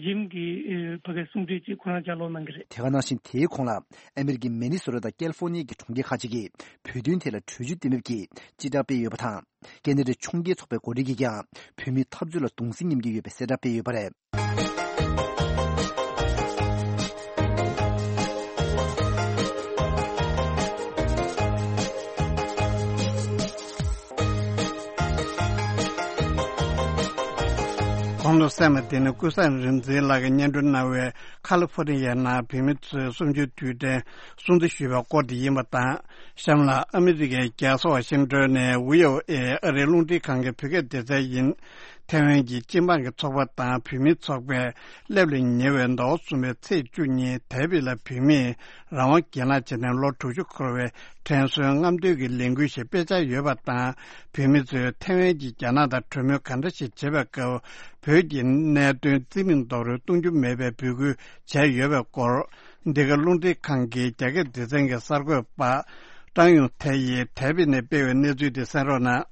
ཇིམ་གྱི་ཨ་ཕ་གིའི་གསུང་འཕྲིན་ཅིག་ཁོ་རང་ལྗགས་ཀློག་གནང་གི་རེད། དེ་ག་ནང་བཞིན་དེའི་གོང་ལ་ཨ་མེ་རི་ཀའི་མི་ནི་སོ་ཊ་དང་ཀལ་ཧྥོ་ནི་ཡ་གི་གྲོང་ཁྱེར་ཁག་ཅིག་གིས་བོད་དོན་ཐད་ལ་གྲོས་ཆོད་གཏན་འབེབས་ཀྱིས་སྤྱི་བསྒྲགས་སྤེལ་ཡོད་པ་དང་། ཀེ་ན་ཌའི་ཕྱོགས་འགལ་ཚོགས་པའི་འགོ་ཁྲིད་ཀྱིས་ཀྱང་བོད་མིའི་འཐབ་རྩོད་ལ་གདུང་སེམས་མཉམ་སྐྱེད་ཡོད་པའི་གསལ་བསྒྲགས་སྤེལ་ཡོད་པ་རེད། གོང་དུ་གསན་པ་དེ་ནི་ཀུན་བཟང་རིག་འཛིན་ལགས་ཀྱིས་སྙན་སྒྲོན་གནང་བའི་ཁ་ལི་ཧྥོ་ནི་ཡའི་ནང་བོད་མི་ཚོའི་གསུམ་བཅུའི་དུས་དྲན་སྲུང་བརྩི་ཞུས་པའི་སྐོར་དེ་ཡིན་པ་དང་། གཤམ་ལ་ཨ་མི་རི་ཀའི་རྒྱལ་ས་ཝ་ཤིང་ཏོན་ནས་བྷི་ཨོ་ཨེ་ཨ་རིའི་རླུང་འཕྲིན་ཁང་གི་བོད་སྐད་སྡེ་ཚན་ཡིན། ཐའེ་ཝན་གྱི་སྤྱི་འབངས་ཀྱི་ཚོགས་པ་དང་བོད་མིའི་ཚོགས་པས་སླེབས་ལ་ཉེ་བའི་ཟླ་བ་གསུམ་པའི་ཚེས་བཅུ་ཉིན་དཱ་བིད་ལ་བོད་མིས་རང་དབང་སྒེར་ལངས་བྱས་ནས་ལོ་དྲུག་ཅུ་འཁོར་བའི་དྲན་གསོའི་རྔམ་སྟོན་གྱི་ལས་འགུལ་ཞིག་སྤེལ་འཆར་ཡོད་པ་དང་། བོད་མི་ཚོས་ཐའེ་ཝན་གྱིས་རྒྱ་ནག་དང་གྲོས་མོལ་ག་འདྲ་ཞིག་བྱེད་པའི་སྐབས་བོད་ཀྱི་གནད་དོན་རྩིས་མེད་རྡོག་རོལ་གཏོང་རྒྱུ་མེད་པའི་འབོད་སྐུལ་བྱས་ཡོད་པའི་སྐོར། འདི་ག་རླུང་འཕྲིན་ཁང་གི་རྒྱ་སྐད་སྡེ་ཚན་གྱི་གསར་འགོད་པ་ཀྲང་ཡུང་ཐའེ་ཡིས་དཱ་བིད་ནས་སྤེལ་བའི་གནས་ཚུལ་དེ་གསན་རོགས་གནང་།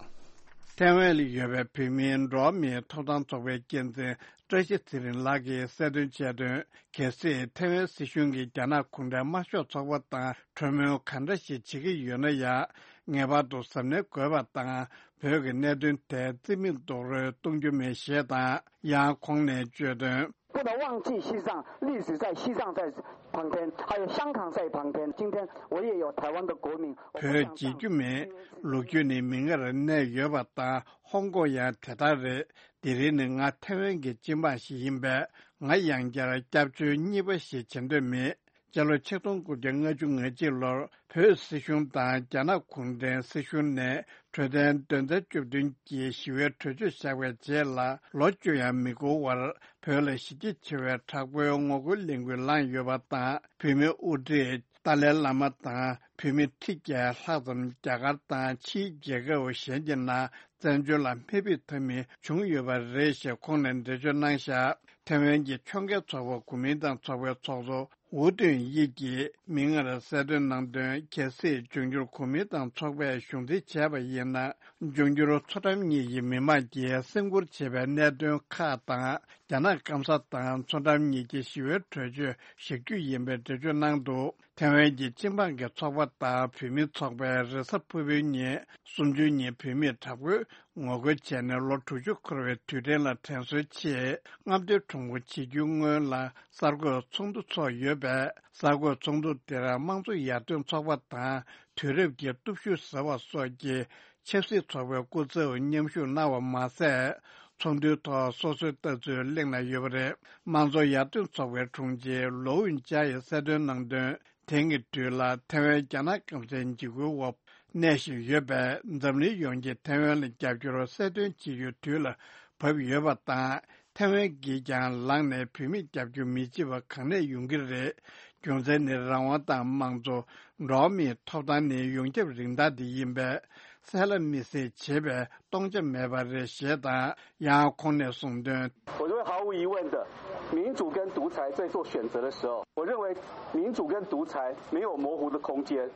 ཐའེ་ཝན་ལ་ཡོད་པའི་བོད་མིའི་འགྲོ་བ་མིའི་ཐོབ་ཐང་ཚོགས་པའི་འགན་འཛིན་བཀྲ་ཤིས་ཚེ་རིང་ལགས་ཀྱིས་གསལ་སྟོན་བྱས་དོན། གལ་སྲིད་ཐའེ་ཝན་སྲིད་གཞུང་གིས་རྒྱ་ནག་གུང་ཁྲན་དམར་ཤོག་ཚོགས་པ་དང་གྲོས་མོལ་ག་འདྲ་ཞིག་བྱེད་ཀྱི་ཡོད་ན་ཡང་། ངེས་པར་དུ་གཟབ་ནན་དགོས་པ་དང་། བོད་ཀྱི་གནད་དོན་དེ་རྩིས་མེད་རྡོག་རོལ་གཏོང་རྒྱུ་མེད་ཞེས་དང་། ཡང་ཁོང་ནས་བརྗོད་དོན། 不能忘记西藏，历史在西藏在旁边，还有香港在旁边。今天我也有台湾的国民，我不 བོད་བརྗེད་རྒྱུ་མེད། ལོ་རྒྱུས་ནི་མིག་སྔར་གནས་ཡོད་པ་དང་། ཧོང་ཀོང་ཡང་དེ་ལྟར་རེད། དེ་རིང་ནི་ང་ཐའེ་ཝན་གྱི་སྤྱི་འབངས་ཤིག་ཡིན་པས། ང་ཡང་བསྐྱར་སྐྱབས་བཅོལ་གཉིས་པ་ཞིག་བྱེད་འདོད་མེད། སྤྱི་ལོ་ཆིག་སྟོང་དགུ་བརྒྱ་ལྔ་བཅུ་ང་གཅིག་ལོར་བོད་སྲིད་གཞུང་དང་རྒྱ་ནག་གུང་ཁྲན་སྲིད་གཞུང་ནས་གྲོས་དོན་དོན་ཚན་བཅུ་བདུན་གྱི་ཞི་བའི་གྲོས་ཆོད་བཞག་པའི་རྗེས་ལ་ལོ་བཅུ་ཡང་མི་འགོར་བར་བོད་ལ་གཞི་རྒྱ་ཆེ་བའི་དྲག་པོའི་ངོ་རྒོལ་ལས་འགུལ་ལངས་ཡོད་པ་དང་། བོད་མི་དབུ་ཁྲིད་ཏཱ་ལའི་བླ་མ་དང་བོད་མི་ཁྲི་བརྒྱ་ལྷག་ཙམ་རྒྱ་གར་དང་ཕྱིའི་རྒྱལ་ཁབ་གཞན་གྱི་ནང་བཙན་བྱོལ་ལ་མེ་ཕུད་ཐབས་མེད་བྱུང་ཡོད་པ་རེད་ཞེས་ཁོང་ནས་འགྲེལ་བརྗོད་གནང་བཞག་ཐའེ་ཝན་གྱི་ཕྱོགས་འགལ་ཚོགས་པ་གོ་མིན་ཏང་ཚོགས་པའི་ཚོགས་གཙོ་ཝུའུ་ཏུན་དབྱི་ཡིས་མིག་སྔར་གསལ་སྟོན་གནང་དོན། གལ་སྲིད་འབྱུང་འགྱུར་གོ་མིན་ཏང་ཚོགས་པས་གཞུང་འཛིན་བྱས་པ་ཡིན་ན། འབྱུང་འགྱུར་མཚོ་འགྲམ་གཉིས་ཀྱི་མི་དམངས་ཀྱིས་སེམས་ཁུར་བྱེད་པའི་གནད་དོན་ཁག་དང་། རྒྱ་ནག་སྐམ་ས་དང་མཚོ་འགྲམ་གཉིས་ཀྱི་ཞི་བའི་གྲོས་ཆོད་བཞག་རྒྱུ་ཡིན་པའི་འགྲེལ་བརྗོད་གནང་འདུག་ཐའེ་ཝན་གྱི་སྤྱི་འབངས་ཀྱི་ཚོགས་པ་དང་བོད་མིའི་ཚོགས་པས་རེས་གཟའ་ཕུར་བུའི་ཉིན་གསུམ་བཅུའི་ཉིན་བོད་མིས་དྲག་པོའི་ངོ་རྒོལ་བྱས་ནས་ལོ་དྲུག་ཅུ་འཁོར་བའི་དུས་དྲན་ལ་དྲན་གསོའི་ཆེད་རྔམ་སྟོན་ཁྲོམ་སྐོར་བྱེད་རྒྱུའི་སྔོན་ལ་གསར་འགོད་ཚོགས་འདུ་ཚོགས་ཡོད་པས། གསར་འགོད་ཚོགས་འདུ་དེར་དམངས་གཙོ་ཡར་ཐོན་ཚོགས་པ་དང་དུས་རབས་ཀྱི་སྟོབས་ཤུགས་ཟེར་བ་སོགས་ཀྱི་ཆབ་སྲིད་ཚོགས་པའི་སྐུ་ཚབ་མཉམ་ཞུགས་གནང་བ་མ་ཟད། ཚོགས་འདུའི་ཐོག་སོ་སོའི་ལྟ་ཚུལ་གླེང་གནང་ཡོད་པ་རེད། དམངས་གཙོ་ཡར་ཐོན་ཚོགས་པའི་དྲུང་ཆེ་ལོ་ཝུན་ཅཱ་ཡིས་གསལ་སྟོན་གནང་དོན། དེང་གི་དུས་ལ་ཐའེ་ཝན་རྒྱ་ནག་སྐམ་སའི་འཇིགས་སྐུལ་འོག་གནས་བཞིན་ཡོད་པས། འཛམ་གླིང་ཡོངས་ཀྱིས་ཐའེ་ཝན་ལ་རྒྱབ་སྐྱོར་གསལ་སྟོན་བྱེད་རྒྱུའི་དུས་ལ་བབ་ཡོད་པ་དང་། ཐའེ་ཝན་གྱིས་ཀྱང་ལངས་ནས་བོད་མིར་རྒྱབ་སྐྱོར་མི་བྱེད་པ་གང་ནས་ཡོང་གི་རེད། རྒྱུ་མཚན་ནི་རང་དབང་དང་དམངས་གཙོ། འགྲོ་བ་མིའི་ཐོབ་ཐང་ནི་ཡོངས་ཁྱབ་རིན་ཐང་དེ་ཡིན་པས། གསལ་ལ་མི་གསལ་བྱེད་པའི་སྟོང་ཆ་མེད་པ་རེད་ཞེས་དང་། ཡང་ཁོང་ནས་གསུངས་དོན། 我认为毫无疑问的，民主跟独裁在做选择的时候，我认为民主跟独裁没有模糊的空间，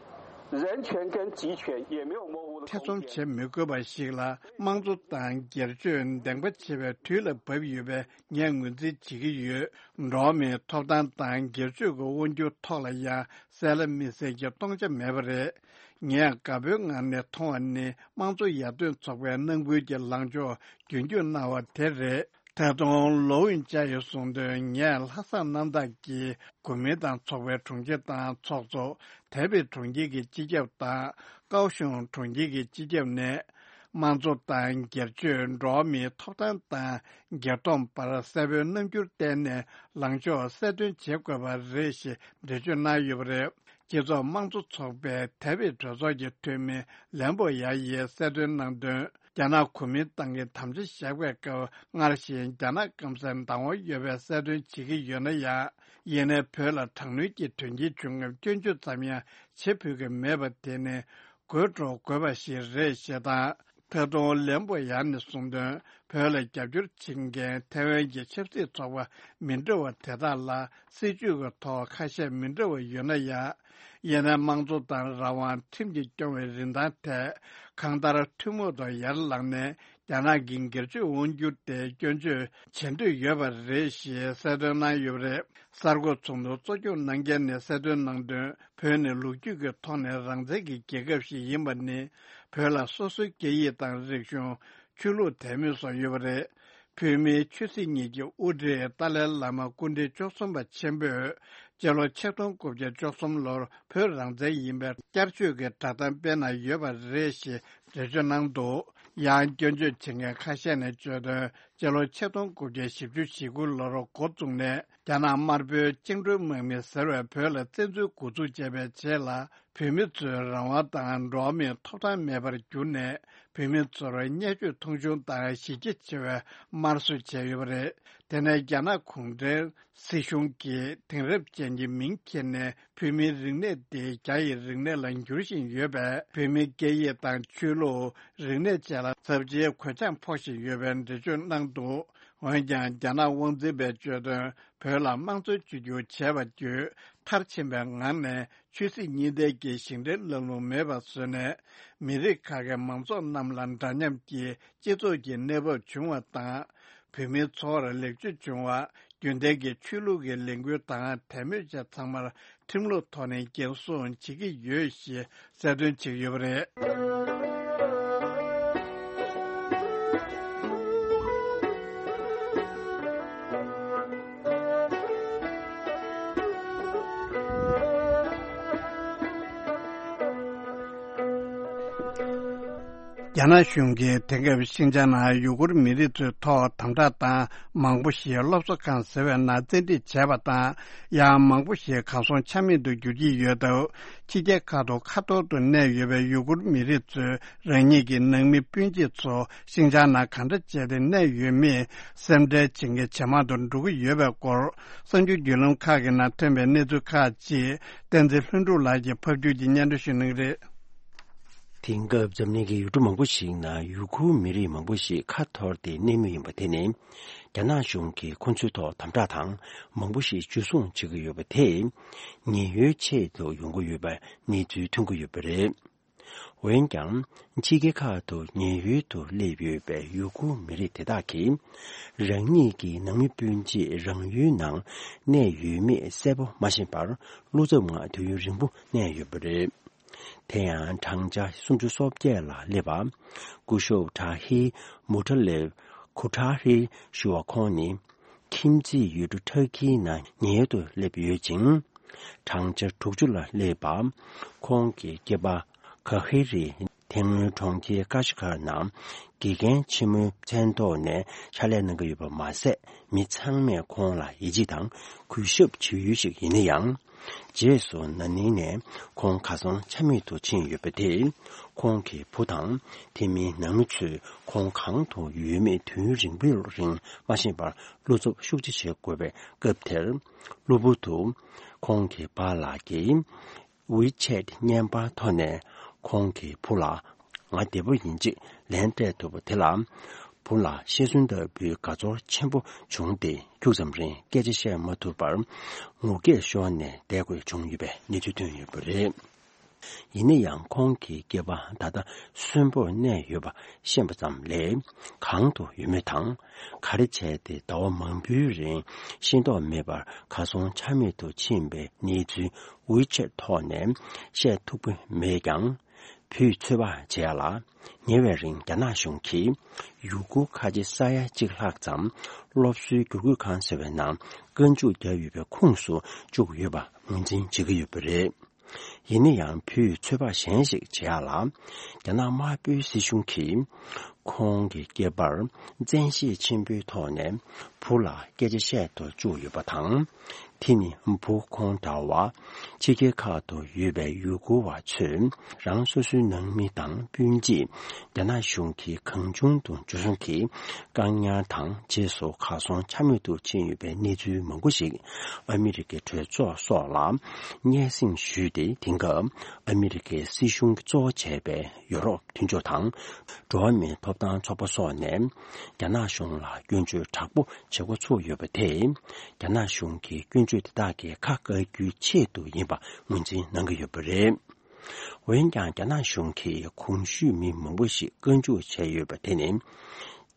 人权跟集权也没有模糊的空间。 ཐེ་ཚོམ་བྱེད་མི་དགོས་པ་ཞིག་ལ་དམངས་གཙོ་དང་སྒེར་གཅོད་འདེང་པ་བྱེད་པའི་དུས་ལ་བབ་ཡོད་པའི་ངས་ངོས་འཛིན་བྱེད་ཀྱི་ཡོད། འགྲོ་བ་མིའི་ཐོབ་ཐང་དང་སྒེར་གཅོད་ཀྱི་དབང་སྒྱུར་ཐོག་ལ་ཡང་གསལ་ལ་མི་གསལ་གྱི་སྟོང་ཆ་མེད་པ་རེད། ངས་དགའ་པོའི་ངང་ནས་མཐོང་བ་ནི། དམངས་གཙོ་ཡར་ཐོན་ཚོགས་པའི་ནང་ཁུལ་གྱི་ལངས་ཕྱོགས་རྒྱུན་འཁྱོངས་གནང་བ་དེ་རེད། ད་དུང་ལོ་ཝུན་ཅཱ་ཡིས་གསུངས་དོན། ངས་ལྷག་བསམ་རྣམ་དག་གིས་གོ་མིན་ཏང་ཚོགས་པའི་དྲུང་ཆེ་དང་ཚོགས་གཙོ། དཱ་བིད་གྲོང་ཁྱེར་གྱི་སྤྱི་ཁྱབ་དང་། ཀའོ་ཤུང་གྲོང་ཁྱེར་གྱི་སྤྱི་ཁྱབ་ནས། དམངས་གཙོ་དང་སྒེར་གཅོད། འགྲོ་བ་མིའི་ཐོབ་ཐང་དང་སྒེར་སྡོམ་བར་གསལ་པོའི་རྣམ་འགྱུར་བསྟན་ནས་ལངས་ཕྱོགས་གསལ་སྟོན་བྱེད་དགོས་པ་རེད་ཞེས་འགྲེལ་བརྗོད་གནང་ཡོད་པ་རེད། སྤྱི་ཚོགས་དམངས་གཙོ་ཚོགས་པའི་དཱ་བིད་གྲོས་ཚོགས་ཀྱི་འཐུས་མི་ལན་པོ་ཡ་ཡིས་གསལ་སྟོན་གནང་དོན། རྒྱ་ནག་གོ་མིན་ཏང་གིས་དམ་བཅའ་བཞག་པའི་སྐབས་སྔར་བཞིན་རྒྱ་ནག་སྐམ་སའི་བདག་དབང་ཡོད་པའི་གསལ་སྟོན་བྱེད་ཀྱི་ཡོད་ན་ཡང་། ཡིན་ནའི་བོད་ལ་དྲག་གནོན་གྱི་དོན་རྐྱེན་བྱུང་སྐབས་སྐྱོན་བརྗོད་ཙམ་ཡང་བྱེད་ཕོད་ཀྱི་མེད་པ་དེ་ནི་དགོད་བྲོ་དགོས་པ་ཞིག་རེད་ཞེས་དང་། ཐད་གཏོང་ལན་པོ་ཡང་ནས་གསུངས་དོན། བོད་ལ་རྒྱབ་སྐྱོར་བྱེད་མཁན་ཐའེ་ཝན་གྱི་ཆབ་སྲིད་ཚོགས་པ་མི་འདྲ་བ་དེ་དག་ལ་སྲིད་ཇུས་ཀྱི་ཐོག་ཁ་ཤས་མི་འདྲ་བ་ཡོད་ན་ཡང་། ཡིན་ནའི་དམངས་གཙོ་དང་རང་དབང་ཁྲིམས་ཀྱིས་སྐྱོང་བའི་རིན་ཐང་ཐད་གང་ལྟར་ཐུན་མོང་དུ་ཡར་ལངས་ནས་རྒྱ་ནག་གི་སྒེར་གཅོད་དབང་སྒྱུར་དེ་སྐྱོན་བརྗོད་བྱེད་འདོད་ཡོད་པ་རེད་ཞེས་གསལ་སྟོན་གནང་ཡོད་པ་རེད། གསར་འགོད་ཚོགས་འདུ་གཙོ་སྐྱོང་གནང་མཁན་ནས་གསལ་སྟོན་གནང་དོན། བོད་ནི་ལོ་རྒྱུས་ཀྱི་ཐོག་ནས་རང་བཙན་གྱི་རྒྱལ་ཁབ་ཞིག་ཡིན་པ་ནི། བོད་ལ་སོ་སོའི་སྐད་ཡིག་དང་རིག་གཞུང་། ཆོས་ལུགས་དད་མོས་སོགས་ཡོད་པ་རེད། བོད་མིའི་ཆོས་སྲིད་གཉིས་ཀྱི་དབུ་ཁྲིད་ཏཱ་ལའི་བླ་མ་སྐུ་ཕྲེང་བཅུ་གསུམ་པ་ཆེན་པོས་སྤྱི་ལོ་ཆིག་སྟོང་དགུ་བརྒྱ་བཅུ་གསུམ་ལོར་བོད་རང་བཙན་ཡིན་པའི་བསྐྱར་བཅོས་ཀྱི་བསྒྲགས་གཏམ་སྤེལ་གནང་ཡོད་པ་རེད་ཞེས་འགྲེལ་བརྗོད་གནང་འདུག་ཡང་སྐྱོན་བརྗོད་བྱེད་མཁན་ཁ་ཤས་ནས་བརྗོད་དོན། སྤྱི་ལོ་ཆིག་སྟོང་དགུ་བརྒྱ་བཞི་བཅུ་ཞེ་དགུ་ལོར་འགོ་བཙུགས་ནས་རྒྱ་ནག་དམར་པོའི་བཅིངས་འགྲོལ་དམག་མི་ཟེར་བས་བོད་ལ་བཙན་འཛུལ་འགོ་འཛུགས་བྱས་པའི་རྗེས་ལ། བོད་མི་ཚོའི་རང་དབང་དང་འགྲོ་བ་མིའི་ཐོབ་ཐང་མེད་པར་གྱུར་ནས། བོད་མི་ཚོར་བརྙས་བཅོས་མཐོང་ཆུང་དང་གཞི་རྒྱ་ཆེ་བའི་དམར་གསོད་བྱས་ཡོད་པ་རེད། དེ་ནས་རྒྱ་ནག་གུང་ཁྲན་སྲིད་གཞུང་གིས་དེང་རབས་ཅན་གྱི་མིང་འཁྱེར་ནས་བོད་མིའི་རིག་གནས་དེ་རྒྱ་ཡི་རིག་གནས་ལ་འགྱུར་བཞིན་ཡོད་པས། བོད་མིའི་སྐད་ཡིག་དང་ཆོས་ལུགས། རིག་གནས་བཅས་ལ་ཚབས་ཆེའི་གོད་ཆག་ཕོག་བཞིན་ཡོད་པའི་འགྲེལ་བརྗོད་གནང་འདུག་འོན་ཀྱང་། རྒྱ་ནག་དབང་འཛིན་པས་བརྗོད་དོན། བོད་ལ་དམངས་གཙོའི་བཅོས་བསྒྱུར་བྱས་པ་བརྒྱུད་མཐར་ཕྱིན་པའི་ངང་ནས་ཆོས་སྲིད་གཉིས་ལྡན་གྱི་ཞིང་བྲན་ལམ་ལུགས་མེད་པར་བཟོས་ནས། མི་རིགས་ཁག་གི་མང་ཚོགས་རྣམས་ལ་འདྲ་མཉམ་གྱི་སྤྱི་ཚོགས་ཀྱི་གནས་བབ་བྱུང་བ་དང་། བོད་མིའི་འཚོ་བར་ལེགས་བཅོས་བྱུང་བ། རྒྱུན་ལྡན་གྱི་ཆོས་ལུགས་ཀྱི་ལས་འགུལ་དང་དད་མོས་བཅས་ཚང་མར་ཁྲིམས་ལུགས་ཐོག་ནས་འགན་སྲུང་བྱེད་ཀྱི་ཡོད་ཞེས་གསལ་སྟོན་བྱེད་ཀྱི་ཡོད་པ་རེད། རྒྱ་ནག་གཞུང་གིས་དེང་སྐབས་ཤིན་ཅང་ནང་ཡུ་གུར་མི་རིགས་ཚོའི་ཐོག་དམ་དྲག་དང་མང་པོ་ཞིག་སློབ་གསོ་ཁང་ཟེར་བའི་ནང་བཙན་ཁྲིད་བྱས་པ་དང་། ཡང་མང་པོ་ཞིག་གར་སོང་ཆ་མེད་དུ་འགྱུར་གྱི་ཡོད་སྟབས། ཕྱི་རྒྱལ་ཁག་ཏུ་ཁ་ཐོར་དུ་གནས་ཡོད་པའི་ཡུ་གུར་མི་རིགས་ཚོས་རང་ཉིད་ཀྱི་ནང་མི་སྤུན་མཆེད་ཚོ་ཤིན་ཅང་ནང་གང་འདྲ་བྱས་ཏེ་གནས་ཡོད་མེད་སེམས་ཁྲལ་བྱེད་མཁན་ཇེ་མང་དུ་འགྲོ་གི་ཡོད་པའི་སྐོར། གསར་འགྱུར་བརྒྱུད་ལམ་ཁག་གི་ནང་ཐོན་པའི་གནས་ཚུལ་ཁག་ཅིག་བསྟན་འཛིན་ལྷུན་གྲུབ་ལགས་ཀྱིས་ཕབ་སྒྱུར་གྱིས་སྙན་སྒྲོན་ཞུ་གནང་གི་རེད། དེང་སྐབས་འཛམ་གླིང་གི་ཡུལ་གྲུ་མང་པོ་ཞིག་ནང་ཡུ་གུར་མི་རིགས་མང་པོ་ཞིག་ཁ་འཐོར་ཏེ་གནས་མུས་ཡིན་པ་དེ་ནི། རྒྱ་ནག་གཞུང་གིས་ཁོ་ཚོའི་ཐོག་དམ་དྲག་དང་མང་པོ་ཞིག་འཇུ་བཟུང་བྱེད་ཀྱི་ཡོད་པ་དེས། ཉེན་གཡོལ་ཆེད་དུ་ཡོང་གི་ཡོད་པའི་གནས་ཚུལ་ཐོན་གྱི་ཡོད་པ་རེད། འོན་ཀྱང་། ཕྱི་རྒྱལ་ཁག་ཏུ་ཉེན་གཡོལ་དུ་སླེབས་ཡོད་པའི་ཡུ་གུར་མི་རིགས་དེ་དག་གིས། རང་ཉིད་ཀྱི་ནང་མི་སྤུན་མཆེད་རང་ཡུལ་ནང་གནས་ཡོད་མེད་གསལ་པོ་མ་ཤེས་པར། བློ་འཚབ་ངང་དུས་ཡུན་རིང་པོ་གནས་ཡོད་པ་རེད། དེ་ཡང་བགྲང་བྱ་སུམ་ཅུ་སོ་བརྒྱད་ལ་སླེབས་པ། སྐུ་ཞབས་ཏྲ་ཧི་མུ་ཏྲ་ལེབ་ཁུ་ཏྲ་ཧི་ཞུ་བ་ཁོང་ནི། ཁྱིམ་མཚེས་ཡུལ་གྲུ་ཊར་ཀིའི་ནང་ཉེན་གཡོལ་དུ་སླེབས་ཡོད་ཅིང་། བགྲང་བྱ་དྲུག་ཅུ་ལ་སླེབས་པ། ཁོང་གི་སྐྱེས་པ་གྷ་ཧི་རི་དེ་སྔོན་གྲོང་ཁྱེར་ཀ་ཤི་ཁར་ནང་དགེ་རྒན་ཆེན་མོའི་མཚན་ཐོག་ནས་ཕྱག་ལས་གནང་གི་ཡོད་པ་མ་ཟད། མི་ཚང་མས་ཁོང་ལ་ཡིད་ཆེས་དང་གུས་ཞབས་བྱེད་ཡུལ་ཞིག་ཡིན་ན་ཡང་། རྗེས་སུ་ན་ནིང་ནས་ཁོང་གར་སོང་ཆ་མེད་དུ་ཕྱིན་ཡོད་པ་དེས། ཁོང་གི་བུ་དང་དེ་མིན་ནང་མི་ཚོས་ཁོང་གང་དུ་ཡོད་མེད་དུས་ཡུན་རིང་པོའི་རིང་མ་ཤེས་པར། བློ་འཚབ་ཤུགས་ཆེ་བྱེད་དགོས་པའི་སྐབས་དེར། གློ་བུར་དུ་ཁོང་གི་པཱ་ལགས་ཀྱིས་ཝི་ཆེད་བརྙན་པར་ཐོག་ནས་ཁོང་གི་བུ་ལ། ང་བདེ་པོ་ཡིན་ཅེས་ལན་སྤྲད་ཐུབ་པ་དེ་ལ། བུ་ལ་ཤི་གསོན་ལྟ་བུའི་དགའ་ཚོར་ཆེན་པོ་བྱུང་སྟེ། ཁྱུག་ཙམ་རིང་སྐད་ཆ་བཤད་མ་ཐུབ་པར། ངུ་སྐད་ཤོར་ནས་བསྡད་དགོས་བྱུང་ཡོད་པའི་གནས་ཚུལ་ཐོན་ཡོད་པ་རེད། ཡིན་ན་ཡང་ཁོང་གི་སྐྱེས་པ་ད་ལྟ་གསོན་པོར་གནས་ཡོད་པ་ཤེས་པ་ཙམ་ལས། གང་དུ་ཡོད་མེད་དང་། ག་རེ་བྱས་ཏེ་ཟླ་བ་མང་པོའི་རིང་ཤེས་རྟོགས་མེད་པར་གར་སོང་ཆ་མེད་དུ་ཕྱིན་པའི་གནས་ཚུལ་ཝི་ཆེད་ཐོག་ནས་བཤད་ཐུབ་ཀྱི་མེད་ཀྱང་། བུས་ཚོད་དཔག་བྱས་ལ། ཉེ་བའི་རིང་རྒྱ་ནག་གཞུང་གིས་ཡུ་གུར་ཁ་ཆེ་ས་ཡ་གཅིག་ལྷག་ཙམ་སློབ་གསོའི་བསྒྱུར་བཀོད་ཁང་ཟེར་བའི་ནང་བཀའ་འཇུག་བརྒྱབ་ཡོད་པའི་ཁོངས་སུ་བཅུག་ཡོད་པ་ངོས་འཛིན་བྱེད་ཀྱི་ཡོད་པ་རེད། ཡིན་ན་ཡང་བུས་ཚོད་དཔག་གཞན་ཞིག་བྱས་ལ། རྒྱ་ནག་དམར་པོའི་སྲིད་གཞུང་གིས་ཁོང་གི་སྐྱེས་པར་བཙན་ཤེད་ཆེན་པོའི་ཐོག་ནས་བུ་ལ་སྐད་ཆ་བཤད་དུ་བཅུག་ཡོད་པ་དང་། དེ་ནི་བུ་ཁོང་འདྲ་བ། ཕྱི་རྒྱལ་ཁག་ཏུ་ཡོད་པའི་ཡུ་གུར་བ་ཚོས་རང་སོ་སོའི་ནང་མི་དང་སྤུན་མཆེད། རྒྱ་ནག་གཞུང་གིས་གང་བྱུང་དུ་འཇུ་བཟུང་གིས་བཀག་ཉར་དང་རྗེས་སུ་གར་སོང་ཆ་མེད་དུ་ཕྱིན་ཡོད་པའི་གནས་ཚུལ་མང་པོ་ཞིག་ཨ་མི་རི་ཀའི་གྲོས་ཚོགས་སོགས་ལ་སྙན་སེང་ཞུས་ཏེ། དེང་སྐབས་ཨ་མི་རི་ཀའི་སྲིད་གཞུང་གིས་གཙོ་བོ་བྱས་པའི་ཡོ་རོབ་མཐུན་ཕྱོགས་དང་། འགྲོ་བ་མིའི་ཐོབ་ཐང་ཚོགས་པ་སོགས་ནས་རྒྱ་ནག་གཞུང་ལ་སྐྱོན་བརྗོད་དྲག་པོ་བྱེད་འགོ་ཚུགས་ཡོད་པ་དེས། རྒྱ་ནག་གཞུང་གིས་སྐྱོན་བརྗོད་དེ་དག་གི་ཁ་བཀག་རྒྱུའི་ཆེད་དུ་ཡིན་པ་ངོས་འཛིན་གནང་གི་ཡོད་པ་རེད། འོན་ཀྱང་། རྒྱ་ནག་གཞུང་གིས་གོང་ཞུས་མི་མང་པོ་ཞིག་བཀའ་འཇུག་བྱས་ཡོད་པ་དེ་ནི།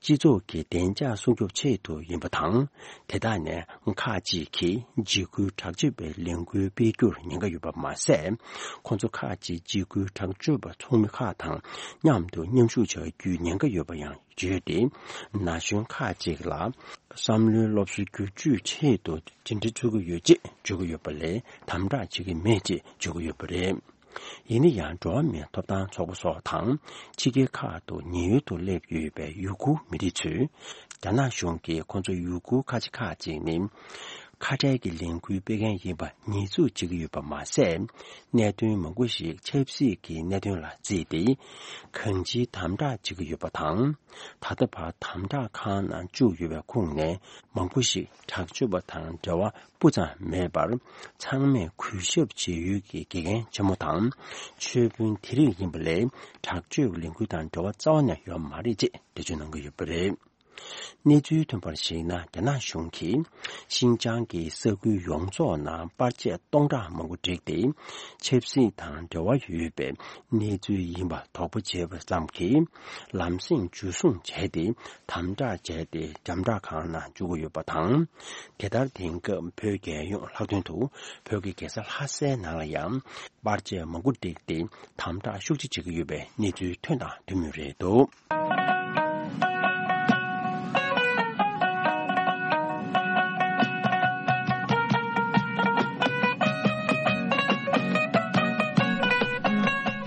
སྤྱི་ཚོགས་ཀྱི་བདེ་འཇགས་སྲུང་སྐྱོབ་ཆེད་དུ་ཡིན་པ་དང་། དེ་དག་ནས་ཁག་ཅིག་གིས་འཇིགས་སྐུལ་དྲག་སྤྱོད་པའི་ལས་འགུལ་སྤེལ་རྒྱུར་ཉེན་ཁ་ཡོད་པ་མ་ཟད། ཁོང་ཚོ་ཁག་ཅིག་འཇིགས་སྐུལ་དྲག་སྤྱོད་པ་ཚོགས་མི་ཁག་དང་མཉམ་དུ་མཉམ་ཞུགས་བྱ་རྒྱུའི་ཉེན་ཁ་ཡོད་པ་ཡང་བརྗོད་དེ། ན་གཞོན་ཁག་ཅིག་ལ་བསམ་བློའི་སློབ་གསོ་བསྒྱུར་བཅོས་ཆེད་དུ་འཛིན་གྲྭ་ཚུགས་ཀྱི་ཡོད་ཅེས་བརྗོད་ཀྱི་ཡོད་པ་ལས། དམ་དྲག་བྱེད་ཀྱི་མེད་ཅེས་བརྗོད་ཀྱི་ཡོད་པ་རེད། ཡིན་ན་ཡང་། འགྲོ་བ་མིའི་ཐོབ་ཐང་ཚོགས་པ་སོགས་དང་། ཕྱི་རྒྱལ་ཁག་ཏུ་ཉེན་གཡོལ་དུ་སླེབས་ཡོད་པའི་ཡུ་གུར་མི་རིགས་ཚོས། རྒྱ་ནག་གཞུང་གིས་ཁོང་ཚོ་ཡུ་གུར་ཁ་ཆེ་ཁག་ཅིག་ནི། ཁ་བྲལ་གྱི་ལས་འགུལ་སྤེལ་མཁན་ཡིན་པ་ཉེས་འཛུགས་བྱེད་ཀྱི་ཡོད་པ་མ་ཟད། གནད་དོན་མང་པོ་ཞིག་ཆབ་སྲིད་ཀྱི་གནད་དོན་ལ་བརྩིས་ཏེ། གང་ཅིའི་དམ་དྲག་བྱེད་ཀྱི་ཡོད་པ་དང་། ད་ལྟ་བར་དམ་དྲག་ཁང་ནང་བཅུག་ཡོད་པའི་ཁོངས་ནས་མང་པོ་ཞིག་དྲག་སྤྱོད་པ་དང་འབྲེལ་བ་སྤུ་ཙམ་མེད་པར། ཚང་མས་གུས་ཞབས་བྱེད་ཡུལ་གྱི་དགེ་རྒན་ཆེན་མོ་དང་། ཆོས་དཔོན་དེ་རིགས་ཡིན་པ་ལས། དྲག་སྤྱོད་ཀྱི་ལས་འགུལ་དང་འབྲེལ་བ་རྩ་བ་ནས་ཡོད་མ་རེད་ཅེས་འགྲེལ་བརྗོད་གནང་གི་ཡོད་པ་རེད། གནས་ཚུལ་ཐོན་པར་གཞིགས་ན། རྒྱ་ནག་གཞུང་གིས་ཤིན་ཅང་གི་ས་ཁུལ་ཡོངས་རྫོགས་ནང་པར་ཆས་སྟོང་ཕྲག་མང་པོ་བསྒྲིགས་ཏེ། ཆབ་སྲིད་དང་འབྲེལ་བ་ཡོད་པའི་གནས་ཚུལ་ཡིན་པ་དོགས་པ་བྱས་པ་ཙམ་གྱིས། ལམ་སེང་འཇུ་བཟུང་བྱས་ཏེ། དམ་དྲག་བྱས་ཏེ། དམ་དྲག་ཁང་ནང་བཅུག་གི་ཡོད་པ་དང་། དེ་ལྟར། དེང་སྐབས་བོད་རྒྱལ་ཡོངས་ལྷག་དོན་དུ་བོད་ཀྱི་རྒྱལ་ས་ལྷ་སའི་ནང་ལ་ཡང་། པར་ཆས་མང་པོ་བསྒྲིགས་ཏེ། དམ་དྲག་ཤུགས་ཆེ་བྱེད་ཀྱི་ཡོད་པའི་གནས་ཚུལ་ཐོན་དང་ཐོན་མུས་རེད་འདུག།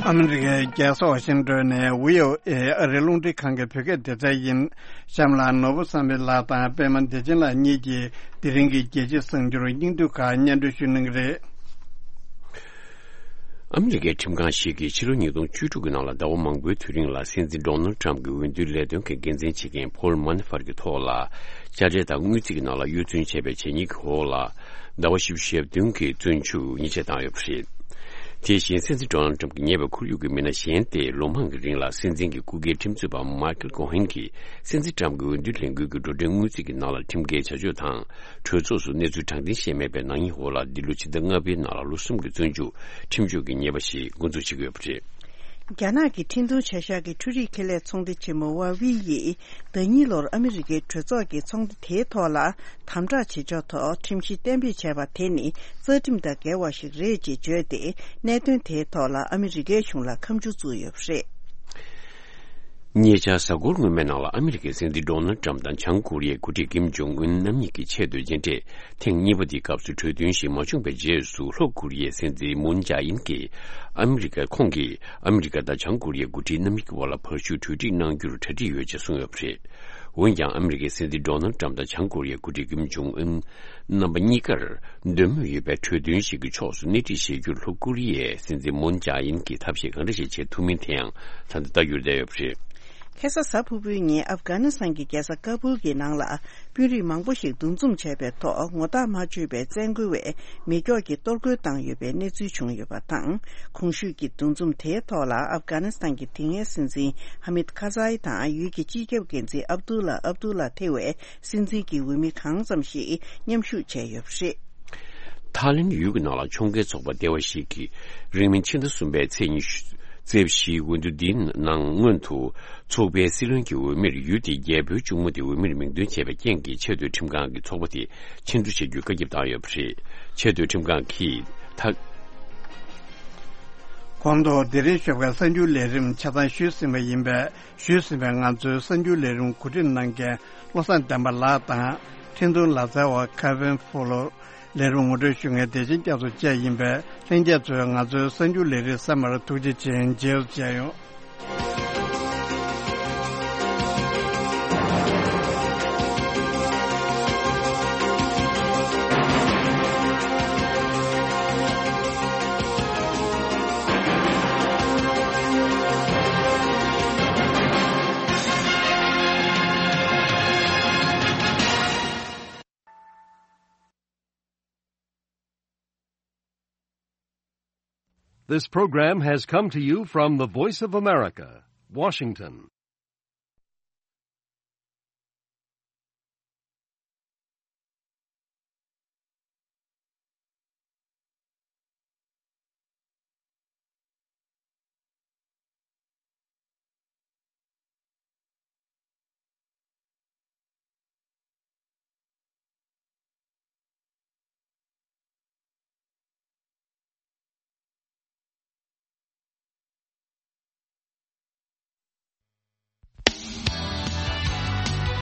ཨ་མི་རི་ཀའི་རྒྱལ་ས་ཝ་ཤིང་ཏོན་ནས་བྷི་ཨོ་ཨེ་ཨ་རིའི་རླུང་འཕྲིན་ཁང་གི་བོད་སྐད་སྡེ་ཚན་ཡིན། གཤམ་ལ་ནོར་བུ་བསམ་འཕེལ་ལགས་དང་པད་མ་བདེ་ཆེན་ལགས་གཉིས་ཀྱིས་དེ་རིང་གི་རྒྱལ་སྤྱིའི་གསར་འགྱུར་སྙིང་བསྡུས་ཁག་སྙན་སྒྲོན་ཞུ་གནང་གི་རེད། ཨ་མི་རི་ཀའི་ཁྲིམས་ཁང་ཞིག་གིས་ཕྱི་ལོ་ཉིས་སྟོང་བཅུ་དྲུག་གི་ནང་ལ་ཟླ་བ་མང་པོའི་དུས་རིང་ལ་སྲིད་འཛིན་ཌོ་ནལ་ཊམ་གྱི་འོས་བསྡུའི་ལས་དོན་གྱི་འགན་འཛིན་བྱེད་མཁན་ཕོལ་མ་ནེ་ཧྥར་གྱི་ཐོག་ལ་དཔྱ་ཁྲལ་དང་དངུལ་རྩིས་ཀྱི་ནང་ལ་གཡོ་བཙོན་བྱས་པའི་བྱས་ཉེས་ཀྱི་འོག་ལ་ཟླ་བ་བཞི་བཅུ་ཞེ་བདུན་གྱི་བཙོན་འཇུག་ཉེས་ཆད་བཏང་ཡོད་པ་རེད། དེ་བཞིན་སྲིད་འཛིན་ཌོ་ནལ་ཊམ་གྱིས་ཉེ་བའི་ཁོར་ཡུག་གི་མི་སྣ་གཞན་ཏེ་ལོ་མང་གི་རིང་ལ་སྲིད་འཛིན་གྱི་སྐུ་སྒེར་ཁྲིམས་རྩོད་པ་མའི་ཁལ་ཀོ་ཧན་གྱིས་སྲིད་འཛིན་ཊམ་གྱི་འོས་བསྡུའི་ལས་འགུལ་གྱི་འགྲོ་གྲོན་དངུལ་རྩིས་ཀྱི་ནང་ལ་ཁྲིམས་འགལ་བྱ་སྤྱོད་དང་། གྲོས་ཚོགས་སུ་གནས་ཚུལ་དྲང་བདེན་བཤད་མེད་པའི་ནག་ཉེས་འོག་ལ་འདི་ལོ་ཕྱི་ཟླ་ལྔ་པའི་ནང་ལ་ལོ་གསུམ་གྱི་བཙོན་འཇུག་ཁྲིམས་གཅོད་ཀྱི་ཉེས་པ་ཞིག་འགོ་འཛུགས་བྱེད་ཀྱི་ཡོད་པ་རེད། རྒྱ་ནག་གི་འཕྲིན་གཏོང་བྱ་གཞག་གི་འཕྲུལ་རིག་ཁེ་ལས་ཚོང་སྡེ་ཆེན་མོ་ཝ་ཝི་ཡིས་ཟླ་གཉིས་ལོར་ཨ་མི་རི་ཀའི་གྲོས་ཚོགས་ཀྱིས་ཚོང་སྡེ་དེའི་ཐོག་ལ་དམ་དྲག་བྱེད་ཕྱོགས་ཐོག་ཁྲིམས་གཞི་གཏན་འབེབས་བྱས་པ་དེ་ནི་རྩ་ཁྲིམས་དང་འགལ་བ་ཞིག་རེད་ཅེས་བརྗོད་དེ། གནད་དོན་དེའི་ཐོག་ལ་ཨ་མི་རི་ཀའི་གཞུང་ལ་ཁ་མཆུ་བཙུགས་ཡོད་པ་རེད། ཉེ་ཆར་གཟའ་འཁོར་སྔོན་མའི་ནང་ལ་ཨ་མི་རི་ཀའི་སྲིད་འཛིན་ཌོ་ནལ་ཊམ་དང་བྱང་ཀོ་རི་ཡའི་འགོ་ཁྲིད་ཀིམ་ཇོང་ཨུན་རྣམ་གཉིས་ཀྱི་ཆེས་མཐོའི་མཇལ་འཕྲད་ཐེངས་གཉིས་པ་དེའི་སྐབས་སུ་གྲོས་མཐུན་ཞིག་མ་བྱུང་བའི་རྗེས་སུ། ལྷོ་ཀོ་རི་ཡའི་སྲིད་འཛིན་མུན་ཇཱ་ཨིན་གྱིས་ཨ་མི་རི་ཀ་ཁོང་གིས་ཨ་མི་རི་ཀ་དང་བྱང་ཀོ་རི་ཡའི་འགོ་ཁྲིད་རྣམ་གཉིས་ཀྱི་དབར་ལ་བར་ཞུགས་གྲོས་འགྲིག་གནང་རྒྱུར་གྲ་སྒྲིག་ཡོད་ཅེས་གསུངས་ཡོད་པ་རེད། འོན་ཀྱང་། ཨ་མི་རི་ཀའི་སྲིད་འཛིན་ཌོ་ནལ་ཊམ་དང་བྱང་ཀོ་རི་ཡའི་འགོ་ཁྲིད་ཀིམ་ཇོང་ཨུན། རྣམ་པ་གཉིས་ཀར་འདོད་མོས་ཡོད་པའི་གྲོས་མཐུན་ཞིག་གི་ཕྱོགས་སུ་སྣེ་ཁྲིད་བྱེད་རྒྱུར་ལྷོ་ཀོ་རི་ཡའི་སྲིད་འཛིན་མུན་ཇཱ་ཨིན་གྱིས་ཐབས་ཤེས་གང་འདྲ་ཞིག་བྱེད་ཐུབ་མིན་དེའང་ད་ལྟ་ལྟ་རྒྱུར་བསྡད་ཡོད་པ་རེད། ཁ་སང་གཟའ་ཕུར་བུའི་ཉིན་ཨབ་གྷ་ནི་སི་ཐན་གྱི་རྒྱལ་ས་ཀ་བུལ་གྱི་ནང་ལ་དཔོན་རིགས་མང་པོ་ཞིག་འདུ་འཛོམས་བྱས་པའི་ཐོག་ངོ་རྟགས་མ་ཆོད་པའི་བཙན་རྒོལ་བས་མེ་སྒྱོགས་ཀྱིས་གཏོར་རྒོལ་བཏང་ཡོད་པའི་གནས་ཚུལ་བྱུང་ཡོད་པ་དང་། གོང་ཞུས་ཀྱི་འདུ་འཛོམས་དེའི་ཐོག་ལ་ཨབ་གྷ་ནི་སི་ཐན་གྱི་དེ་སྔའི་སྲིད་འཛིན་ཧ་མིད་ཁ་ཛའི་དང་ཡུལ་གྱི་སྤྱི་ཁྱབ་འགན་འཛིན་ཨབ་དུ་ལ་ཨབ་དུ་ལ་ཐེ་བའི་སྲིད་འཛིན་གྱི་འོས་མི་གང་ཙམ་ཞིག་མཉམ་ཞུགས་བྱས་ཡོད་པ་རེད། ཐའི་ལེན་ཡུལ་གྱི་ནང་ལ་ཕྱོགས་འགལ་ཚོགས་པ་སྡེ་བ་ཞིག་གིས་རིང་མིན་ཕྱི་ཟླ་གསུམ་པའི་ཚེས་ཉི་ཤུ། ཚེས་བཞིའི་འོས་བསྡུ་འདིའི་ནང་སྔོན་དུ་ཚོགས་པའི་སྲིད་བློན་གྱི་འོས་མིར་ཡུལ་དེའི་རྒྱལ་པོའི་གཅུང་མོ་དེ་འོས་མིར་མིང་འདོན་བྱས་པའི་རྐྱེན་གྱིས་ཆེས་མཐོའི་ཁྲིམས་ཁང་གིས་ཚོགས་པ་དེ་ཕྱིར་བསྡུ་བྱ་རྒྱུའི་བཀའ་ཁྱབ་བཏང་ཡོད་པ་རེད། ཆེས་མཐོའི་ཁྲིམས་ཁང་གིས་ད། གོང་དུ་དེ་རིང་ཞོགས་ཀའི་གསར་འགྱུར་ལས་རིམ་ཆ་ཚང་ཞུས་ཟིན་པ་ཡིན་པས། ཞུས་ཟིན་པའི་ང་ཚོའི་གསར་འགྱུར་ལས་རིམ་གོ་སྒྲིག་གནང་མཁན་བློ་བཟང་བསྟན་པ་ལགས་དང་། འཕྲིན་གཏོང་ལག་རྩལ་བ་ཁ་ཝིན་ཧྥུ་ལོ། ལས་རིམ་ངོ་སྤྲོད་ཞུ་མཁན་བདེ་ཆེན་སྐྱབས་སུ་བཅས་ཡིན་པས། ལྷན་རྒྱས་ཚོས་ང་ཚོའི་གསར་འགྱུར་ལས་རིམ་གསན་པར་ཐུགས་རྗེ་ཆེ། མཇལ་ཡོང་། This program has come to you from the Voice of America, Washington.